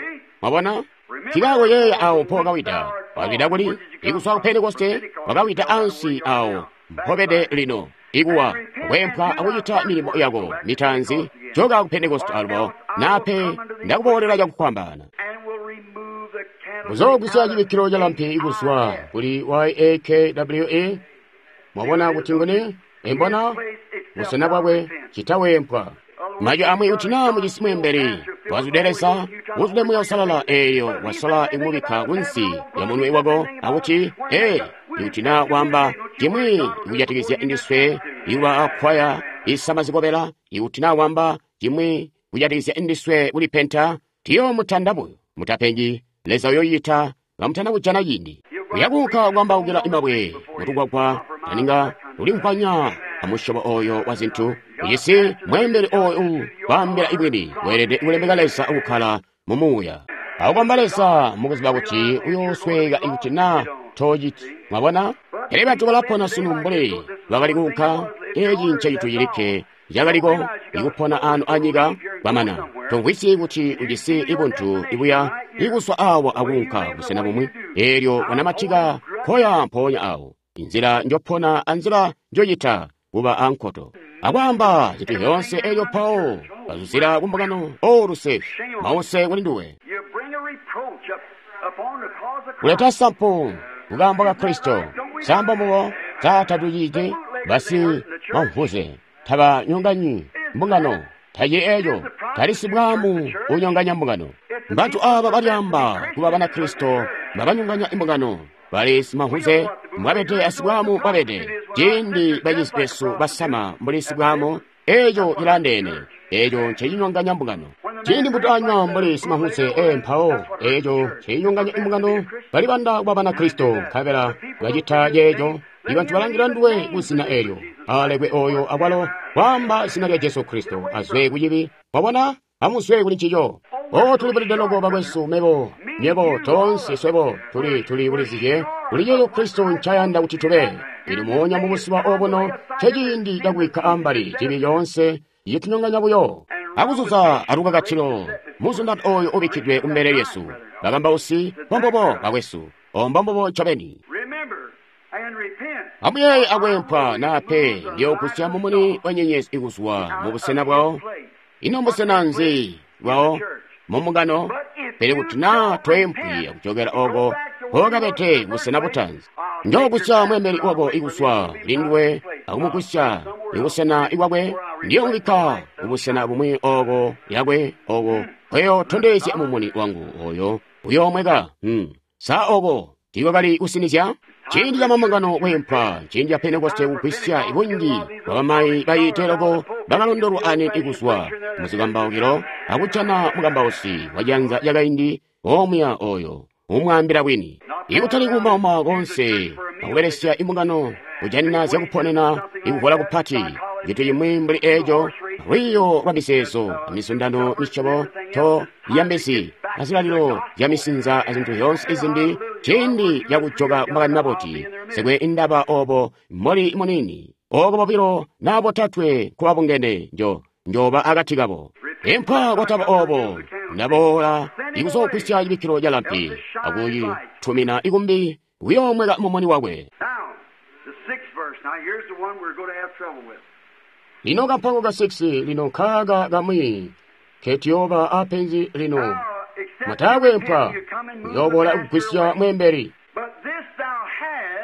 Mwabona? Tikaako yeeya awo mpo wakawida. Wakawida kuli? Ikuzwa ku Pentekoste wakawida ansi awo mpobede lino. Ikuwa kweempwa akucita milimo yako mitaanzi, joka ku Pentekoste alubo, nape ndakuboolera cakufwambaana. Kuzoogwisya cibikkilo ca lampi ikuzwa kuli YAKWE. Mwabona kuti nguni? Embona busena bwakwe citaweempwa. Majwi amwi kuti naa mujisi mweembeli wazwide Leza, wuzwide Muuya Uusalala, eeyo wasola ikumubikka kunsi lya munwe wako akuti, ee, ikuti naa waamba cimwi kujatikizya ndiswe ikuba akwaya isama zikobela, ikuti naa waamba cimwi kujatikizya ndiswe kulipenta, tiyoomutanda buyo. Mutapengi, Leza uyoyita kamutana kujana ciindi. Uyakuunka kwambaukila imabwe mutukwakwa taninga ulimvwanya amusyobo oyo wa zintu. Ujisi mweembeli oyo kwaambila ibwini, weelede kulemeka Leza akukkala mu Muuya. Akukomba Leza mukuziba kuti uyoosweka ikuti naa toociti. Mwabona? Pele bantu balapona sunu mbuli bakali kuunka. Eeci ncecintu cilikke cakaliko ikupona ano anyika kwamana. Tomvwisyi kuti ujisi ibuntu ibuya ikuzwa awo akuunka busena bumwi, eelyo wanamatika koya mpoonya awo. Inzila njopona anzila njocita kuba ankoto akwaamba zintu zyoonse eelyo mpawo bazuzila kumbungano. O luse, mause kuli nduwe. Kuleta sampu kukaambo ka Kristo. Sambo mubo taatuciti basi mamvuze tabanyonganyi mbungano. Taci eeco tali sibwaamu unyonganya mbungano. Bantu aaba balyaamba kuba Banakristo babanyonganya imbungano. Bali simahuze mbwabede asibwaamu mbwabede. Ciindi bacizi besu basama mbuli sibwaamu, eeco cilandeene. Eeco ncecinyonganya mbungano. Ciindi mbutanywa mbuli simahuze, mpawo eeco ncecinyonganya imbungano. Balibanda kuba Banakristo nkabela bacita ceeco. Ibantu balangila nduwe kuzina eelyo. Alekwe oyo akwalo kwaamba zina lya Jesu Kristo azwe kucibi. Wabona? Amuzwe kuli ncico. O tulibulide loko bakwesu, mebo, nyebo, toonse swebo tuli bulizizye kuli ceeco Kristo ncayanda kuti tube. Lino moonya mubuzuba obuno nceciindi cakubikka ambali cibi coonse citunyonganya buyo akuzuza alukakatilo muzundano oyo ubikkidwe kumbele lyesu. Bakambausi mbombubo bakwesu, ombombubo ncobeni. Amuyeeye akweempwa nape ndiyoogusya mumuni wa nyenyezi ikuzwa mubusena bwawo. Ino mbusena nzi bwawo? Mumbungano. Pele kuti naa toempwi akujokela oko mpokabede busena butaanzi, njoogusya mweembeli wako ikuzwa kuli nduwe akumugusya ibusena ibwakwe. Ndiyoomubikka kubusena bumwi oko yakwe oko nkweyootondezya mumuni wangu oyo uyoomweka. Sa oko Tiikwakali kusinizya. Ciindi ca mambungano kweempwa, ciindi ca Pentekoste kugwisya bunji bwa bamayi bayiite loko bakalondolwa aniini kuzwa muzikambaukilo akujana mukambausi wa cianza cakaindi omuya oyo umwaambila bwini. Ikutali kuumauma konse akubelesya imbungano kujanina zyakuponena ikuvola kupati, cintu cimwi mbuli eco, lwiiyo lwa mizeezo, amizundano misyobo to yambezi, azilalilo zya misinza azintu zyoonse izimbi, ciindi cakujoka kumakani maboti, sekwe indaba obo mboli munini, oko bobilo na botatwe nkobabungene njoba akati kabo. Empwa kwataba obo, ndaboola ikuzogwisya cibikkilo ca lampi, akuyitumina ikumbi kuyoomweka mumuni wakwe. Lino kampango ka 6 lino nkaaka kamwi ketiyooba apenzi lino. Mutakwempwa kuyoboola kugwisya mweembeli.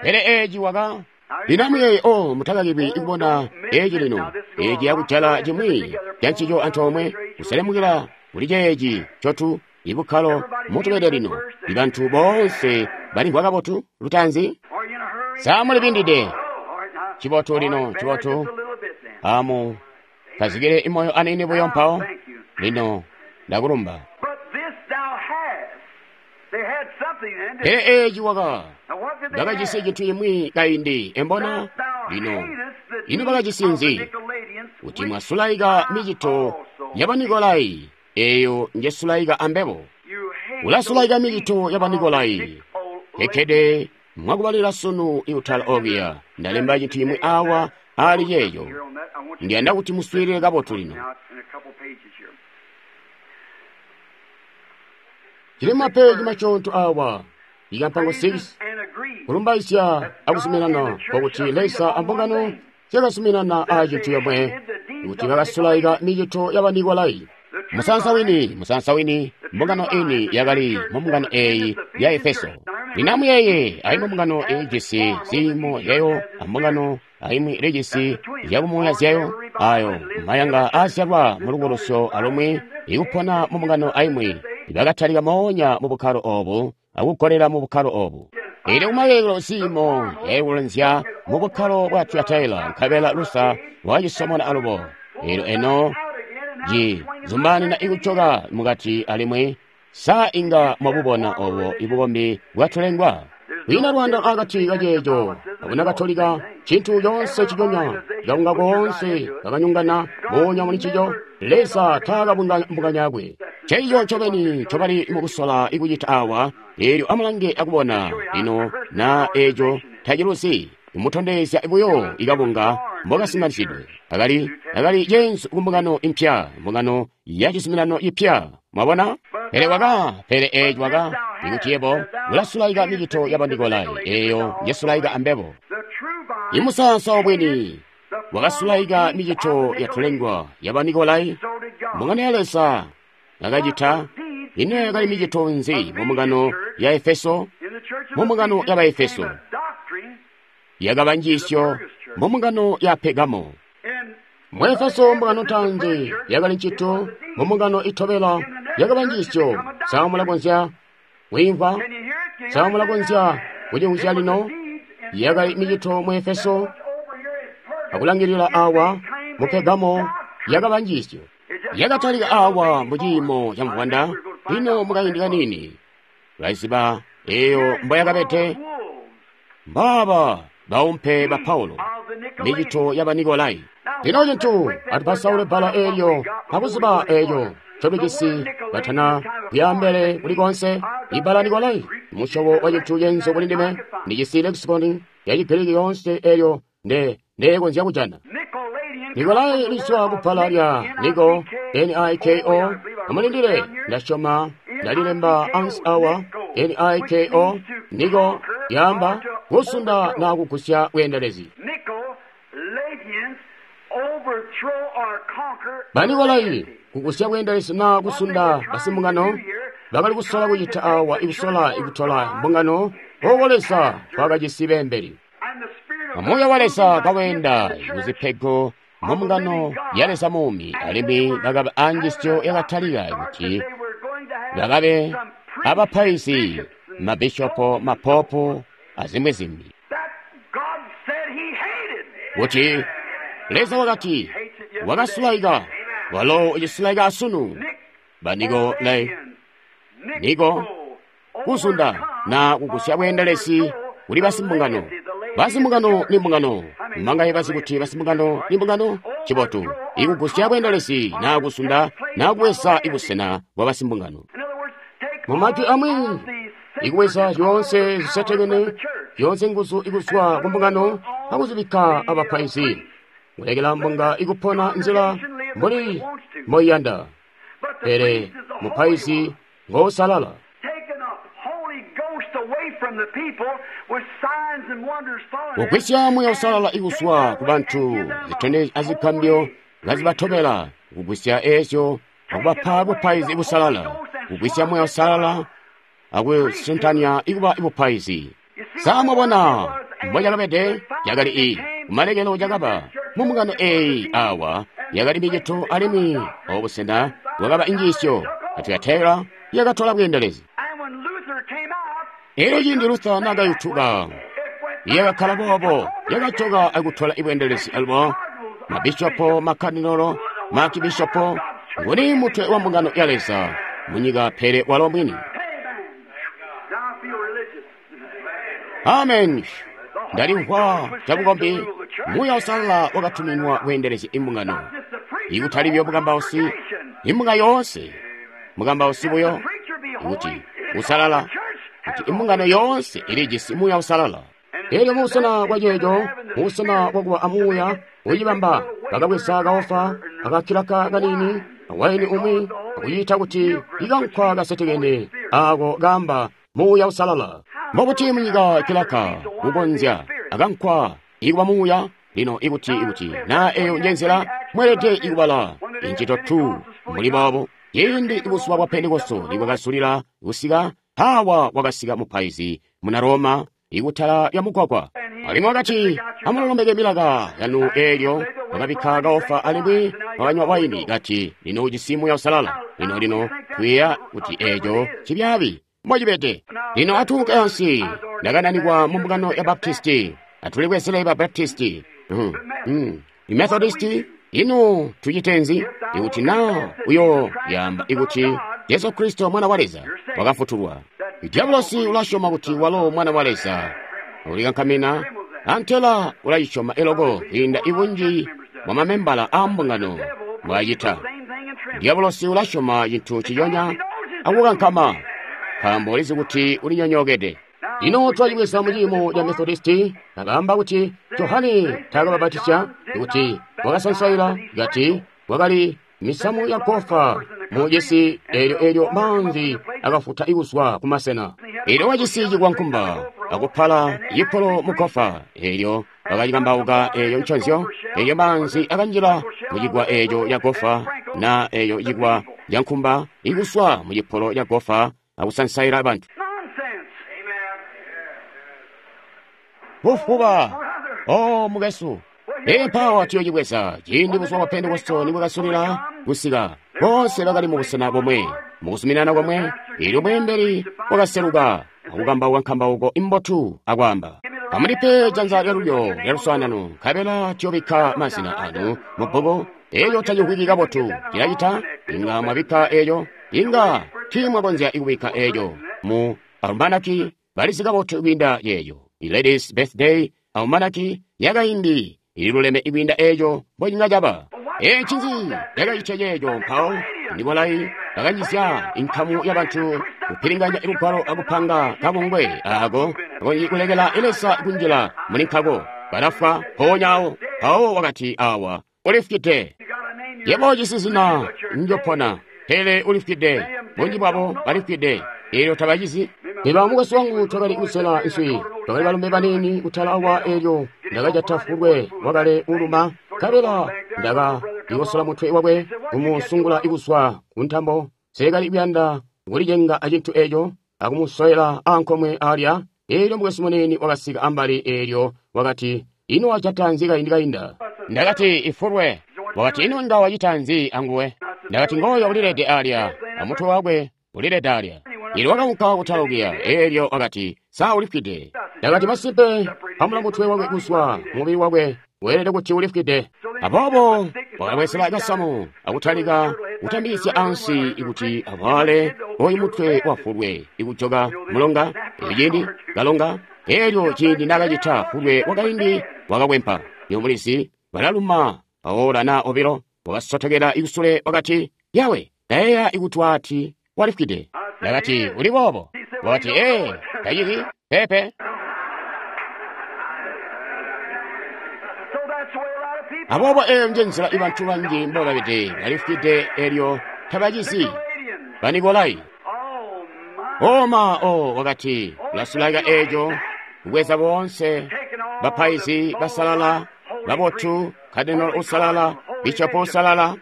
Pele eeci waka lino amuyeeye o mutakakilwi kubona eeci lino, eeci yakujala cimwi cancico antoomwe kuselemukila kuli ceeci ncotu ibukkalo mutubede lino. Ibantu boonse balimvwa kabotu lutaanzi? Sa mulibindide? Cibotu lino, cibotu. Amu kazikile imoyo aniini buyo mpawo. Lino ndakulumba. Pele eeci waka bakajisi cintu cimwi kaindi embona lino. Ino bakajisi nzi? Kuti mwasulaika micito ya Banikolai, eyo njesulaika ambebo. Ulasulaika micito ya Banikolai. Ekkede mwakubalila sunu iutala okiya. Ndalemba cintu cimwi awa ali ceeco. Ndiyanda kuti muswiilile kabotu lino. Cili mapeji maconto awa. Ikampango 6 kulumbaisya akuzuminana kwakuti Leza ambungano zyakazuminana a cintu yomwe kuti bakasulaika micito ya Banikolai. Musansa wini, mbungano ini yakali mumbungano eyi ya Efeso. Lino amuyeeye, aimwi mbungano ilijisi ziimo zyayo, ambungano aimwi ilijisi zyakumuuya zyayo, ayo mayanga aazyalwa mulubulusyo alumwi ikupona mumbungano aimwi bakatalika moonya mu bukkalo obu akugolela mu bukkalo obu. Eelyo kumalekelo ziimo yaikulanzya mu bukkalo bwa Tiyataila, nkabela Lusa lwacisomona alubo. Eelyo eno ci zumbaanina ikucoka mukati alimwi sa inga mwabubona obo ibukombi bwatulengwa. Kwiina lwanda akati kaceeco abuna Katolika, cintu coonse ciconya kakunga koonse kakanyongana moonya muli ncico. Leza taakabunganyakwe. Ceico ncobeni ncobali mukusola ikucita awa. Eelyo amulange akubona lino na eeco taciluzi. Imutondezya buyo ikabunga mbokasimanizidwe. Akali ceenzu kumbungano impya, mbungano ya cizuminano ipya. Mwabona? Pele eeci waka ikuti yebo ulasulaika micito ya Banikolai, eyo njesulaika ambebo. Imusansa wabwini wakasulaika micito yatulengwa ya Banikolai. Mbungano ya Leza yakacita. Ino yakali micito nzi mumbungano ya Efeso? Mumbungano ya Baefeso yakaba njiisyo mumbungano ya Pegamo. Mu Efeso mbungano ntaanzi yakali ncito, mumbungano itobela yakaba njiisyo. Sa mulakonzya kwiimvwa? Sa mulakonzya kucimvwisya lino? Yakali micito mu Efeso, akulangilila awa mu Pegamo yakaba njiisyo. Yakatalika awa muciimo ca mvwanda. Lino mukaindi kanini tulaziba eyo mboyakabede. Mbaaba baumpe ba Paulo, micito ya Banikolai. Lino cintu atupasaule bbala eelyo akuziba eeco ncobijisi batana kuyambele kuli konse. Ibbala Nikolai musyobo wa cintu cenzo kuli ndime. Ndijisi lexicon ya Chigiriki yoonse eyo ndekonzya kujana. Nikolai lizwa kubbala lya Niko, N-I-K-O. Amulindile, ndasyoma ndalilemba ansi awa, N-I-K-O, Niko yaamba kusunda na kugusya bweendelezi. Banikolai kugusya bweendelezi na kusunda basimbungano bakali kusola kucita awa ikusola ikutola mbungano oko Leza twakajisi beembeli. Muuya wa Leza kaweenda kuzipego mumbungano ya Leza muumi, alimwi bakaba anjisyo yakatalika kuti bakabe abapaizi mabishopo, mapopu azimwi zimbi, kuti Leza wakati wakasulaika, walo ucisulaika asunu. Banikolai, niko kuzunda na kugusya bweendelezi kuli basimbungano. Basimbungano ni mbungano. Mangaye bazi kuti basimbungano ni mbungano? Chibotu ikugusya bweendelezi na kuzunda na kubweza ibusena bwa basimbungano. Mumajwi amwi, ikubweza zyoonse zisetekene, zyoonse nguzu ikuzwa ku mbungano akuzibikka abapaizi, kulekela mbunga ikupona nzila mbuli moyiyanda. Pele mupaizi ngosalala. Kugwisya Muuya Uusalala ikuzwa ku bantu, zitondezyo azigambyo ngazibatobela, kugwisya eezyo akubapa bupaizi busalala, kugwisya Muuya Uusalala akusuntanya ikuba bupaizi. Sa mwabona mbocakabede? Yakali i kumalekelo cakaba mumbungano eeyi awa yakali micito alimwi obusena bwakaba injiisyo Tiyatera yakatola bweendelezi. Elyo ciindi Luther naakayutuka, yakakkala boobo, yakajoka akutola ibweendelezi alubo mabishopo, makadinolo, maakibishopo, nguni mutwe wa mbungano ya Leza munyika pele walo mwini. Amen. Ndalimvwa cabukombi. Muuya Uusalala wakatuminwa kweendelezya imbungano, ikutali buyo mukambausi, imbunga yoonse. Mukambausi buyo kuti usalala, kuti imbungano yoonse ilijisi Muuya Uusalala. Elyo mubusena bwa ceeco, mubusena bwakuba amuuya ucibamba, bakabweza kaofa akakilaka kaniini awaini umwi akuciita kuti ikankwa kasetekene ako kaamba Muuya Uusalala. Mbobuti munyika kilaka kukonzya akankwa ikuba muuya? Lino ikuti na eyo njenzela mweelede ikubala incito 2 muli boobo. Ciindi buzuba bwa Pentekosto nibwakasulila kusika, hawa wakasika mupaizi muna Roma ikutala lya mugwagwa, alimwi wakati, amulolombeke milaka yanu. Eelyo wakabikka kaofa alimwi wakanywa waini, kati, lino ujisi Muuya Uusalala. Lino twiiya kuti eeco cibyaabi mbocibede. Lino atuunke ansi. Ndakananikwa mu mbungano ya Baptisti. Atulibwezele ba Baptisti, Methodisti. Ino tucitenzi? Ikuti na uyo yamba ikuti Jesu Kristo mwana wa Leza wakafutulwa. Diabolosi ulasyoma kuti walo mwana wa Leza, ulikankamina antela ulayisyoma eloko kwiinda ibunji bwa mamembala a mbungano mbwacita. Diabolosi ulasyoma cintu ciyonya akukankama, nkaambo ulizi kuti ulinyonyookede. Lino twacibweza muciimo ca Methodisti, bakaamba kuti Johane taakababatisya, kuti wakasansaila, kati kwakali misamu ya gofa mu cisi eelyo maanzi akafuta ikuzwa kumasena. Eelyo wacisi cikwankumba akupala yipolo mu gofa, eelyo bakacikambauka eeyo nconzyo, eelyo maanzi akanjila mu cigwa eeco ca gofa, na eeyo cigwa ca nkumba ikuswa mu cipolo ca gofa akusansaila bantu. Bufuba! Oh, mukesu! Empawa tuyocibweza ciindi buzuba bwa Pentekosto nibwakasulila kusika, bonse bakali mubusena bomwe, mukuzuminana komwe. Eelyo mweembeli wakaseluka akukambauka nkambauko imbotu akwaamba, amulipe janza lyalulyo lyaluswaanano, nkabela tuyobikka mazina anu mubbuku. Eeyo tacimvwiki kabotu, cilacita inga mwabikka eeyo, inga tiimwakonzya ikubikka eeyo mu almanaki, balizi kabotu kwiinda yeeyo. Ladies Birthday Almanaki yakaindi ililuleme ikwiinda eeco mbocinga caba. Eeci nzi yakacitya ceeco? Mpawo Nikolai bakanjizya inkamu yabantu kupilinganya lugwalo akupanga kabungwe aako kulekela Leza kunjila muli nkako. Balafwa mpoonyaawo. Mpawo wakati awa ulifwide. Yebo ujisi zina njopona, pele ulifwide. Bunji bwabo balifwide, eelyo tabacizi. Eba mukwesu wangu twakali kusela nswi, twakali balombe baniini kutala awa. Eelyo ndakajata fulwe wakale uluma, nkabela ndakayikosola mutwe wakwe kumusungula ikuzwa ku ntambo. Nseekali kuyanda kulicenga acintu eeco akumusoyela ankomwe alya. Eelyo mukwesu muniini wakasika ambali, eelyo wakati, ino wajata nzi kaindi kainda? Ndakati, ifulwe. Wakati, ino inga wacita nzi anguwe? Ndakati, ngooyo ulilede alya, amutwe wakwe ulilede alya. Elyo wakaunka kutalokiya, elyo wakati, sa ulifwide? Ndakati, masimpe, pamula mutwe wakwe kuzwa mubili wakwe, weelede kuti ulifwide. Aboobo wakabwezela kasamu akutalika kutambisya ansi kuti avwale oyu mutwe wafulwe ikujoka mulonga. Elyo ciindi kalonga, elyo ciindi nakacita, fulwe wakaindi wakakwempa. Yomulizi balaluma aola na obilo, wakasotokela ikusule wakati, yawe, ndayeeya ikuti ati walifwide. Ndakati, uli boobo? Wakati, ee, taciti, pepe. Aboobo eyo nje nzila ibantu banji mbobabede, balifwide elyo tabacizi. Banikolai. Oma, o, wakati, ulasulaika eco, kubweza boonse, bapaizi basalala, babotu, kadinolo usalala, bishopo usalala.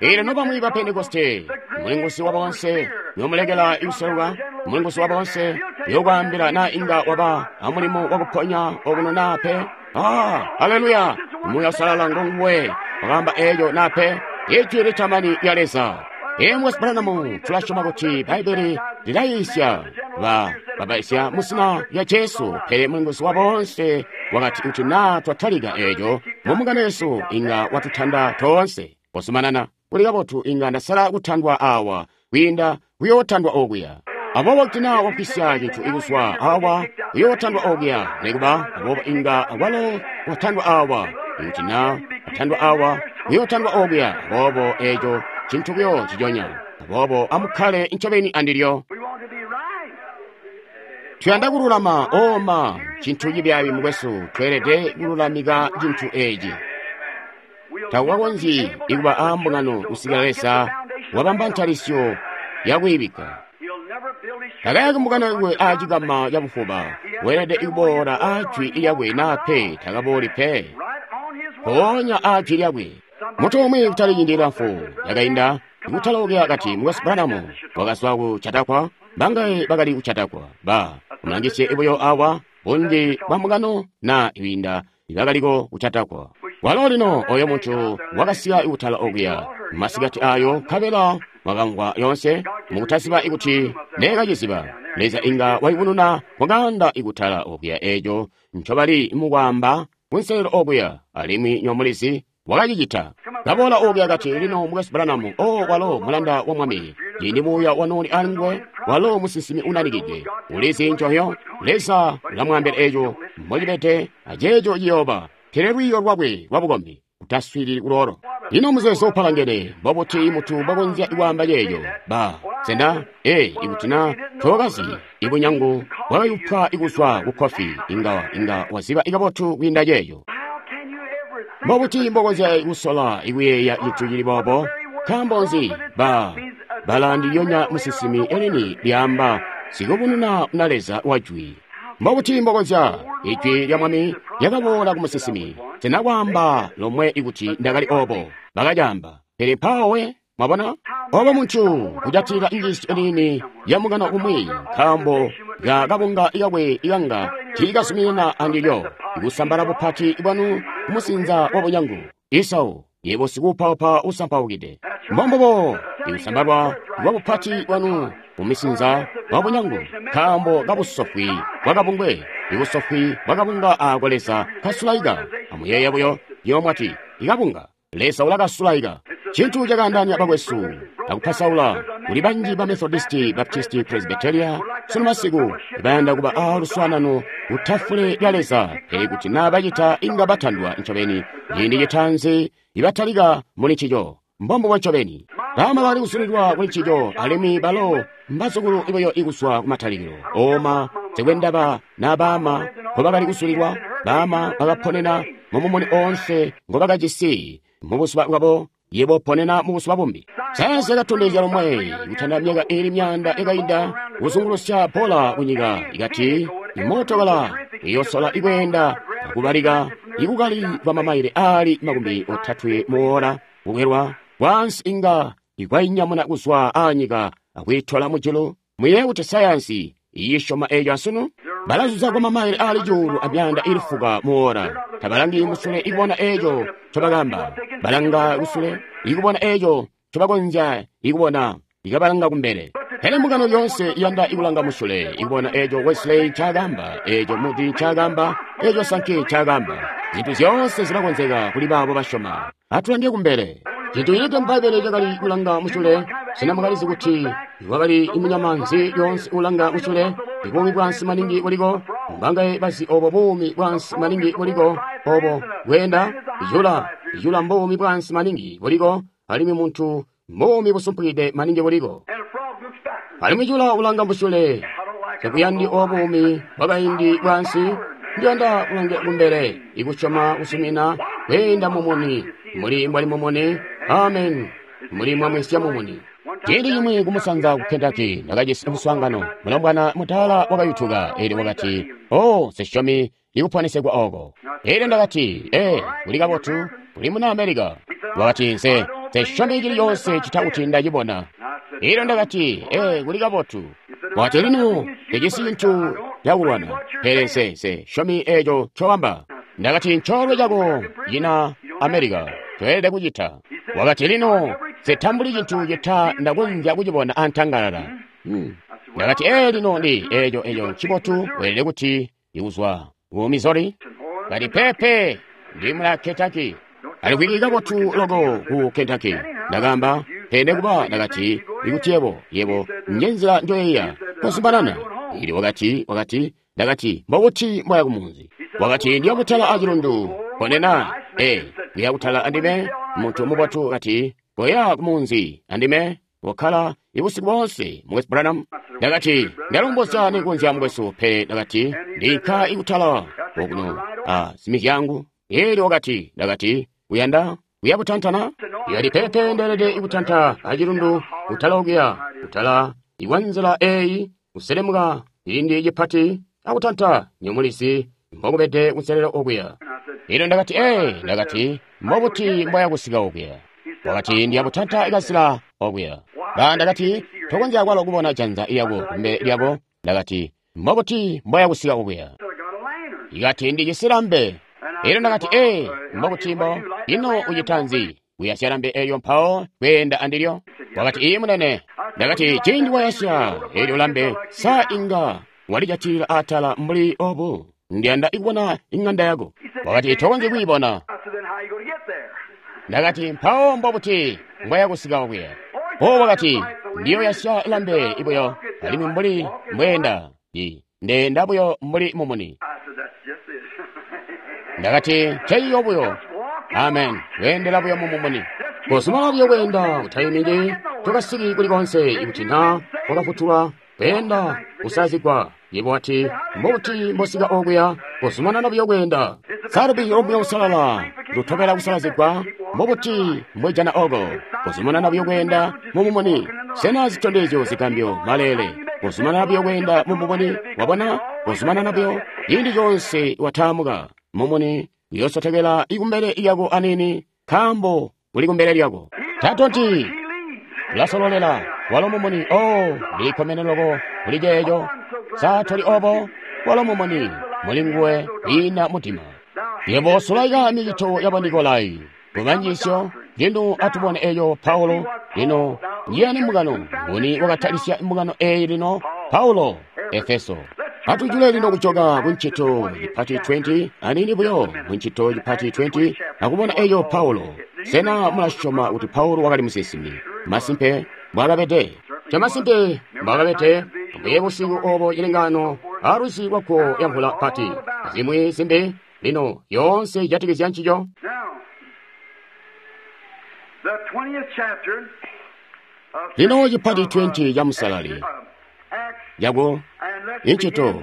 Elyo nobamwi ba Pentekoste, mulinguzi wa boonse, yomulekela ikuseluka, mulinguzi wa boonse, yokwaambila na inga waba amulimo wakuponya okuno na pe. Ah, haleluya! Muuya usalala ngonguwe wakaamba eeco na pe. Ijwi litamani lya Leza. Emwe Branham tulasyoma kuti Bbaibili lilayiisya ba babaisya mu zina lya Jesu, pele mulinguzi wa boonse wakati kuti naa twatalika eeco mu mbungano yesu inga watutanda toonse. Kozumanana kuli kabotu, inga ndasala kutandwa awa kwiinda kuyootandwa okuya. Aboobo kuti naa wagwisya cintu ikuzwa awa kuyootandwa okuya, nekuba aboobo inga walo watandwa awa. Ikuti naa watandwa awa kuyootandwa okuya, aboobo eeco cintu buyo ciconya. Aboobo amukkale ncobeni andilyo. Tuyanda kululama, oma, cintu cibyaabi mukwesu, tweelede kululamika cintu eeci. Takukakonzyi ikuba aa mbungano kusikila Leza wabamba ntalisyo yakwiibikka. Takayaki mbungano yakwe aacikama cabufuba, weelede kuboola aa jwi lyakwe naa pe takabooli pe. Mpoonya aa jwi lyakwe. Muntu umwi kutali ciindi cilamfu cakainda, kutalookela kati Mukwesu Branham wakazwa ku Chautauqua, bangaye bakali ku Chautauqua, ba mulangisye buyo awa, bunji bwa mbungano na kwiinda bakaliko ku Chautauqua. Walo lino oyo muntu wakasika kutala okuya masikati ayo, nkabela mwakamvwa yonse mukutaziba ikuti neekaciziba. Leza inga wayubununa mukanda ikutala okuya eco ncobali mukwaamba kunselelo okuya, alimwi nyomulizi wakacicita. Kaboola okuya kati, lino Mukwesu Branham, o walo mulanda wa Mwami, ciindi muuya wanooli alinguwe, walo musinsimi unanikide, ulizi ncohyo, Leza ulamwaambila eco mbocibede aceeco ciyooba. Pele lwiiyo lwakwe lwabukombi kutaswiilili kuloolo. Ino muzeezo upalangene, mbobuti muntu mbwakonzya kwaamba ceeco? Ba, sena, ee, ikuti na tookazi ibunyangu bwakayupwa kuzwa ku kofi, inga, inga waziba kabotu kwiinda ceeco. Mbobuti mbokonzya kusola kuyeeya cintu cili boobo? Nkaambo nzi? Ba, bala ndilyonya musinsimi elini lyaamba sikubununa na Leza wa jwi. Mbobuti mbokonzya? Ijwi lya Mwami lyakaboola ku musinsimi. Sena kwaamba lomwe ikuti ndakali obo? Bakacaamba. Pele mpaawo we, mwabona? Obo muntu kujatilila njiisyo niini ya mukano umwi, nkaambo ka kabunga kakwe ikanga tiikazuminana andilyo, kusambala bupati bwanu kumusinza wa bunyangu. Esau, yebo sikuupaupa usampaukide. Mbombubo, ikusambalwa kwa bupati bwanu mumisinza wa bunyangu, nkaambo kabusofwi bwakabungwe, ibusofwi bwakabunga aako Leza kasulaika. Amuyeeye buyo, nywebo mwati, ikabunga, Leza ulakasulaika. Cintu cakaandaanya bakwesu akupasaula kuli banji ba Methodisti, Baptisti, Presbyteria sunu masiku bayanda kuba a luswaanano kutafule lya Leza, pele kuti naa bacita inga batandwa ncobeni ciindi citaanzi ibatalika muli ncico. Mbombubo ncobeni. Baama bakali kuzulilwa kuli ncico, alimwi balo mbazukulu buyo ikuzwa kumatalikilo. Oma nsikwendaba na baama nkobakali kuzulilwa, baama bakaponena mumumuni oonse ngobakajisi mubuzuba bwabo, yebo ponena mubuzuba bumbi. Sayansi yakatondezya lomwe kutanda myaka iili myaanda yakainda kuzungulusya bola kunyika, ikati imootokala iyosola ikweenda akubalika ikukali kwa mamaile aali 30 muwola kukwelwa kwaansi inga ikwainyamuna kuzwa aanyika akwiitola mujulu. Muyeeye kuti sayansi iyisyoma eeco asunu? Balazuza kwa mamaile aali 1,000 muwola. Tabalangi musule ikubona eeco ncobakamba. Balanga kusule ikubona eeco ncobakonzya ikubona, ikabalanga kumbele. Pele mbungano lyoonse iyanda ikulanga musyule, ikubona eco Wesley ncaakamba, eco Moody ncaakamba, eco Sankey ncaakamba. Zintu zyoonse zilakonzeka kuli baabo basyoma. Atulange kumbele. Cintu cilikke mu Bbaibbele cakali kulanga musyule. Sena mwakalizi kuti kwakali munyama nzi lyoonse ulanga musyule? Ibuumi bwaansi maningi buliko. Mbangaye bazi obo buumi bwaansi maningi buliko obo bweenda? Ijula, ijula mbuumi bwaansi maningi buliko, alimwi muntu mbuumi busumpukide maningi buliko. Alimwi jula ulanga musyule. Takuyandi obuumi bwakaindi bwaansi. Ndiyanda kulange kumbele, ikusyoma kusumina, kweenda mumuni, muli mbwali mumuni. Amen. Muli mwamwisya mumuni. Ciindi cimwi kumusanza ku Kentucky, ndakajisi muswaangano. Mulombwana mudaala wakayutuka, elyo wakati, "Oh, nsisyomi ikuponesegwa oko." Elyo ndakati, "Ee, kuli kabotu, uli muna America." Wakati, "Nse nsisyomi cili coonse cita kuti ndacibona." Elyo ndakati, "Ee, kuli kabotu." Wakati, "Lino, ndijisi cintu cakulwana, pele nse nsisyomi eco ncoamba." Ndakati, "Ncoolwe cako cina America, toelede kucita." Wakati, "Lino, nsitambuli cintu cita ndakonzya kucibona antangalala." Ndakati, "Ee, lino ndi eco ncibotu, weelede kuti ikuzwa ku Missouri." Kati, "Peepe, ndi muna Kentucky." Alikwiki kabotu loko ku Kentucky. Ndakamba, pele nekuba ndakati, ikuti yebo, njenzila njoyeeya, kozumanana. Ili wakati, ndakati, mbobuti mboya kumunzi? Wakati, ndiya kutala acilundu. Konena, ee, uya kutala andime, muntu mubotu kati, koya kumunzi andime, wakkala ibusiku boonse, Mukwesu Branham. Ndakati, ndalombozya nikonzya mukwesu, pele ndakati, ndikka ikutala okuno a simizyangu. Elyo wakati, ndakati, uyanda kuya kutantana? Yali pepe ndeelede ikutanta acilundu, kutala okuya, kutala ikwanzila eyi, kuselemuka cilindi cipati, akutanta nyomulizi mbokubede kunselelo okuya. Elyo ndakati, ee, ndakati, mbobuti mboya kusika okuya? Wakati, ndiya kutanta kazila okuya. Ba ndakati, tokonzya kwalo kubona janza lyako kumbele lyako. Ndakati, mbobuti mboya kusika okuya? Ikati, ndijisi lambe. Elyo ndakati, ee, mbobuti mbo, ino ucita nzi? Kuyasya lambe elyo mpawo kweenda andilyo? Wakati, ii munene. Ndakati, ciindi wayasya elyo lambe, sa inga walijatilila atala mbuli obu? Ndiyanda ikubona ing'anda yako. Wakati, tokonzyi kwiibona. Ndakati, mpawo mbobuti mbwaya kusika okuya? O wakati, ndiyo yasya lambe ibuyo, alimwi mbuli mbweenda, ndeenda buyo mbuli mumuni. Ndakati, nceiyo buyo. Amen. Weendela buyo mumumuni. Kozumana buyo kweenda, utaimiki, tokasiki kuli konse, ikuti na wakafutulwa, kweenda, kusazigwa. Yebo wati, mbobuti mbosika okuya, kozumanana buyo kweenda. Salubi omuya usalala, lutobela kusalazigwa, mbobuti mbwejana oko, kozumanana buyo kweenda mumumuni. Sena zitondezyo zigambyo maleele, kozumanana buyo kweenda mumumuni, wabona, kozumanana buyo, ciindi coonse wataamuka, mumuni uyosotekela ikumbele lyako anini, nkaambo uli kumbele lyako. Tatonti ulasololela, walo mumuni. Oh, ndikkomene loko kuli ceeco. Sa toli obo? Walo mumuni, muli nguwe kwiina mudima. Yebo sulaika micito ya Banikolai kubanjisyo. Lino atubone eyo Paulo. Lino njiyani mbungano? Nguni wakatalisya mbungano eyi lino? Paulo, Efeso. Atujule lino kujoka kuncito cipati 20, anini buyo kuncito cipati 20, akubona eyo Paulo. Sena mulasyoma kuti Paulo wakali musinsimi? Masimpe mbwakabede. Camasimpe mbwakabede. Mbuye busiku obo cilengano alwizi lwako yamvula pati. Zimwi zimbi lino yoonse ijatikizya ncico. Lino cipati 20 ca musalali yako incito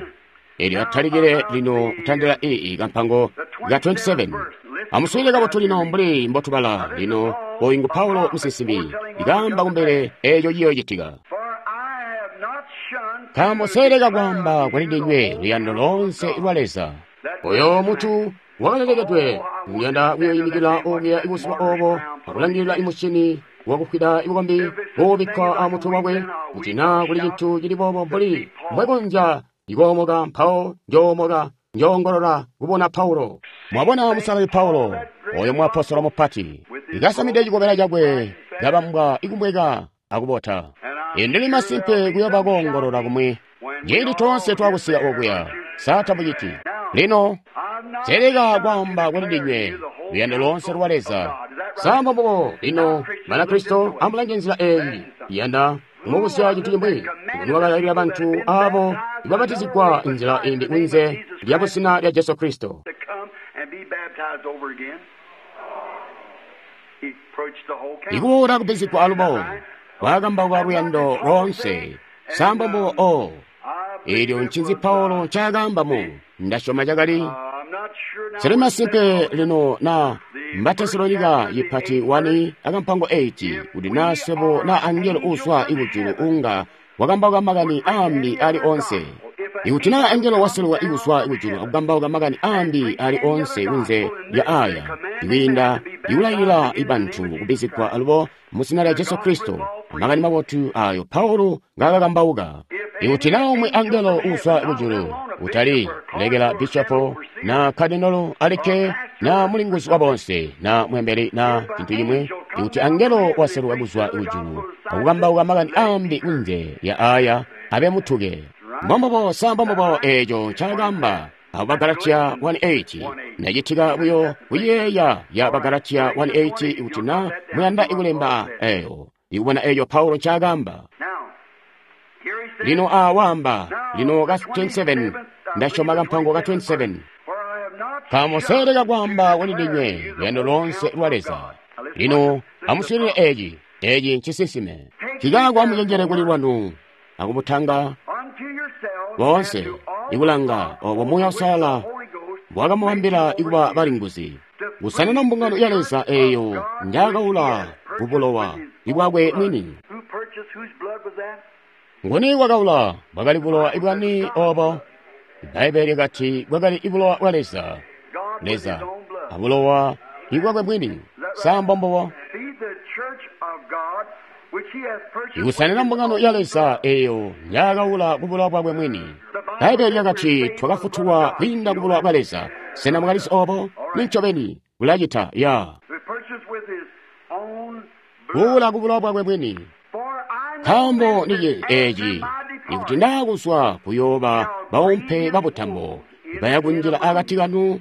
elyo atalikile lino kutandila ii kampango ka 27. Amuswiilile kabotu lino mbuli mbotubala lino. Oyu ngu Paulo musinsimi, ikaamba kumbele eeco ciyoocitika. Nkaambo seeleka kwaamba kuli ndinywe luyando loonse lwa Leza. Oyo mutu wakalelekedwe, ndiyanda kuyoyimikila okuya ibuzuba obo akulangilila imusyini wakufwida ibukombi bubikkwa amutwe wakwe, kuti naa kuli cintu cili boobo mbuli mbwekonzya ikoomoka, mpawo njoomoka, njoongolola kubona Paulo. Mwabona musalali Paulo, oyo muapostolo mupati, ikasamide cikobela cakwe kabambwa ikumweka akubota. Ndili masimpe kuyooba koongolola kumwi ciindi toonse twakusika okuya. Sa tamuciti? Lino seleka kwaamba kuli ndinywe luyando loonse lwa Leza. Sa mbombubo? Lino Banakristo, amulange nzila eyi. Yanda kumubuzya cintu cimwi. Nguni wakalailila bantu abo ibabatizigwa nzila imbi kunze lya busina lya Jesu Kristo? Ikuboola kubbizigwa alubo wakakambauka luyando loonse. Sa mbombubo? O eelyo ncinzi Paulo ncaakaamba mu ndasyoma cakali sili masimpe lino na Batesalonika yipati 1 akampango 8 kuti na swebo na angelo uzwa ikujulu unga wakambauka makani aambi ali onse. Ikuti na angelo waseluka ikuzwa ikujulu akukambauka makani aambi ali onse kunze lya aya, ikwiinda ikulailila ibantu kubbizigwa alubo mu zina lya Jesu Kristo, makani mabotu ayo Paulo ngaakakambauka. Ikuti na umwi angelo uzwa kujulu, utali lekela bishopo na kadinolo alikke na mulinguzi wa bonse na mwembeli na cintu cimwi, ikuti angelo waseluka kuzwa kujulu akukambauka makani aambi kunze lya aya, abe mutuke. Mbombubo, sa mbombubo eeco ncaakaamba abo Bagalatia 1:8. Ndacitika buyo kuyeeya ya Bagalatia 1:8 ikuti na muyanda ikulemba eyo, ikubona eeco Paulo ncaakaamba. Lino awaamba lino ka 27, ndasyoma kampango ka 27. Kamuseleka kwaamba kuli ndinywe luyando loonse lwa Leza. Lino amuswiilile eeci, eeci ncisinsime. Cikaako amucenjele kuli lwanu akubutanga boonse ikulanga obo Muuya Uusalala bwakamubambila ikuba balinguzi, kusanina mbungano ya Leza eeyo njaakaula kubulowa ibwakwe mwini. Nguni wakaula? Bwakali bulowa ibwani obo? Ibbaibbele lyakati bwakali ibulowa bwa Leza, Leza abulowa ibwakwe mwini. Sa mbombubo? Ikusanina mbungano ya Leza eeyo njaakaula kubulowa bwakwe mwini. Bbaibbele lyakati twakafutulwa kwiinda kubulowa bwa Leza. Sena mwakalizi obo? Nincobeni bulacita ya kuula kubulowa bwakwe mwini. Nkaambo nici eeci, ikuti ndaakuzwa kuyooba baumpe babutambo baya kunjila akati kanu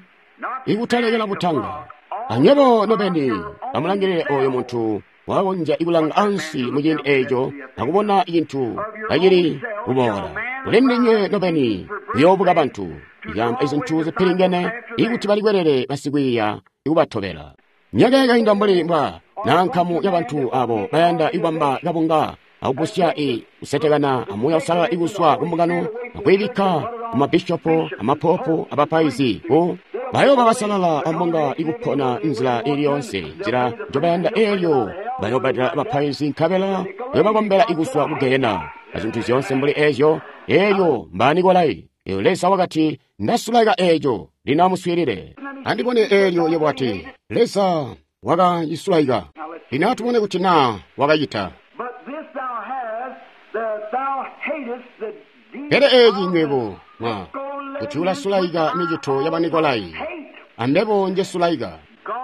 ikutalekela butanga. Anywebo nobeni amulangilile oyo muntu wakonzya ikulanga ansi muciindi eeco akubona cintu kacili kuboola. Kuli ndinywe nobeni kuyoobuka bantu ikaamba izintu zipilingene ikuti balikwelele basikwiiya ikubatobela. Myaka yakainda mbuli mbwa na nkamu ya bantu abo bayanda ikubamba kabunga akugusya kusetekana amuuya usalala ikuzwa kumbungano akwiibikka kumabishopo amapopu abapaizi ku bayooba basalala ambunga ikupona nzila ili yonse nzila njobayanda eelyo bayoobadila abapaizi nkabela bayobakombela ikuzwa ku gehena azintu zyoonse mbuli eezyo. Eelyo mbaanikolai. Eyo Leza wakati ndasulaika eeco. Lino amuswiilile andibone eelyo yebo ati Leza wakacisulaika. Lino atubone kuti naa wakacita. Pele eeci nywebo mwa kuti ulasulaika micito ya Banikolai, ambebo njesulaika.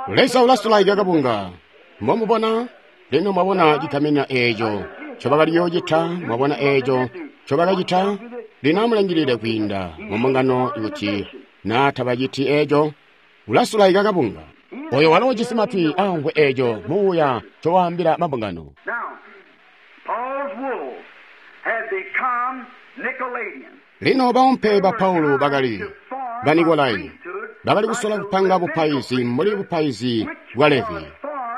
Leza ulasulaika kabunga. Mbomubona lino, mwabona cigamina eeco ncobakaliyoocita, mwabona eeco ncobakacita. Lino amulangilile kwiinda mumbungano kuti naa tabaciti eeco, ulasulaika kabunga. Oyo walo ujisi matwi amvwe eeco muuya ncowaambila mabungano. Lino baumpe ba Paulo bakali Banikolai, bakali kusola kupanga bupaizi mbuli bupaizi bwa Levi,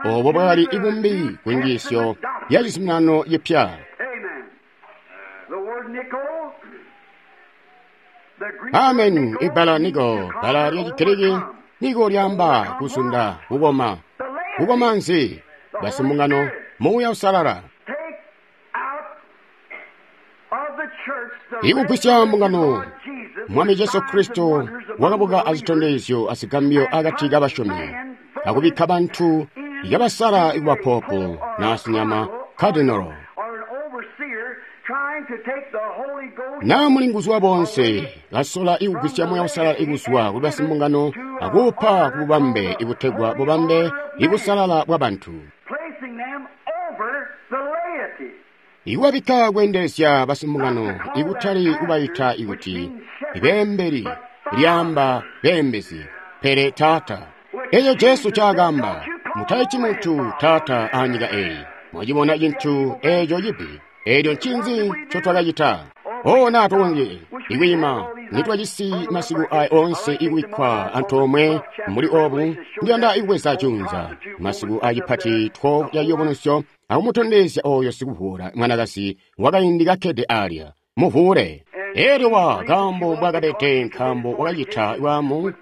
obo bwakali ibumbi ku njiisyo ya cizuminano cipya. Amen. Ibbala niko, bbala lya Chigiriki niko lyaamba kuzunda, kukoma. Kukoma nzi? Basimbungano, Muuya Usalala. Ikugwisya mbungano, Mwami Jesu Kristo wakabuka azitondezyo azigambyo akati kabasyomi, akubikka bantu yabasala ikuba popo na sinyama cardinal na mulinguzi wa bonse kasola ikugwisya Muuya Usalala ikuzwa kuli basimbungano akuupa ku bubambe ibutegwa bubambe ibusalala bwa bantu. Ikubabikka kweendelezya basimbungano, ikutali kubaita ikuti beembeli, lyaamba beembezi, pele taata. Eco Jesu caakamba, mutaiti muntu taata aanyika eyi. Mwacibona cintu eco cibi. Elyo ncinzi ncotwakacita? Oh, na tukonzye ikwiima nitwajisi masiku aya onse ikubikkwa antoomwe mbuli obu. Ndiyanda ikubweza junza masiku acipati 12 ya ciyubunuzyo akumutondezya oyo sikuvuula mwanakazi wakaindi kakkede alya muvuule. Elyo wa kaambo mbwakabede, nkaambo wakacita bwaamu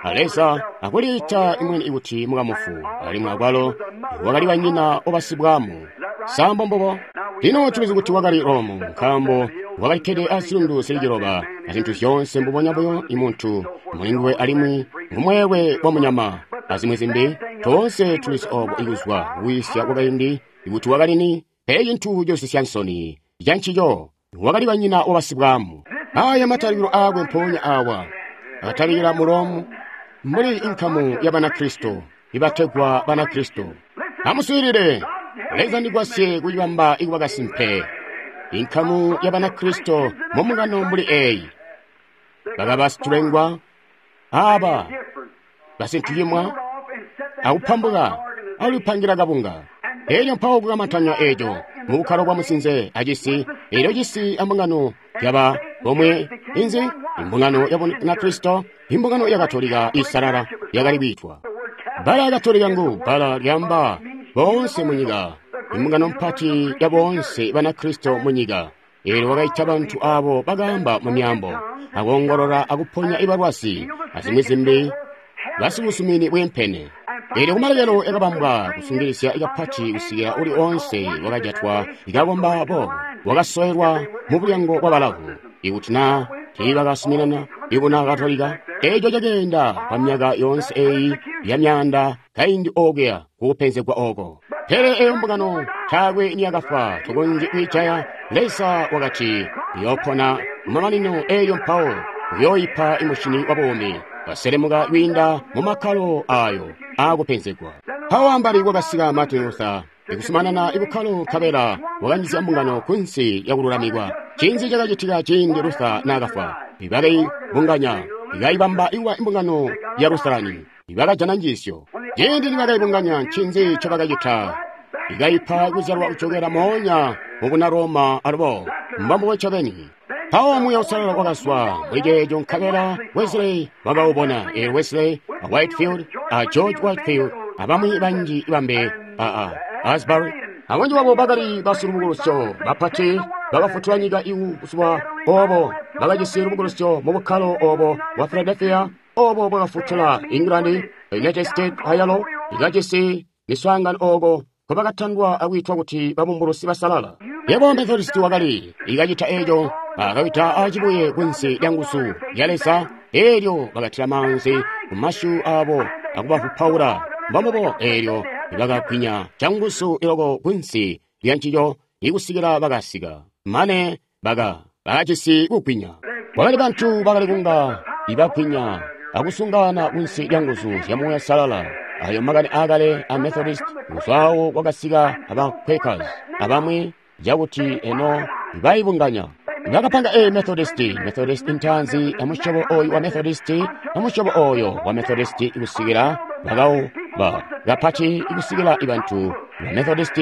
a Leza akuliita imwene kuti mukamufu, alimwi akwalo wakali banyina obasibwaamu. Sambo mbubo. Lino tulizi kuti wakali Romu, nkaambo wakalikkede azilundu zili ciloba azintu zyoonse mbubonya buyo imuntu mulinguwe alimwi ngumweelwe wa munyama azimwi zimbi. Toonse tulizi obo ikuzwa kuwisya kwakaindi ikuti wakali ni, pele cintu cosisya nsoni cancico wakali banyina obasibwaamu. Aya matalikilo aakwe mpoonya awa akatalikila mu Romu mbuli inkamu ya Banakristo ibategwa Banakristo. Amuswiilile, Leza ndigwasye kucibamba ikuba kasimpe. Inkamu ya Banakristo mu mbungano mbuli eyi bakaba situlengwa aba basintucimwa akupambuka akulipangira kabunga. Elyo mpawo kukamantanya eco mu bukkalo bwa musinze acisi, elyo cisi ambungano yaba bomwe inzi imbungano ya Banakristo, imbungano ya Katolika isalala yakali kwiitwa bbala ya Katolika ngu bbala lyamba boonse munyika, imbungano mpati ya boonse Banakristo munyika. Elyo wakaita bantu abo bakaamba mu myaambo, akoongolola akuponya ibalwazi azimwi zimbi, basibusumini bwiimpene. Elyo kumalekelo yakabambwa kusungilisya ikapati kusikila uli onse wakajatwa ikakomba boobo wakasoelwa mu bulyango bwa balavu. Ikuti na tiibakasuminana ibuna Katolika, eco cakeenda kwa myaka yoonse eyi ya myaanda kaindi okuya kukupenzegwa oko. Pele eyo mbungano taakwe niyakafwa, tukonzye kwiijaya. Leza wakati iyoopona kumamanino eyo mpawo uyooyipa imushini wa buumi. Baselemuka kwiinda mu makkalo ayo aakupenzegwa. Mpawo ambali kwakasika Martin Luther ikusumanana ibukkalo, nkabela wakanjizya mbungano kunsi yakululamikwa. Ncinzi cakacitika ciindi Luther naakafwa? Ibakaibunganya, ikaibamba ikuba imbungano ya Lutherani. Ibakajana njiisyo. Ciindi nibakaibunganya, ncinzi ncobakacita? Ikaipa kuzyalwa kucokela moonya mu buna Roma alubo mbambubo ncobeni. Mpawo Muuya Uusalala wakazwa muli ceeco, nkabela Wesley wakaubona. Elyo Wesley a Whitefield a George Whitefield abamwi banji bambe a Asbury abunji babo bakali basilubukulusyo bapati bakafutula nyika ibuzuba obo, bakajisi lubukulusyo mu bukkalo obo bwa Philadelphia, obo bwakafutula England, United States ayalo ikajisi miswaangano oko nkobakatandwa akwiitwa kuti babumbulusi basalala. Yebo Methodist wakali ikacita eco, akawita acibuye kunsi lya nguzu ya Leza, elyo bakatila maanzi ku masyu abo akubavupaula mbambubo, elyo bakagwinya canguzu iloko kunsi lya ncico ikusikila bakasika mane bakajisi kugwinya. Kwakali bantu bakali kunga ibagwinya akusungana kunsi lya nguzu zya Muuya Uusalala. Ayo makani aakale a Methodist kuzwawo kwakasika aba Quakers abamwi cakuti eno baibunganya. Bakapanga a Methodist, Methodist ntaanzi amusyobo oyu wa Methodist, amusyobo oyo wa Methodist ikusikila bakauba kapati ikusikila ibantu ba Methodist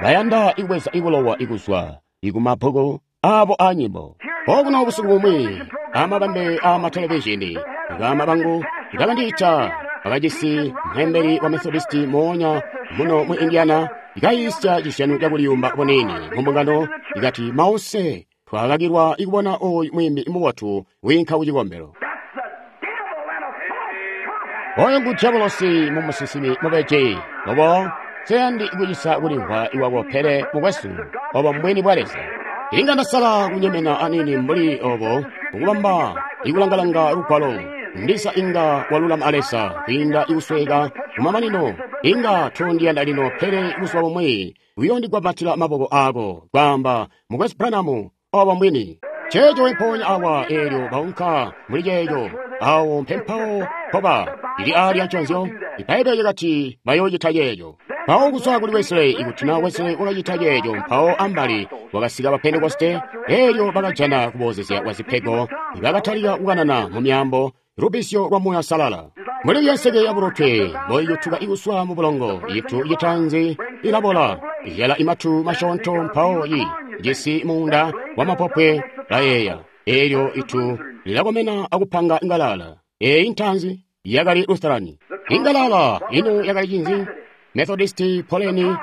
bayanda ikubweza ibulowa ikuzwa ikumabbuku abo anyimbo. Okuno busiku bumwi amabambe amatelevishini bama bangu bakandiita bakajisi mhembeli wa Methodist moonya muno mu Indiana ikayisya cisyanu cakuliyumba bunini mu mbungano, ikati mause twakakilwa ikubona oyu mwimbi mubotu wiinka kucikombelo. Oyo ngu diabolosi mu musinsimi mubeji. Obo seyandi kucisa kulimvwa iwako, pele mukwesu, obo mbwini bwa Leza. Inga ndasala kunyemena anini mbuli obo kukubamba ikulangalanga lugwalo. Ndisa inga walulama a Leza kwiinda ikusweka kumamanino. Inga tondiyanda lino, pele buzuba bumwi uyondigwambatila maboko ako kwaamba, mukwesu Branham, obo mbwini. Ceeco mpoonya awa eelyo baunka muli ceeco awo mpempawo mpoba ili alya nconzyo. Ibbaibele lyakati bayoocita ceeco. Mpawo kuzwa kuli Wesley, ikuti na Wesley wakacita ceeco, mpawo ambali wakasika ba Pentekoste, elyo bakajana kuboozezya kwa zipego, bakatalika kukanana mu myaambo, lubbizyo lwa Muuya Uusalala. Mbuli nseke ya bulotwe mboiyutuka ikuswa mu bulongo, itu citanzi ilabola, izyala imatu masyoonto, mpawo yi jisi muunda wa mapopwe layeeya. Elyo itu lilakomena akupanga ingalala. Eyi ntanzi yakali Lutherani. Ingalala ino yakali cinzi? Methodisti poleni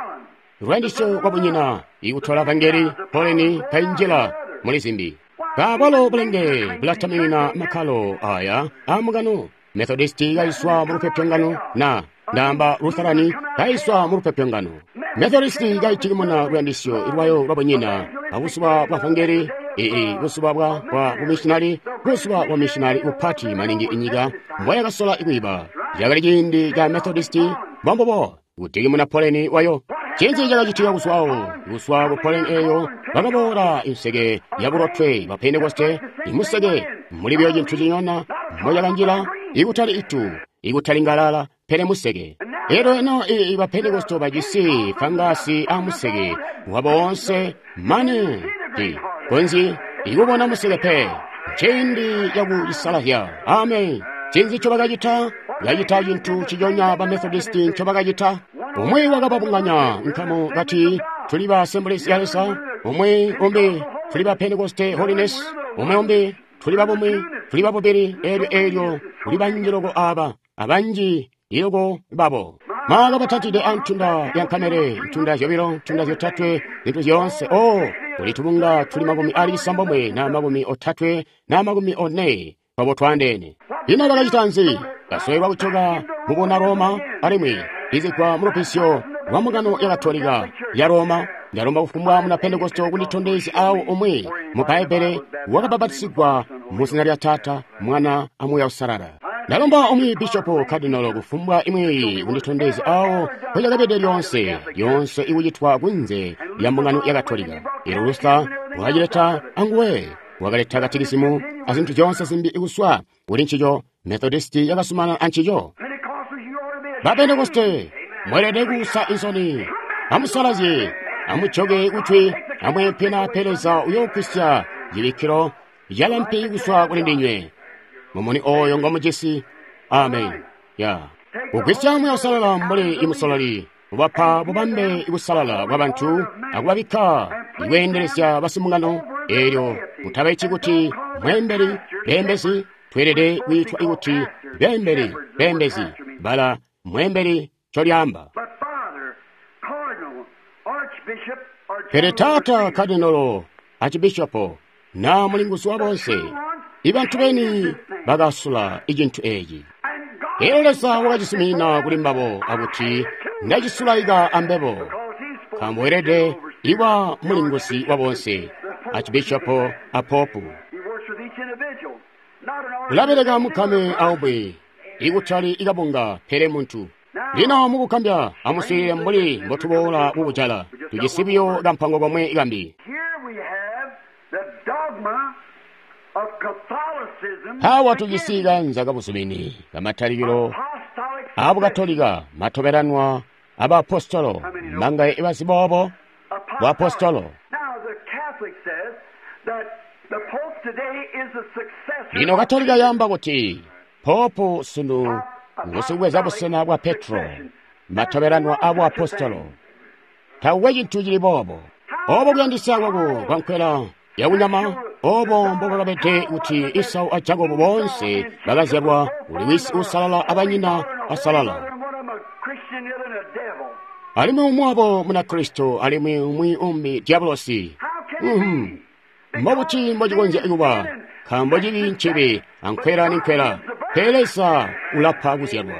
lwandisyo lwabunyina ikutola vangeli poleni kainjila muli zimbi. Kabalo bulenge bulataminina makkalo aya amukano. Methodisti kaiswa mu lupyopyongano na ndamba Lutherani kaiswa mu lupyopyongano. Methodisti kaitikimuna luyandisyo lwayo lwabunyina abuzuba bwa vangeli ii buzuba bwa bumissionari, buzuba bwa missionari bupati maningi inyika mbwayakasola ikwiiba. Cakali ciindi ca Methodisti mbombubo kutikimuna poleni wayo. Cinzi cakacitika kuzwawo? Kuzwa ku poleni eyo bakaboola inseke ya bulotwe ba Pentekoste, imuseke muli buyo cintu cinyona mocakanjila, ikutali itu, ikutali ngalala, pele museke. Elyo eno ba Pentekoste bajisi fangasi a museke wabo wonse mane ti konzyi ikubona museke pe. Nciindi cakucisalazya. Amen. Cinzi ncobakacita? Kacita cintu ciconya ba Methodisti ncobakacita. Umwi wakababunganya nkamu kati tuli ba Assemblies ya Leza, umwi umbi tuli ba Pentecoste Holiness, umwi umbi tuli ba bumwi, tuli ba bubili, elyo elyo kuli banji loko aba, abanji iloko babo. Mwakabatatide a ntunda ya nkamele, ntunda zyobilo, ntunda zyotatwe, zintu zyoonse. Oh, kuli tubunga tuli 96 na 34 na 40 twabo twandeene. Ino bakacita nzi? Kasowelwa kucoka mubuna Roma, alimwi izigwa mu lubbizyo lwa mbungano ya Katolika ya Roma. Ndalomba kufumbwa muna Pentekoste kunditondezya awo umwi mu Bbaibbele wakabapatisigwa mu zina lya Taata, Mwana a Muuya Uusalala. Ndalomba umwi bishopo kadinolo kufumbwa imwi kunditondezya awo mpocakabede lyoonse, lyoonse ikucitwa kunze lya mbungano ya Katolika. Elyo Luther wakacileta anguwe, wakaleta katikisimu azintu zyoonse zimbi ikuswa kuli ncico. Methodisti yakasumana ancico. Ba Pentekoste mweelede kuusa insoni. Amusalazye, amujoke kutwi, amweempe pe Leza uyoogwisya cibikkilo calampi kuswa kuli ndinywe. Mumuni oyo ngomujisi. Amen. Ya. Kugwisya Muuya Uusalala mbuli imusololi, ubapa bubambe busalala bwa bantu akubabikka ikweendelezya basimbungano. Elyo mutabaiti kuti mweembeli, beembezi. Tweelede kwiitwa ikuti beembeli, beembezi, bala mweembeli ncolyaamba. Pele taata kadinolo, archibishopo, na mulinguzi wa bonse, ibantu beni bakasula icintu eci. Elyo Leza wakacisimina kuli mbabo akuti ndacisulaika ambebo, nkaambo weelede iwa mulinguzi wa bonse, archibishopo a popu. Ulabeleka mukame aumwi, ikutali ikabunga pele muntu. Lino mukukambya amuswiilile mbuli mbotuboola kukujala, tujisi buyo kampango komwe kambi. Awa tujisi kanza kabuzumini kamatalikilo abukatolika matobelanwa abaapostolo mangaye ibazi boobo buapostolo. Lino Katolika yaamba kuti popu sunu ngusikubweza busena bwa Petro, matobelanwa abuapostolo. Taukwe cintu cili boobo. Obo kuyandisya kwako kwankwela yakunyama, obo mbobakabede kuti Esau a Jakobo boonse bakazyalwa kuli wisi uusalala abanyina asalala. Alimwi umwi wabo muna Kristo, alimwi umwi umbi diabolosi. Mbobuti mbocikonzya kuba? Nkaambo cibi ncibi, ankwela ninkwela. Pele Leza ulapa kuzyalwa.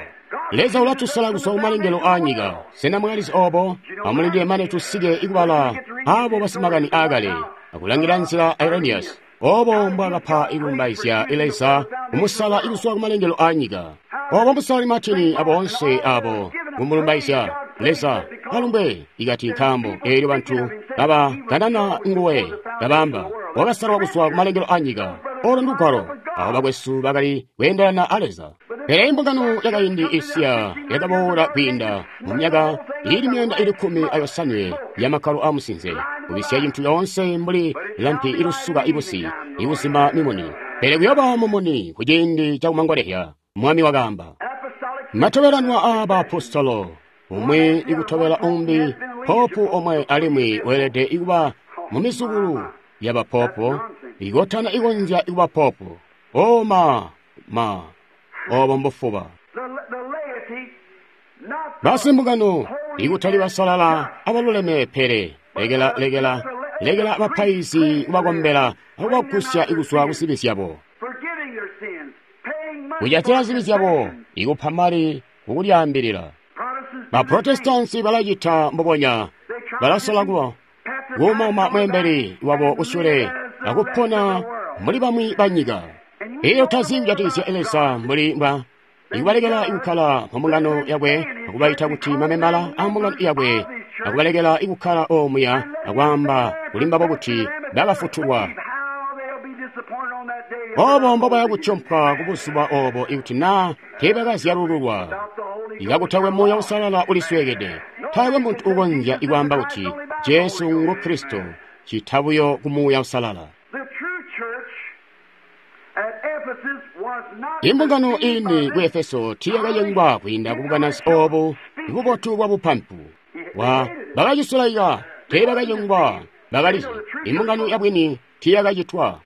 Leza ulatusala kuzwa kumalengelo aanyika. Sena mwalizi obo? Amulindile mane tusike ikubala abo basimakani aakale, akulangila nzila Irenaeus. Obo mbwakapa ikulumbaizya Leza kumusala ikuzwa kumalengelo aanyika. Obo musali Martini aboonse abo kumulumbaizya Leza alumbwe ikati nkaambo eelyo bantu baba kanana nguwe kabamba wakasalwa kuzwa kumalengelo aanyika. Olo ndugwalo abo bakwesu bakali kweendelana a Leza. Pele imbungano yakaindi isiya yakaboola kwiinda mu myaka ili 118 yamakkalo amusinze, kubisya cintu yoonse mbuli lampi ilusuka ibusi, ikuzima mimuni. Pele kuyooba mumuni kuciindi cakumangolezya, Mwami wakaamba. Matobelanwa aa baapostolo, umwi ikutobela umbi, popu omwe alimwi weelede kuba mu mizukulu ya bapopo, ikotana ikonzya kuba popu. O ma, obo mbufuba. Basimbungano, ikutali basalala abaluleme pele, lekela bapaizi kubakombela akubagusya kuzwa kuzibi zyabo. Kujatila zibi zyabo, ikupa mali kukulyaambilila. Baprotestansi balacita mbubonya, balasola kuba kuumauma mweembeli wabo kusyule akupona mbuli bamwi banyika. Iyo tazi kujatikizya Leza mbuli mbwa ikubalekela ikukkala mu mbungano yakwe akubaita kuti mamembala a mbungano yakwe akubalekela ikukkala omuya akwaamba kuli mbabo kuti bakafutulwa. Obo mbobaya kutyompwa kubuzuba obo ikuti naa teebakazyalululwa. Ikakutakwe Muuya Uusalala ulisweekede. Taakwe muntu ukonzya ikwaamba kuti Jesu ngu Kristo cita buyo ku Muuya Uusalala. Imbungano ini ku Efeso tiiyakayengwa kwiinda kubukanazi obu bubotu bwa bupampu. Bakacisulaika, teebakayengwa, bakalizi. Imbungano yabwini tiiyakacitwa.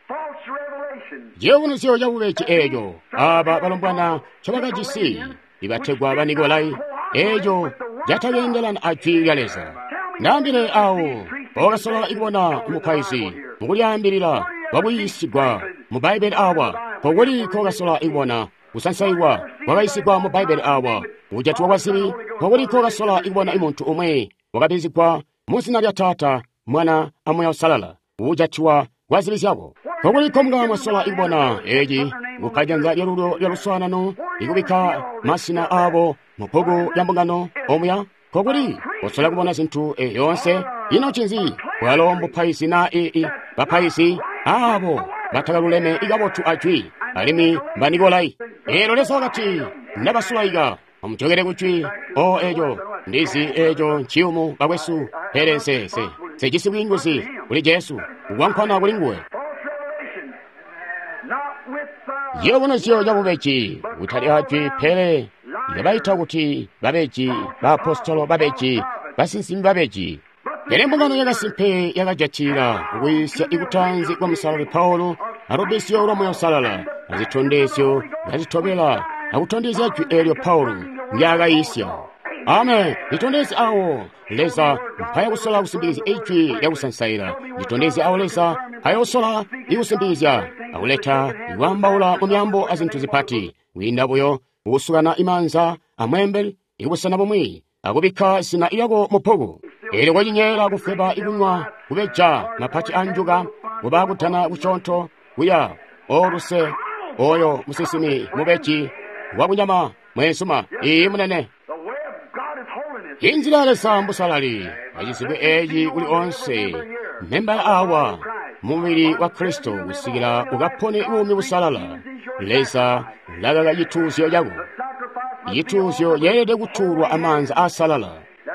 Ciyubunuzyo cabubeji eeco aaba balombwana ncobakajisi ibategwa ba Nikolai, eeco catakeendelana a Jwi lya Leza. Ndaambile awo mbookasola kubona mupaizi mukulyaambilila kwakuyiisigwa mu Bbaibbele awa, nkokuli nkookasola kubona kusansailwa kwakayiisigwa mu Bbaibbele awa, kujatiwa kwa zibi, nkokuli nkookasola kubona muntu umwi wakabizigwa mu zina lya Taata, Mwana a Muuya Uusalala, kujatiwa kwa zibi zyako. Nkokuli nkomunga mwasola kubona eeci kupa janza lyalulyo lya luswaanano, ikubikka masina aabo mu bbuku lya mbungano omuya? Nkokuli kosola kubona zintu yoonse? Ino ncinzi? Bwalo mbupaizi naa bapaizi aabo batakaluleme ikabotu a Jwi, alimwi mba Nikolai. Eelyo Leza wakati, ndabasulaika, amujokele ku Jwi. O eeco ndizi eeco nciyumu bakwesu, pele nsejisi bwiinguzi kuli Jesu, kukwankwana kuli nguwe. Ciyubunuzyo cabubeji kutali a Jwi, pele ikabaita kuti babeji, baapostolo babeji, basinsimi babeji. Pele mbungano yakasimpe yakajatila kukwiisya ikutanzi kwa Musalali Paulo alubisyo lwa Muuya Uusalala azitondezyo kazitobela akutondezya Jwi eelyo Paulo ndyaakayiisya. Amen. Litondezye awo Leza mpaya kusola kusimbikizya ijwi lyakusansaila. Litondezye awo Leza mpayosola ikusimbikizya akuleta ikwaambaula mu myaambo azintu zipati kwiinda buyo kukusukana imaanza amweembeli ikubusena bumwi akubikka zina lyako mu bbuku. Eelyo kocinyeela kufweba ikunywa kubeja mapati anjuka kuba kudana kusyoonto kuya oluse oyo musinsimi mubeji wakunyama mweenzuma. Iiyi munene. Inzila ya Leza mbusalali acizibwe eeci kuli onse membala awa mubili wa Kristo kusikila ukapone buumi busalala. Leza ulakaka cituuzyo cako. Cituuzyo ceelede kutuulwa amaanza aasalala.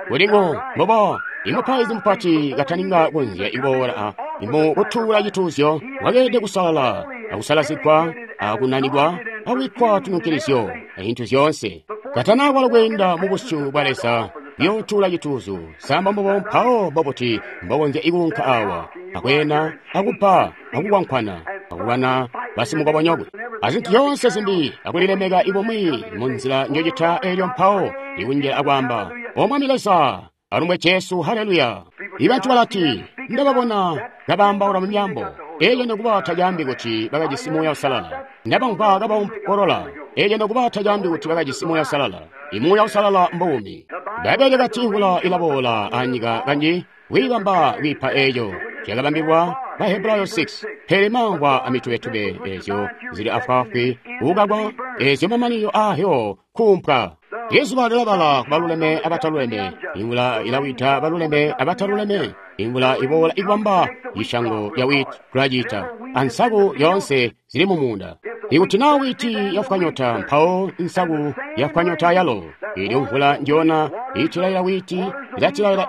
Kulingo mbobo imupaizi mupati kataninga konzya iboola mu kutuula cituuzyo wakeelede kusalala akusalazigwa akunanikwa akubikkwa tununkilizyo azintu zyoonse. Katanakwala kweenda mu busyu bwa Leza kuyootuula cituuzyo, samba mbobo mpawo mbobuti mbokonzya ikuunka awa akweena akubba akukwankwana akulwana basimukobonyokwe azintu zyoonse zimbi akulilemeka ibumwi mu nzila njocita eelyo mpawo ikunjila akwaamba, O Mwami Leza, alumbwe Jesu, haleluya. Ibantu balati, ndababona kabaambaula mu myaambo. Eelyo nokuba tacaambi kuti bakajisi Muuya Uusalala. Ndabamvwa kabaompolola. Eelyo nokuba tacaambi kuti bakajisi Muuya Uusalala. Imuuya Uusalala mbuumi. Bbaibbele kati imvula ilaboola anyika kanji kwiibamba kwiipa eeco zyakabambilwa Bahebrayo 6. Pele mamvwa amitubetube eezyo zili afwaafwi kukakwa, eezyo mamanino aayo kuumpwa. Izuba lilabala kubaluleme abataluleme, imvula ilawida baluleme abataluleme, imvula iboola ikubamba ishango ya wheat kulacita, ansaku yoonse zili mumuunda. Ikuti na wiiti yafwa nyota, mpawo nsaku yafwa nyota yalo. Elyo mvula njona itilaila wiiti, ilatilaila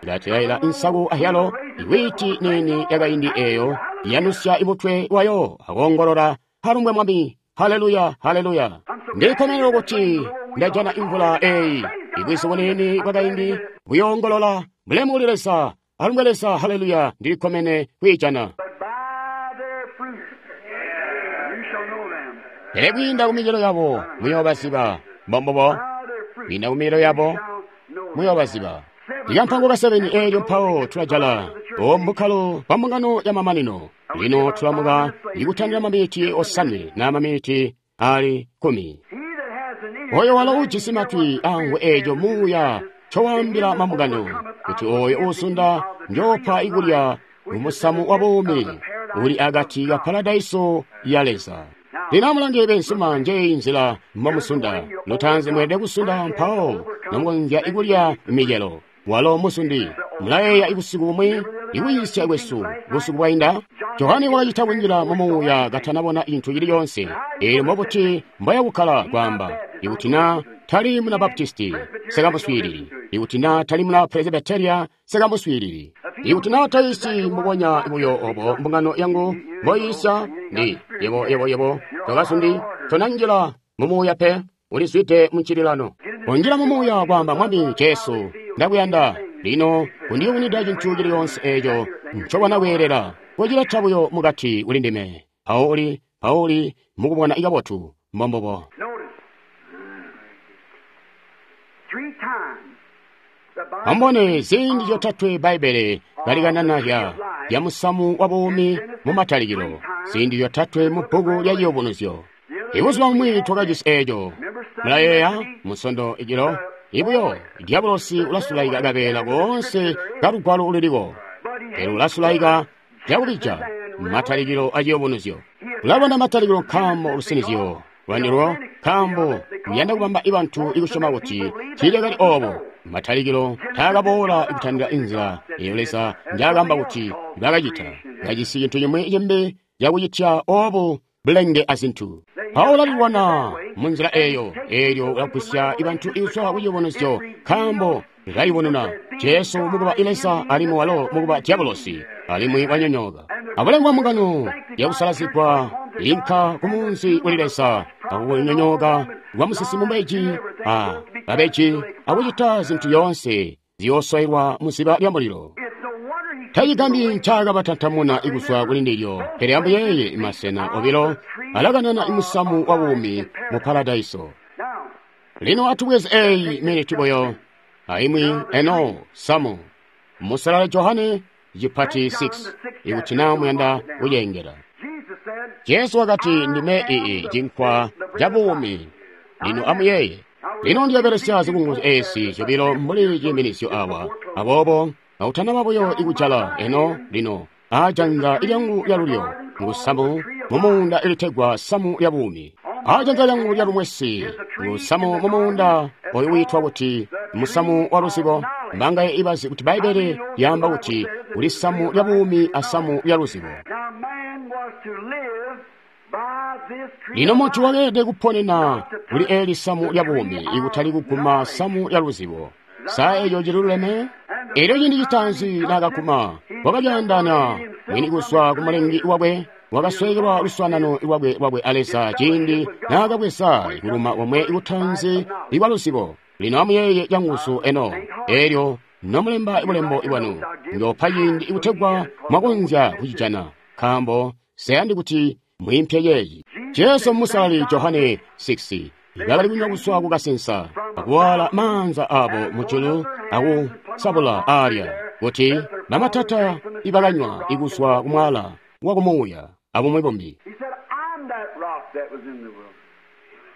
ilatilaila nsaku ahyalo. Iwiiti nini yakaindi eyo yanusya imutwe wayo akoongolola, halumbwe Mwami, haleluya, haleluya. Ndikkomenero kuti ndajana imvula eyi. Ibwizu bunini bwakaindi buyoongolola, bulemu kuli Leza, alumbwe Leza, haleluya, ndilikkomene kwiijana. Pele kwiinda kumicelo yabo muyoobaziba. Mbombubo, kwiinda kumicelo yabo muyoobaziba. Ikampango ka 7 eelyo mpawo tulajala mbukkalo bwa mbungano ya mamanino. Lino tulamuka ikutandila maminiti 9 na maminiti ali 10. Oyo walo ujisi matwi amvwe eeco muuya ncowaambila mambungano, kuti oyo uusunda njoopa ikulya mumusamu wa buumi uli akati ka paradaiso ya Leza. Lino amulange bensuma, njeyi nzila mbomusunda. Lutaanzi mweelede kusunda, mpawo nomukonzya ikulya micelo. Walo musundi. Mulayeeya ibusiku bumwi ikuyiisya kwesu busiku bwainda, Johane wakacita kunjila mumuuya katanabona cintu cili coonse. Eelyo mbobuti mboyakukkala kwaamba, ikuti na tali muna Baptisti, sekamuswiilili. Ikuti na tali muna Presbyteria, sekamuswiilili. Ikuti na taisi mbubonya buyo obo mbungano yangu mboyiisya, ndi yebo yebo yebo tokasundi tonanjila mumuuya pe, ulizwide muncililano. Unjila mumuuya kwaamba, Mwami Jesu, ndakuyanda. Lino kundiyubunida cintu cili coonse eeco ncobona kweelela, kocileta buyo mukati kuli ndime. Mpawo uli mukubona ikabotu. Mbombubo. Ambone ziindi zyotatwe Bbaibbele kalikanana ya musamu wa buumi mu Matalikilo, ziindi zyotatwe mu bbuku lya Ciyubunuzyo. Ibuzuba bumwi twakajisi eeco. Mulayeeya Munsondo ijilo, ibuyo dyabulosi ulasulaika kabeela koonse kalugwalo ululiko, pele ulasulaika zyakubija Matalikilo a Ciyubunuzyo. Ulabona Matalikilo nkaambo lusinizyo lwanilwo, nkaambo uyanda kubamba ibantu ikusyoma kuti tiilyakali oobo. Matalikilo taakaboola ikutandila inzila eyo Leza njaakamba kuti bakacita. Kajisi cintu cimwi cimbi cakucitya oobu bulenge azintu. Mpawo ulalilwana munzila eyo, eelyo ulagwisya ibantu ikuzwa ku Ciyubunuzyo, nkaambo lilayubununa Jesu mukuba Leza alimwi walo mukuba dyabulosi, alimwi wanyonyooka. Abulemu bwa mbungano yakusalazigwa inka kumunzi kuli Leza, akunyonyooka kwa musinsimi mubeji a babeji akucita zintu yoonse ziyooswailwa muziba lya mulilo. Tacigambyi ncaakabatantamuna ikuzwa kuli ndilyo, pele amuyeeye masena obilo alakanana imusamu wa buumi mu paradaiso. Lino atubweze eyi miniti buyo aimwi eno samu. Musalala Johane cipati 6, ikuti na muyanda kuceengela. Jesu wakati, ndime ii cinkwa ca buumi. Lino amuyeeye. Lino ndiyobelesya zikunguzu ezi zyobilo mbuli ciiminizyo awa. Aboobo kautanaba buyo ikujala eno lino aajanza lyangu lyalulyo ngusamu mumuunda ilitegwa samu lya buumi. Aajanza lyangu lyalumwesi ngusamu mumuunda oyu wiitwa kuti musamu wa luzibo. Mbangaye ibazi kuti Bbaibbele lyaamba kuti kuli samu lya buumi asamu lya luzibo. Lino muntu wakeelede kuponena kuli eli samu lya buumi ikutali kuguma samu lya luzibo. Sa eeco ciluleme? Elyo ciindi citaanzi naakaguma, wakalyaandaana mwini kuzwa ku Mulengi wakwe, wakasweekelwa luswaanano lwakwe a Leza ciindi naakabweza kuluma komwe kutaanzi ikwa luzibo. Lino amuyeeye canguzu eno, eelyo nomulemba bulembo bwanu, njoopa ciindi ikutegwa mwakonzya kucijana, nkaambo seyandi kuti mwiimpye yeeyi. Jesu Musalali Johane 6 bakali kunywa kuzwa kukasensa, akuwaala maanza abo mujulu akusabula aalya, kuti bamatata ibakanywa ikuzwa kumwaala wakumuuya abumwi bumbi.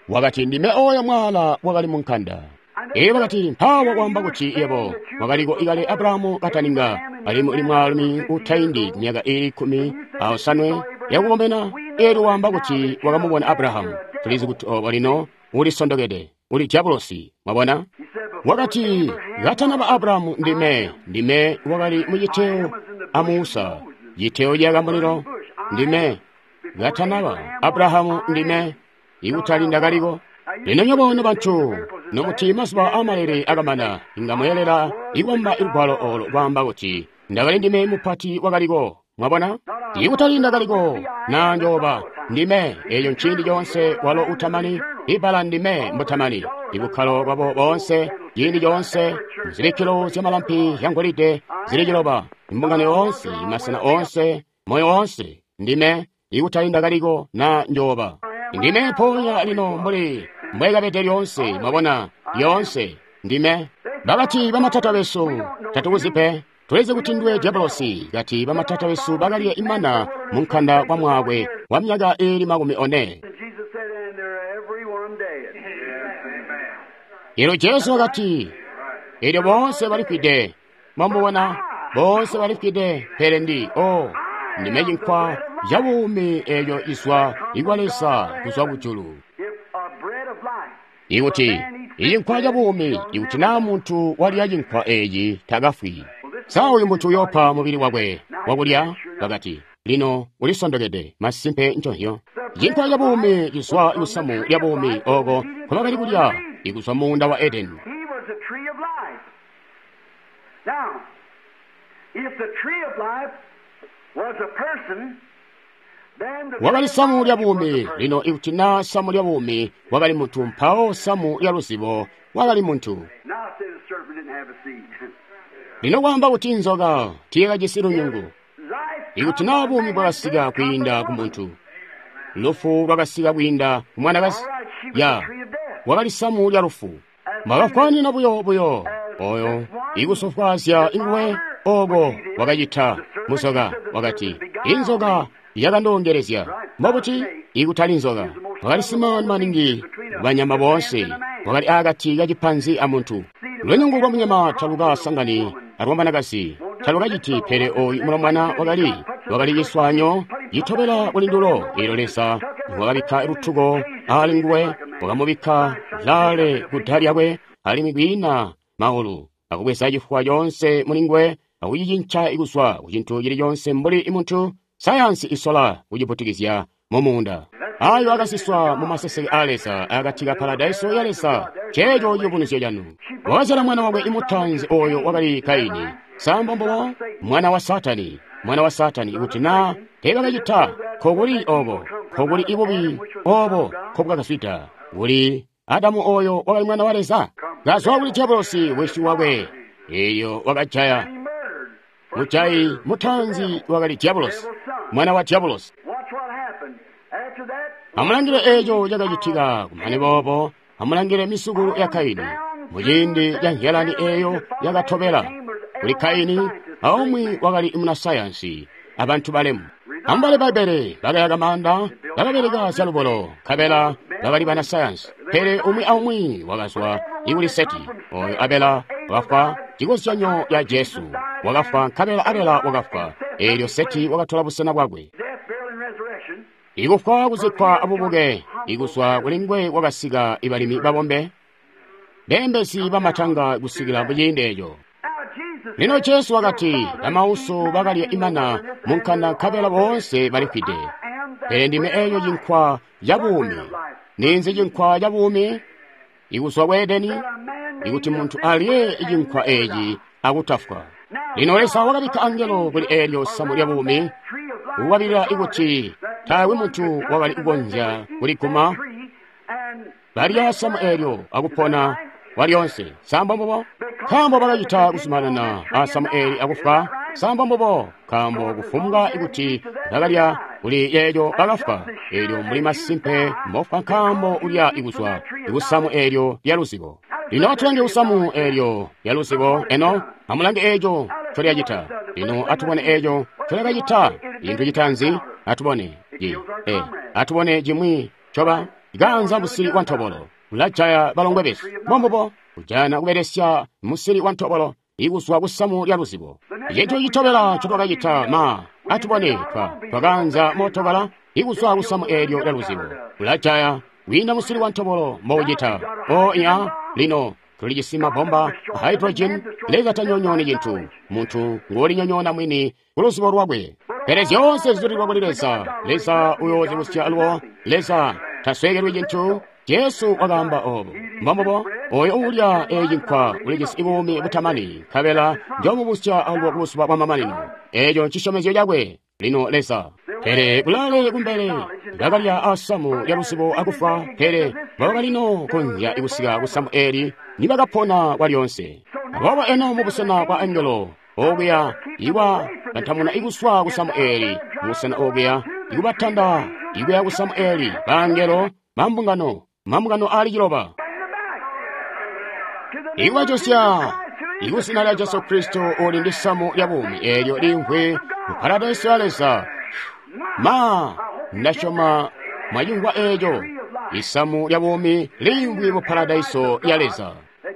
Wakati, ndime oyo mwaala wakali munkanda. Elyo bakati, mpaawa kwaamba kuti yebo wakaliko ikale Abrahamu kataninga, alimwi uli mwaalumi utaindi myaka iili 15 yakukomena. Elyo waamba kuti wakamubona Abrahamu. Tulizi kuti obo lino ulisondokede, uli dyabulosi. Mwabona? Wakati, katanaba Abrahamu ndime wakali muciteyo a Musa, citeyo ciyaka mulilo, ndime. Katanaba Abrahamu ndime, ikutali ndakaliko. Lino nywebo nobantu nomuti mazuba aamalele akamana, inga mweelela ikwamba ilugwalo olo kwaamba kuti ndakali ndime mupati wakaliko. Mwabona? Ikutali ndakaliko na njooba ndime. Eeyo nciindi coonse walo utamani. Ibbala ndime mbutamani. Ibukkalo bwabo boonse ciindi coonse muzibikkilo zyamalampi yangolide zili ciloba, imbungano yoonse, masena oonse, moyo woonse, ndime, ikutali ndakaliko na njooba ndime. Mpoonya lino mbuli mbwekabede lyoonse, mwabona, lyoonse ndime. Bakati bamatata besu tatukuzi pe, tulizi kuti ndiwe diabolosi. Kati bamatata besu bakalya imana munkanda kwa mwaakwe wa myaka iili 40. And Jesus said, and they're every one dead. Elyo Jesu wakati, elyo boonse balifwide. Mwamubona, boonse balifwide, pele ndi o ndime cinkwa ca buumi eeyo izwa ikwa Leza kuzwa kujulu. If a bread of life. Ikuti icinkwa ca buumi, ikuti naa muntu walya cinkwa eeci takafwi. Sa uyu muntu uyoopa mubili wakwe wakulya? Bakati, lino ulisondokede, masimpe nconzyo. Cinkwa ca buumi cizwa kusamu lya buumi oko nkobakali kulya ikuzwa muunda wa Edeni. He was the tree of life. Now, if the tree of life was a person, then the Wakali tree of samu lya knowledge was a buumi. person. Lino ikuti naa samu lya buumi wakali muntu, mpawo samu lya luzibo wakali muntu. Now say the serpent didn't have a seed. Lino kwaamba kuti nzoka tiyakajisi lunyungu. Life Ikuti naa buumi bwakasika kwiinda ku muntu, lufu lwakasika kwiinda ku mwanakazi. All right, she was Ya the tree of death. wakali samu lya lufu. Mwakafwanina buyo buyo oyo ikusofwaazya inguwe oko wakacita muzoka. Wakati inzoka yakandongelezya. Mbobuti ikutali nzoka? Wakali simani maningi banyama boonse, wakali akati kacipanzi a muntu. Lunyungu lwa munyama talukasangani alwa mwanakazi, talukaciti. Pele oyu mulombwana wakali ciswanyo citobela kuli ndulo. Eelyo Leza wakabikka lutuko ali nguwe, wakamubikka lale kuda lyakwe, alimwi kwiina maulu, akubweza cifuwa coonse muli nguwe, akucicinca kuzwa ku cintu cili coonse mbuli muntu. Sayansi isola kuciputikizya mu muunda. Ayo akasiswa mu maseseke a Leza akati ka paradaiso ya Leza. Ceeco ciyubunuzyo canu. Wakazyala mwana wakwe imutanzi, oyo wakali Kaini. Samba mbubo mwana wa Satani, mwana wa Satani. Ikuti naa teebakacita, nkokuli oko, nkokuli ibubi obo nkobwakazwida kuli Adamu oyo wakali mwana wa Leza, kazwa kuli diabolosi wisi wakwe, eyo wakajaya. He murdered. Mujayi mutanzi wakali diabolosi, mwana wa diabolosi. Watch what happened. After that, Amulangile eeco cakacitika kumane boobo. Amulangile misukulu ya Kaini muciindi ca nzyalani eeyo yakatobela kuli Kaini, aumwi wakali munasayansi abantu balemu. Amubale Bbaibbele, bakayaka maanda, bakabeleka zyalubolo, nkabela bakali banasayansi. Pele umwi aumwi wakazwa ikuli Seti, oyo Abela wakafwa, cikozyanyo ya Jesu wakafwa, nkabela Abela wakafwa, eelyo Seti wakatola busena bwakwe. death, burial, and resurrection. Ikufwa, kuzikkwa abubuke, ikuzwa kuli nguwe kwakasika ibalimi babombe, beembezi bamatanga kusikila muciindi eeco. Now Jesus Lino Jesu wakati, bamauso bakalya imana munkanda nkabela boonse balifwide. Pele ndime eeyo cinkwa ca buumi. Ninzi cinkwa ca buumi? Ikuzwa ku Edeni, ikuti muntu alye cinkwa eeci akutafwa. Lino Leza wakabikka angelo kuli eelyo samu lya buumi, kukwabilila ikuti taakwe muntu wakali kukonzya kuliguma. Balya samu eelyo akupona walyoonse. Samba mbubo? Nkaambo bakacita kuzumanana a samu eeli akufwa. Samba mbubo? Nkaambo kufumbwa ikuti bakalya kuli yeeyo bakafwa. Eelyo muli masimpe mbofwa nkaambo ulya ikuzwa kusamu eelyo lya luzibo. Lino atulange kusamu eelyo lya luzibo. Eno amulange eeco ncolyacita. Lino atubone eeco ncolyakacita. Cintu citaanzi atubone atubone cimwi coba ganza musili wa ntobolo ulajaya balongwe besu. Mbombubo kujana kubelesya musili wa ntobolo ikuzwa kusamu lya luzibo. Cintu citobela ncotwakacita ma atubone twakanza mootokala ikuzwa kusamu eelyo lya luzibo ulajaya wiina musili wa ntobolo mboucita. O iya lino tulijisi mabomba a hydrogen. Leza tanyonyooni cintu, muntu nguulinyonyoona mwini ku luzibo lwakwe. Pele zyoonse zizulilwa kuli Leza. Leza uyoozibusya alubo. Leza tasweekelwi cintu. Jesu wakaamba obo. Mbombubo, oyo uulya ecinkwa ulijisi buumi butamani, nkabela njoomubusya alubo kubuzuba bwamamanino. Eeco ncisyomezyo cakwe. Lino Leza. Pele kulaale kumbele bakalya asamu lya luzibo akufwa, pele mbobakalino konzya kusika kusamu eeli nibakapona kwalyonse. Aboobo eno mubusena bwa angelo okuya iwa bantamuna ikuswa kusamu eeli, mubusena okuya ikubatanda ikuya kusamu eeli, bangelo mambungano, mambungano aali ciloba. Ikubajosya ikuzina lya Jesu Kristo uli ndi samu lya buumi eelyo liimvwi mu paradaiso ya Leza. Ma, ndasyoma mwacimvwa eeco. Isamu lya buumi liimvwi mu paradaiso ya Leza.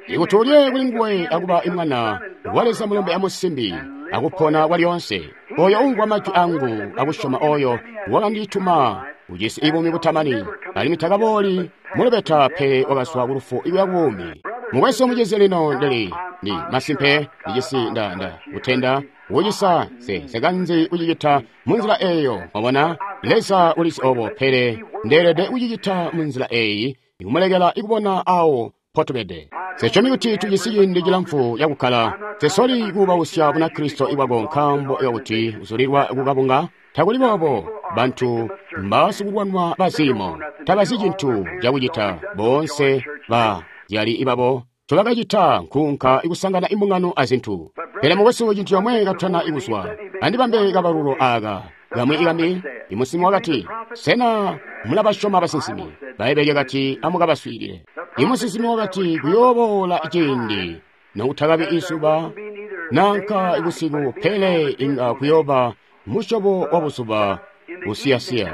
Ikuti ulye kuli nguwe akuba mwana wa Leza mulombe amusimbi akupona kwalyonse. Oyo umvwa majwi angu akusyoma oyo wakandituma ujisi buumi butamani, alimwi takabooli mulubeta pele wakazwa kulufu ikuya kubuumi. Mukwesu omucizi lino ndili ndi masimpe ndijisi nda kutenda kucisa nse kucicita munzila eeyo. Mwabona, Leza ulizi obo, pele ndeelede kucicita munzila eeyi ikumulekela ikubona awo potubede. Sesyomi kuti tujisi ciindi cilamfu cakukkala. Sesoli kuubausya Bunakristo ibwako nkaambo kakuti uzulilwa kukabunga. Takuli boobo. Bantu mbasikulwanwa baziimo tabazi cintu cakucita. Boonse bazyali ibabo ncobakacita nkuunka ikusangana imbungano azintu. Pele mukwesu cintu comwe katutana ikuzwa, andibambe kabalulo aaka kamwi ikambi. Imusinsimi wakati, sena mulabasyoma basinsimi? Bbaibbele lyakati, amukabaswiilile. Imusinsimi wakati, kuyooboola ciindi nokutakabi izuba nanka busiku, pele inga kuyooba musyobo wa buzuba busiyasiya.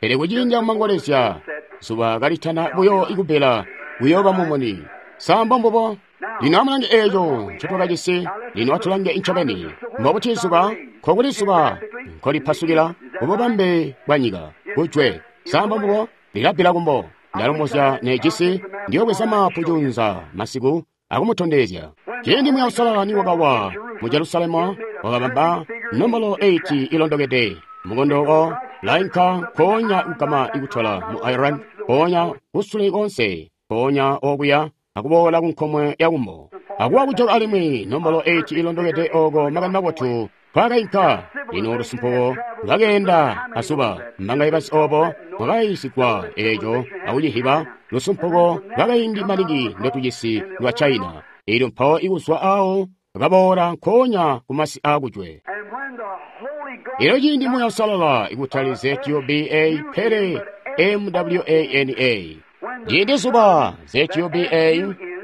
Pele kuciindi amangolezya zuba kalitana buyo ikubbila, kuyooba mumuni. Sa mbombubo? Lino amulange eeco ncotwakajisi. Lino atulange ncobeni. Mbobuti zuba? Nkokuli zuba nkolipasukila kububambe bwa nyika kujwe. Sa mbombubo? Lilabbila kumbo. Ndalomozya nejisi ndiyobweza mapu junza masiku akumutondezya. Ciindi Muuya Uusalala niwakawa mu Jerusalemu, wakabamba nombolo 8 ilondokede. Mukondo wo lainka nkoonya kugama ikutola mu Ireland, nkoonya kusule konse, nkoonya okuya akuboola kunkomwe ya kumbo. Akuwa kujoka alimwi nombolo 8 ilondokede oko makani mabotu kwakainka. Lino lusumpuko lwakeenda azuba. Mbangaye bazi obo mwakayiisigwa eeco akucihiba lusumpuko lwakaindi maningi ndotujisi lwa China. Elyo mpawo ikuzwa awo bakaboola nkoonya kumasi aakujwe. Elyo ciindi Muuya Uusalala ikutali ZUBA pele MWANA. Ciindi zuba ZUBA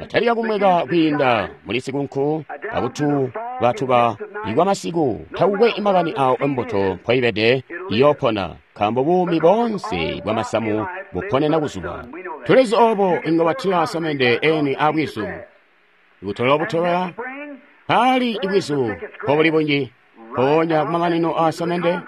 latalika kumweka kwiinda muli sikunku akutubatuba ikwa masiku, takukwe makani awo embuto mpoibede iyoopona, nkaambo buumi boonse bwa masamu buponena kuzuba. Tulizi obo inga watila samende eni abwizu. Ikutola butobela paali ibwizu mpobuli bunji, mpoonya kumamanino a samende.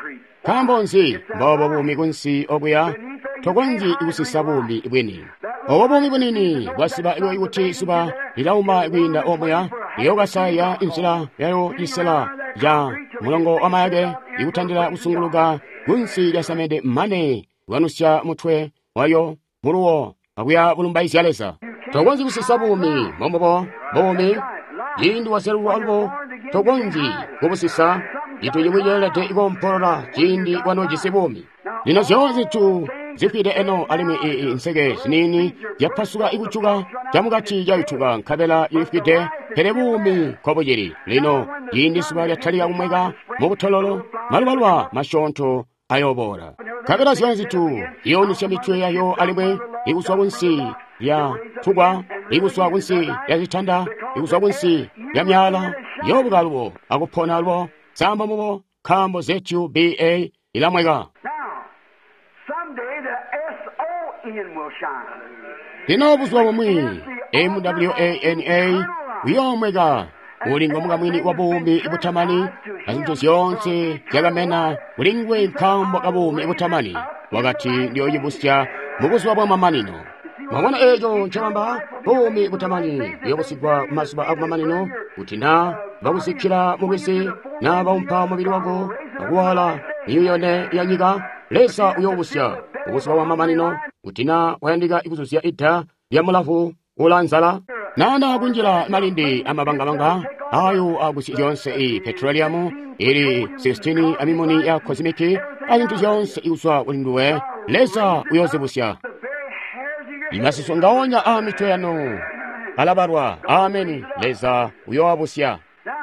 Nkaambo nzi mboobo buumi kunsi okuya? Tokonzyi kusisa buumi bwini. Obo buumi bunini bwasiba kuti zuba lilauma kwiinda omuya, liyookasaya inzila yayo cisela ca mulongo wa mayake ikutandila kusunguluka kunsi lya samende mane lwanusya mutwe wayo muluwo akuya bulumbaizya Leza. Tokonzyi kusisa buumi mbombubo buumi ciindi wazyalulwa alubo tokonzyi kubusisa. Cintu cimwi ceelede koompolola ciindi wanoojisi buumi. Lino zyoonse zintu zifwide eno alimwi nseke ziniini zyapasuka ikujuka camukati cayutuka nkabela ilifwide, pele buumi nkobucili. Lino ciindi zuba lyatalika kumweka mubutololo, malubaluba masyoonto ayooboola. Nkabela zyoonse zintu iyoonusya mitwe yayo alimwi ikuzwa kunsi lya tukwa, ikuzwa kunsi lya zitanda, ikuzwa kunsi lya myaala, yoobuka alubo akupona alubo. Samba mubo nkaambo ZUBA ilamweka. Lino buzuba bumwi MWANA uyoomweka uli ngomukamwini wa buumi butamani, azintu zyoonse zyakamena kuli nguwe nkaambo ka buumi butamani. Wakati ndiyoocibusya mubuzuba bwamamanino. Mwabona eeco ncobamba? Buumi butamani buyobusigwa mumazuba akumamanino, kuti naa bakuzikkila mulwizi, naa baumpa mubili wako akuwaala miyuyone ya nyika, Leza uyoobusya buzuba bwamamanino. Kuti na wayandika kuzuzya ida lya mulavu ulanzala nana kunjila malindi amabangabanga ayo agusya zyonse i petroleum ili 16 amimuni ya kozimiki azintu zyonse ikuzwa kuli nduwe, Leza uyozibusya. Imasusu ngaonya a mitwe yanu alabalwa. Ameni. Leza uyoabusya.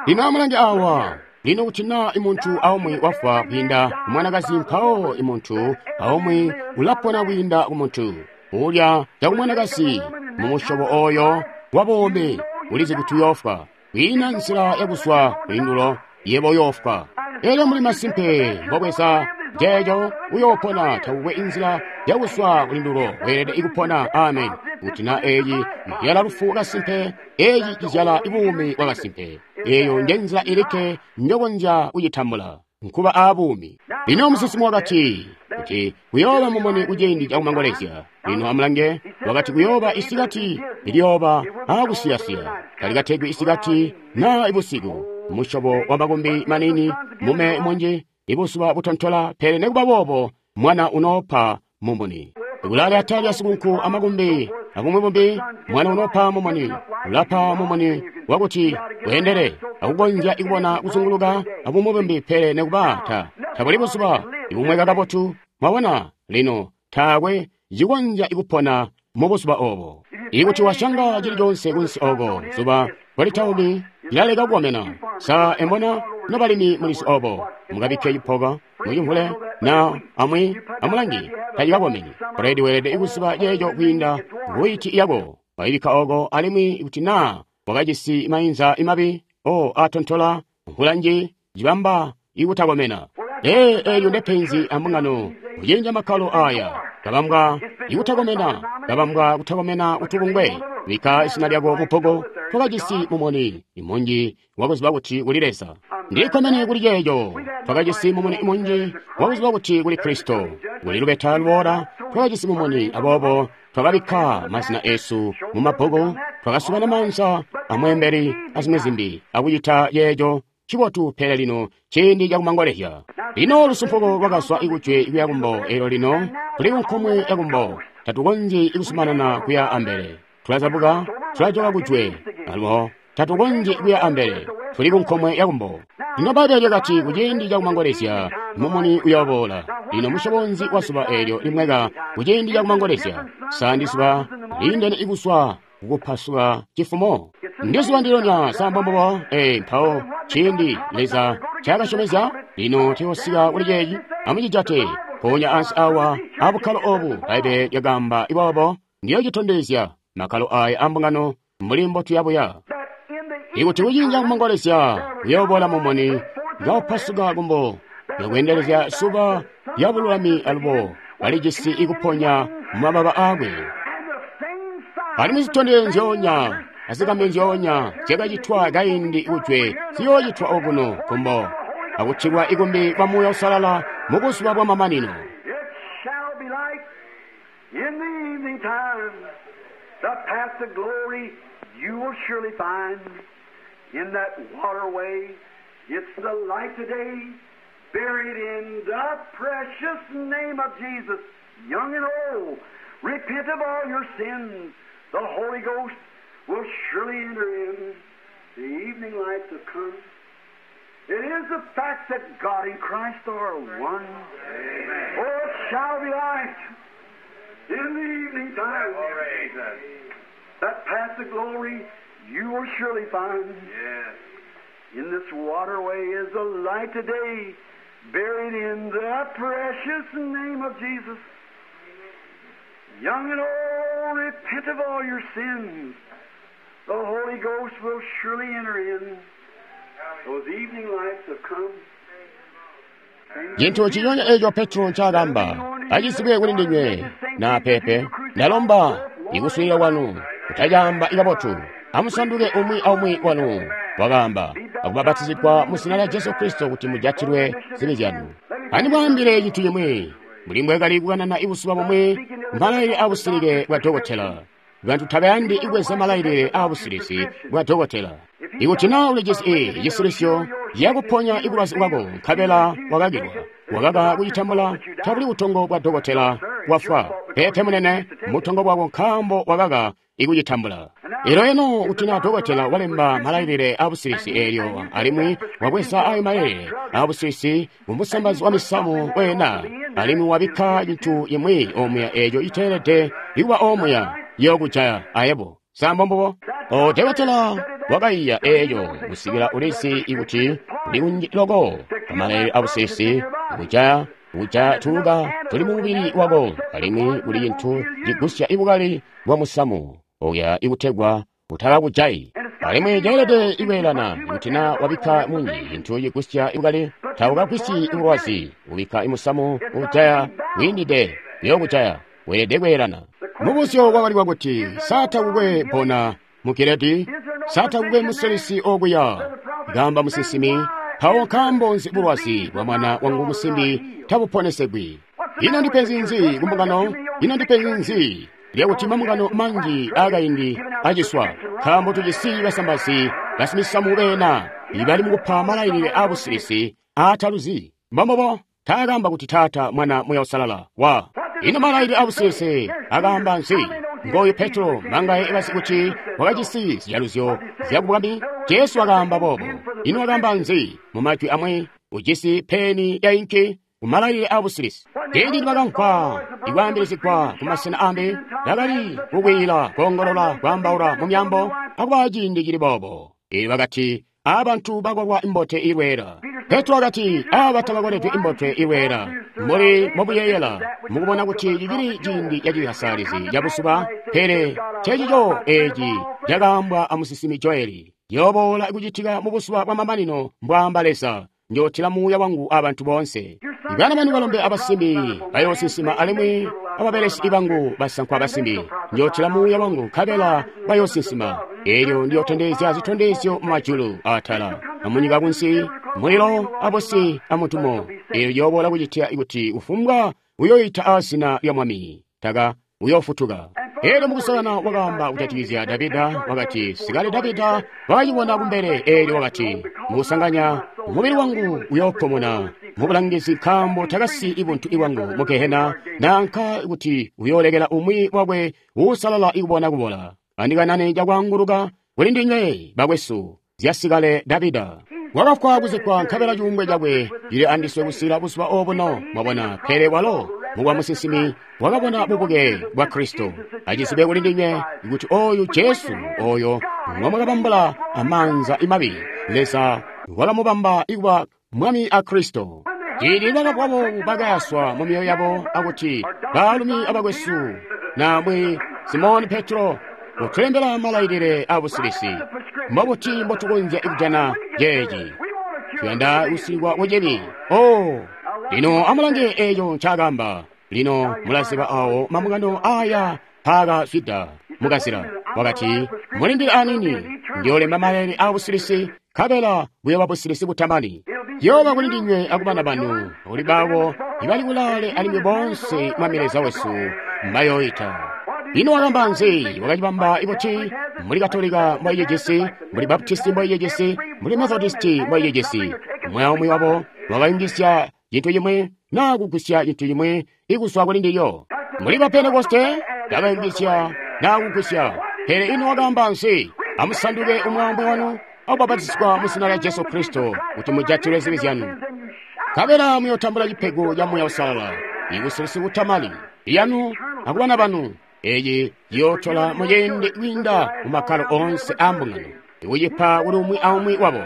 Lino amulange awa. Lino kuti na imuntu aumwi wafwa kwiinda kumwanakazi, mpawo imuntu aumwi ulapona kwiinda kumuntu ulya cakumwanakazi mumusyobo oyo wabuumi ulizi kuti uyoofwa. Kwiina nzila yakuzwa kulindulo, yebo uyoofwa. Elyo muli masimpe mbobweza jeejo uyoopona, takukwe inzila yakuzwa kulindulo, weelede ikupona. Amen. Kuti na eyi izyala lufu kasimpe, eyi cizyala buumi bwa kasimpe. Eyo nje nzila ilikke njokonzya kucitambula, nkuba aabuumi. Lino musinsimi wakati kuti kuyooba mumuni kuciindi cakumangolezya. Lino amulange, wakati kuyooba isikati liyooba aakusiyasiya, talikategwi isikati na ibusiku, musyobo wa makumbi manini, mume munji, ibuzuba butontola, pele nekuba boobo mwana unoopa mumuni. Kulali atali asikunku amakumbi abumwi bumbi, mwana unoopa mumuni, ulapa mumuni wakuti weendele akukonzya ikubona kuzunguluka abumwi bumbi, pele nekuba tabuli buzuba ibumweka kabotu. Mwabona, lino taakwe cikonzya ikupona mu buzuba obo. Ikuti washanga cili conse kunsi oko, zuba kwalitaumi lilaleka kukomena. Sa embona nobalimi mulisi obo, mukabikke cipoka mucimvule na amwi amulangi tacikakomeni. Bredi weelede ikuziba ceeco kwiinda kuiti yako waibikka oko, alimwi kuti naa wakajisi mainza imabi o atontola mvula nji cibamba ikutakomena. Eelyo ndepenzi ambungano kucinja makkalo aya kabambwa ikutakomena, kabambwa kutakomena kutubungwe. Bikka izina lyako mubbuku. Twakajisi mumuni munji wakuziba kuti kuli Leza. Ndikkomene kuli ceeco. Twakajisi mumuni munji wakuziba kuti kuli Kristo, kuli lubeta luboola. Twakajisi mumuni, aboobo twakabikka mazina esu mu mabbuku, twakasukana maanza amweembeli azimwi zimbi akucita ceeco cibotu. Pele lino ciindi cakumangolezya. Lino lusumpuko lwakazwa ikujwe kuya kumbo, eelyo lino tuli kunkomwe yakumbo. Tatukonzyi ikuzumanana kuya ambele, tulazabuka, tulajoka kujwe alubo tatukonzyi kuya ambele, tuli kunkomwe yakumbo. Lino Bbaibbele lyakati kuciindi cakumangolezya mumuni uyooboola. Lino musyobo nzi wa zuba eelyo limweka kuciindi cakumangolezya? Sa ndi zuba liindene ikuzwa kukupasuka cifumo? Ndi zuba ndilonya sambombobo. Mpawo ciindi Leza ncaakasyomezya, lino tuyosika kuli ceeci. Amucijate mpoonya ansi awa abukkalo obu. Bbaibbele lyakaamba iboobo, ndiyocitondezya makkalo aya ambungano mbuli mbotuyabuya. Ikuti kuciindi cakumangolezya kuyooboola mumuni kaupasuka kumbo yakweendelezya zuba lyabululami, alubo balijisi ikuponya mumababa aakwe. Alimwi zitondezyo nzyoonya azikambi nzyoonya zyakacitwa kaindi kujwe ziyoocitwa okuno kumbo, akutilwa ikumbi kwa Muuya Uusalala mu buzuba bwamamanino. Repent of all your sins. The Holy Ghost will surely enter in. The evening lights have come. It is the fact that God and Christ are one. Amen. Oh, it shall be light in the evening time. That path to glory you will surely find. Yes. In this waterway is the light today, buried in the precious name of Jesus. Young and old, repent of all your sins. The Holy Ghost will surely enter in. Those evening lights have come. Cintu ciyonya eco Petro ncaakamba acizibwe kuli ndinywe na pepe, ndalomba ikuswiilila kwanu kutacaamba ikabotu. Amusanduke umwi aumwi wanu, wakaamba, akubapatizigwa mu zina lya Jesu Kristo kuti mujatilwe zibi zyanu. Andimwaambile cintu cimwi, mbuli mbwekali kukanana ibuzuba bumwi mpalaili abusilike bwa dokotela. Bantu tabayandi kubweza malailile aabusilisi bwa dokotela. Ikuti na ulijisi cisilisyo yakuponya ibulwazi bwako nkabela wakakilwa, wakaka kucitambula, tabuli butongo bwa dokotela wafwa. Peepe munene, mutongo bwako nkaambo wakaka ikucitambula. Elyo eno kuti na dokotela walemba malailile aabusilisi eelyo alimwi wabweza ayo malailile aabusilisi mumusambazi wa misamu wena alimwi wabikka cintu imwi omuya eeco iteelede ikuba omuya yokujaya ayebo. Sa mbombubo? O dokotela wakaiya eeco kusikila ulizi ikuti kuli kunji loko amalailile aabusilisi kujaya kuja tuuka tuli mumubili wako alimwi kuli cintu cigusya ibukali bwa musamu oya ikutegwa utakakujayi. Alimwi ceelede ikweelana kuti na wabikka munji cintu cigusya ibukali taukagwisyi ibulwazi, ubikka imusamu ujaya wiindide uyokujaya. Weelede kweelana. Mubuzyo wakali wakuti, sa takukwe bona mu Giledi? Sa takukwe musilisi okuya? Gamba musinsimi, mpawo nkaambo nzi bulwazi bwa mwana wangu musimbi tabuponesegwi? Ino ndipenzi nzi kumbungano? Ino ndipenzi nzi lyakuti mambungano manji aakaindi aciswa? Nkaambo tujisi basambazi basimisamu beena ibali mukupa malailile aabusilisi aataluzi. Mbombubo, taakamba kuti Taata, Mwana, Muuya Uusalala wa. Ino malailile aabusilisi akaamba nzi? Ngoyu Petro mangaye bazi kuti wakajisi ziyaluzyo zyakubwami. Jesu wakaamba boobo. Ino wakaamba nzi? Mu majwi amwi, ujisi peni ya inki kumalailile aabusilisi. Ciindi nibakamvwa ikwaambilizigwa kumasena ambi, bakali kukwiila, koongolola, kwaambaula mu myaambo akuba ciindi cili boobo. Eelyo bakati, abantu bakolwa imbote ilweela. Petro wakati, aba tabakoledwe imbote ilweela. Mbuli mbobuyeeyela, mukubona kuti cicili ciindi cacikasalizi cabusuba, pele cecico eeci cakaambwa amusinsimi Joeli. Yooboola kucitika mubuzuba bwamamanino, mbwaamba Leza, njootila muuya wangu abantu boonse. Bana banu balombe abasimbi bayoosinsima alimwi ababelesi bangu basankwa abasimbi njootila muuya wangu nkabela bayoosinsima. Eelyo ndiyootondezya zitondezyo mumajulu aatala amunyika kunsi, mulilo abusi amutumo. Eelyo yooboola kucitika kuti kufumbwa uyoita aazina lya Mwami taka uyoofutuka. Eelyo mukusakana wakaamba kujatikizya Davida, wakati, sikale Davida wakacibona kumbele. Eelyo wakati, mukusanganya mubili wangu uyoopomona mubulangizi nkaambo takasi ibuntu ibwangu mu Gehena, nanka kuti uyoolekela umwi wakwe uusalala ikubona kubola. Andikanane cakwaanguluka kuli ndinywe bakwesu zyasikale Davida. Wakafwa kuzikkwa nkabela cuumbwe cakwe cili andiswe kusikila buzuba obuno. Mwabona, pele walo mukwa musinsimi wakabona bubuke bwa Kristo. Acizibe kuli ndinywe kuti oyu Jesu oyo ngomwakabambula amaanza imabi, Leza wakamubamba ikuba Mwami a Kristo. Ciindi bakabwa boobu bakayaswa mu myoyo yabo akuti, baalumi abakwesu, namwi Simoni Petro utulembela malailile aabusilisi. Mbobuti mbotukonzya kujana ceeci? Tuyanda kusilikwa kucibi. Oh, lino amulange eeco ncaakaamba. Lino mulaziba awo mambungano aya mpaakazwida mukazila. Wakati, mulindile aniini, ndiyoolemba malailile aabusilisi, nkabela buyooba busilisi butamani. Yooba kuli ndinywe akubana banu, kuli baabo ibali kulaale alimwi boonse Mwami Leza wesu mbayooita. Ino wakamba nzi? Wakacibamba ibuti? Muli Katolika mboicijisi, muli Baptisti mboicijisi, muli Methodisti mboicijisi. Umwi aumwi wabo wakayungizya cintu cimwi naa kugwisya cintu cimwi ikuzwa kuli ndilyo. Muli ba Pentekoste bakayungizya naa kugwisya. Pele ino wakaamba nzi? Amusanduke umwi aumwi wanu akubapatizigwa mu zina lya Jesu Kristo kuti mujatilwe zibi zyanu, nkabela muyootambula cipego ca Muuya Uusalala, ibusilisi butamani iyanu akubana banu. Eeci ciyootola muciindi kwiinda mumakkalo oonse aambungano, ikucipa kuli umwi aumwi wabo.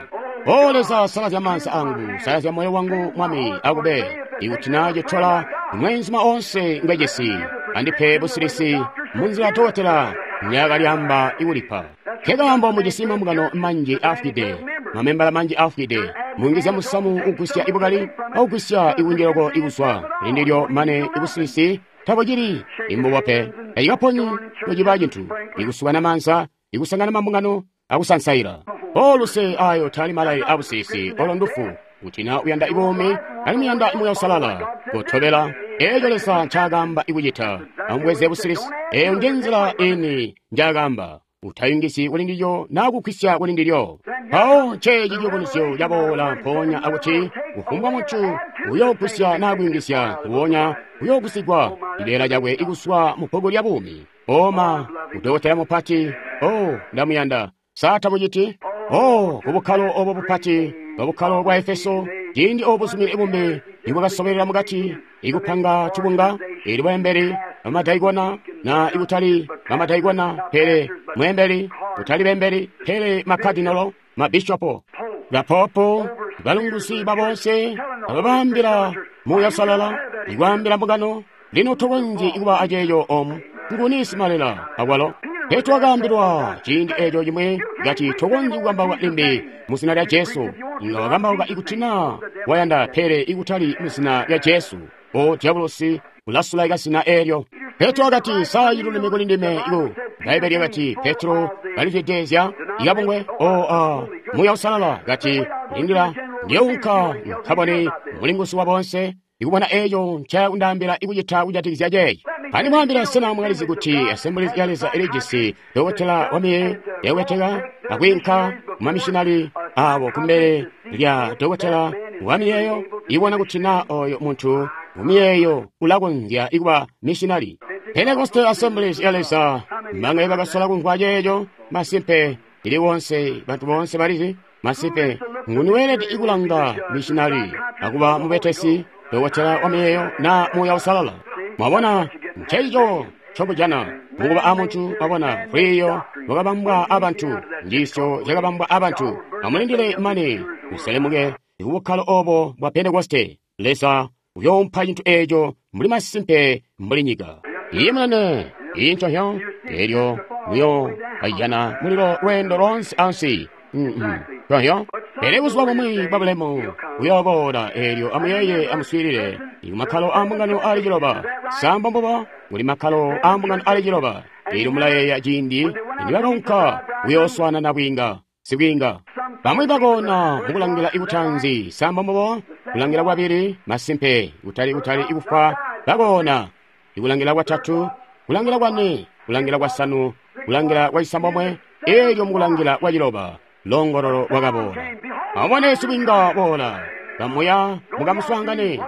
O Leza, salazya maanza angu, salazya moyo wangu, Mwami, akube ikuti na citola mweenzuma oonse ngwejesi, andipe busilisi munzila dokotela nyaakalyamba ikulipa. Nkekaambo mujisi mambungano manji aafwide, mamembala manji aafwide. Muyungizya musamu ugwisya ibukali akugwisya ikunjiloko ikuzwa lindilyo mane ibusilisi tabucili imbubo pe. Tacikaponyi nociba cintu, ikusukana maanza, ikusangana mambungano, akusansaila. Oluse ayo tali malailile abusilisi, olo ndufu. Kuti na uyanda ibuumi alimwi uyanda Muuya Uusalala, kotobela Eeco Leza ncaakaamba ikucita. Amubweze busilisi. Eeyo nje nzila ini njaakaamba. Utayungizyi kuli ndilyo naa kugwisya kuli ndilyo. Mpawo nceeci ciyubunuzyo caboola mpoonya akuti kufumbwa muntu uyoogwisya naa kuyungizya nguwonya uyoogwisigwa cibeela cakwe ikuzwa mu bbuku lya buumi. Oma, udokotela mupati, oh, ndamuyanda. Sa tamuciti? Oh, kubukkalo obo bupati, bwabukkalo bwa Efeso, ciindi obo buzumini bumbi nibwakasobelela mukati, ikupanga tubunga, ili bweembeli, bamadaikona, na ikutali bamadaikona, pele mweembeli, kutali bembeli, pele makadinolo, mabishopo, bapopo, balunguzi babonse, ababaambila Muuya Uusalala, ikwaambila mbungano, lino tokonzyi kuba aceeco omu, nguni simalela akwalo. Petro wakaambilwa ciindi eeco cimwi kati tokonzyi kukambauka limbi mu zina lya Jesu. Inga wakambauka ikuti naa wayanda pele ikutali mu zina lya Jesu. O diabolosi ulasulaika zina eelyo. Petro wakati sa ciluleme kuli ndime iku. Bbaibbele lyakati Petro kalizwidezya ikabungwe o a Muuya Uusalala kati lindila ndiyounka nkabone mulinguzi wa bonse ikubona eeco ncakundaambila ikucita kujatikizya ceeci. Andimwaambila sena mwakalizi kuti Assemblies ya Leza ilijisi dokotela wamiyeeyo yakubeteka akwiinka kumamishinali aabo kumbele lya dokotela wamiyeeyo ibona kuti naa oyo muntu mumiyeeyo ulakonzya ikuba mishinali. Pentecostal Assemblies ya Leza mbangaye bakasola kumvwa ceeco masimpe ili wonse bantu boonse balizi masimpe nguni weelede ikulanga mishinali akuba mubetesi dokotela wamiyeeyo na Muuya Uusalala. Mwabona ncencico ncobujana mukuba amuntu mwabona lwiiyo lwakabambwa abantu njiisyo zyakabambwa abantu. Amulindile mane muselemuke kubukkalo obo bwa Pentekoste. Leza uyoompa cintu eeco mbuli masimpe mbuli nyika. Iye munene, iyi nconhyo, eelyo muyo kajana mulilo lweendo loonse ansi. Nconhyo, pele buzuba bumwi bwa bulemu buyooboola eelyo amuyeeye amuswiilile kumakkalo aambungano ali ciloba. Sambo mbubo kuli makkalo aambungano ali ciloba. Eelyo mulayeeya ciindi nibakaunka kuyooswaana nabwiinga, sibwiinga. Bamwi bakoona mukulangila ikutanzi, sambo mbubo kulangila kwabili, masimpe kutali kutali ikufwa bakoona. Ikulangila kwatatu, kulangila kwane, kulangila kwasanu, kulangila kwacisambomwe, eelyo mukulangila kwaciloba longololo lwakaboola. Amubone sibwiinga boola, kamuya mukamuswaangane.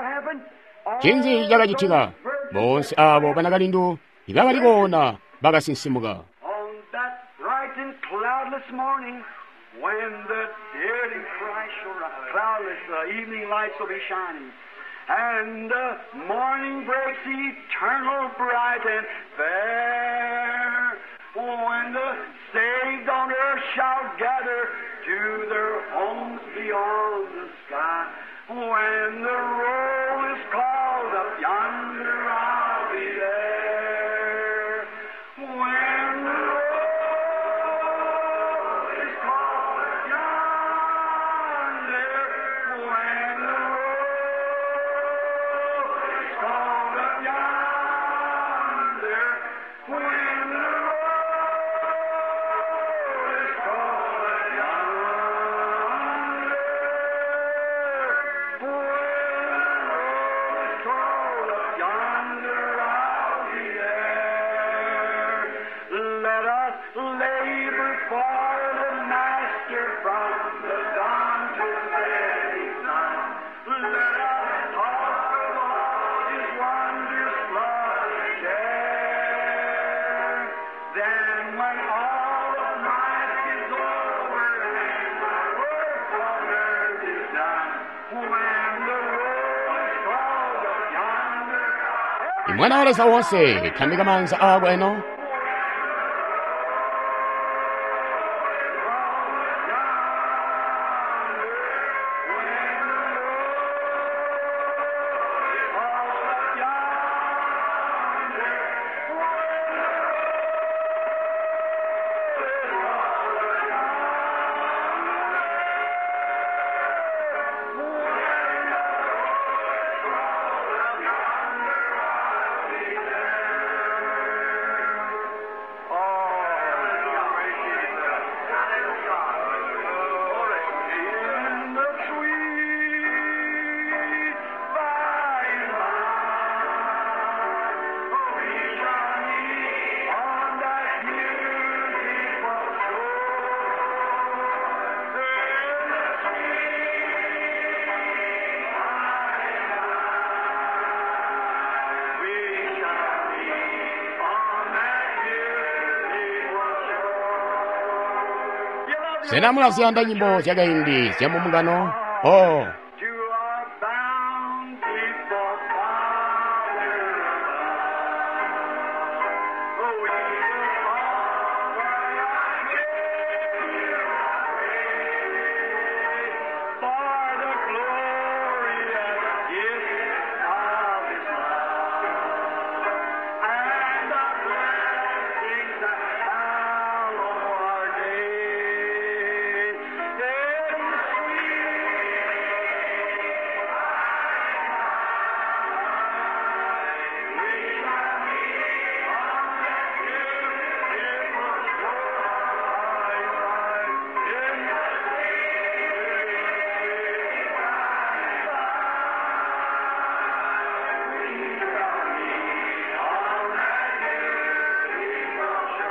Ncinzi cakacitika? Boonse aabo banakalindu ibakali koona bakasinsimuka. On that bright and cloudless morning, when the dead in Christ shall rise, cloudless, the evening lights will be shining, and the morning breaks eternal, bright and fair. When the saved on earth shall gather to their homes beyond the sky, when the roll is called up yonder, I'll be there. When the roll is called up yonder, when the roll is called up yonder, when the roll is called up yonder, when the roll is called up yonder, I'll be there. Let us labor for the Master from the dawn to setting sun. Let us talk of all His wondrous love and care. Then when all of life is over and my work on earth is done, when the roll is called up yonder, Mwana wa Leza wonse tambika manza ako eno. Sena mulaziyanda nyimbo zyakaindi zya mumbungano? Oh, To our bountiful Father above. Oh, we will offer our praise for the glorious gift of His love and the blessings that hallow our days. In the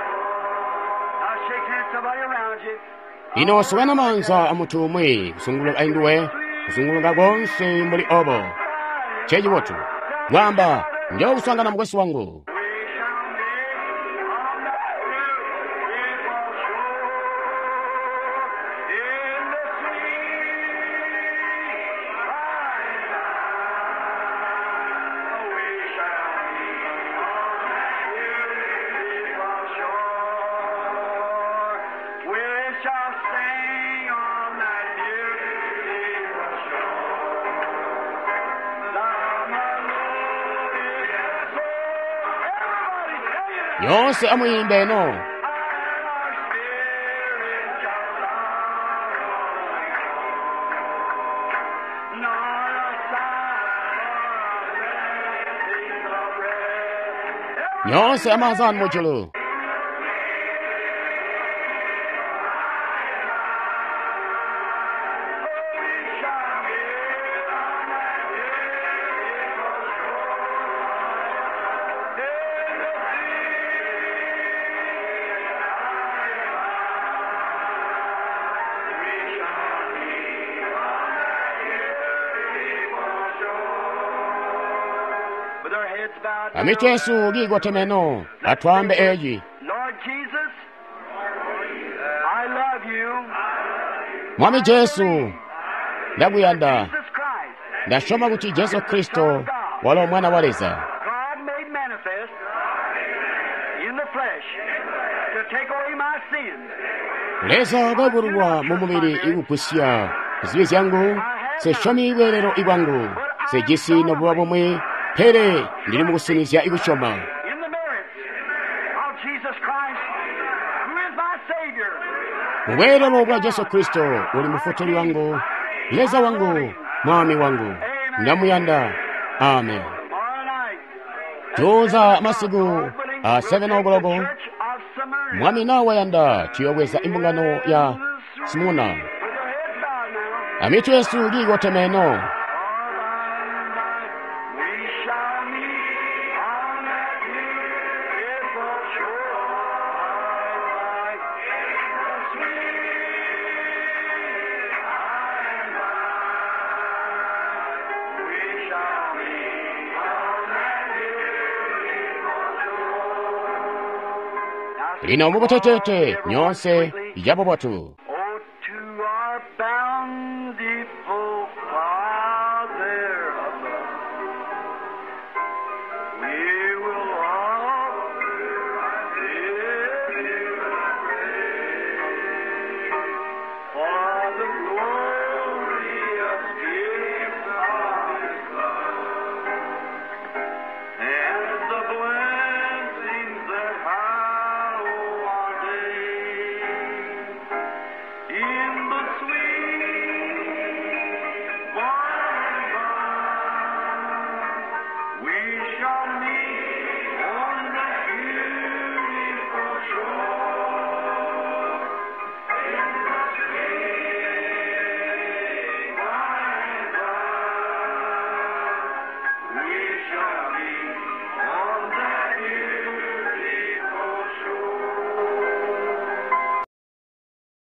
Now shake hands somebody around you. Lino sukana maanza a munthu umwe kusunguluka ainduwe kusunguluka konse mbuli obo. Chechibotu. Wamba, njo kusangana mukwesu wangu. We shall meet on that beautiful shore in the sweet by and by. We shall meet on that beautiful shore. We shall sing on that beautiful shore. The melodious soul. Everybody sing it. Yonse amuyimbe eno. And our spirit shall sorrow nor a sigh for a blessing of rest. Yonse amaanza anu mujulu. We shall meet on that beautiful shore in the sea. We shall meet on that beautiful shore. With our heads bowed down, Amitu yesu gigotemeno. Atwambe eyi. Lord Jesus, I love you. Mwami Jesu, ndakuyanda. Jesus Christ, Ndashoma kuti Jesu Kristo walo mwana wa Leza. God made manifest in the flesh to take away my sins. Leza wakayubululwa mu mubili ikugwisya zibi zyangu, sesyomi bweelelo ibwangu, sejisi nobuba bumwe, pele ndili mukusinizya ikusyoma. In the merits of Jesus Christ, who is my Savior. Mubweelelo bwa Jesu Kristo uli mufutuli wangu, Leza wangu, mwami wangu, ndamuyanda. Amen. Tomorrow night, Tuza masiku a 7 o'clock, Church of Smyrna. mwami nawe wayanda tuyobweza imbungano ya Smuna. With your heads bowed now. Amitu yesu gigotemeno. For by and by we shall meet on that beautiful shore. By the sweet by and by we shall meet on that beautiful shore. Now Lino mukutetete nyonse yabobotu.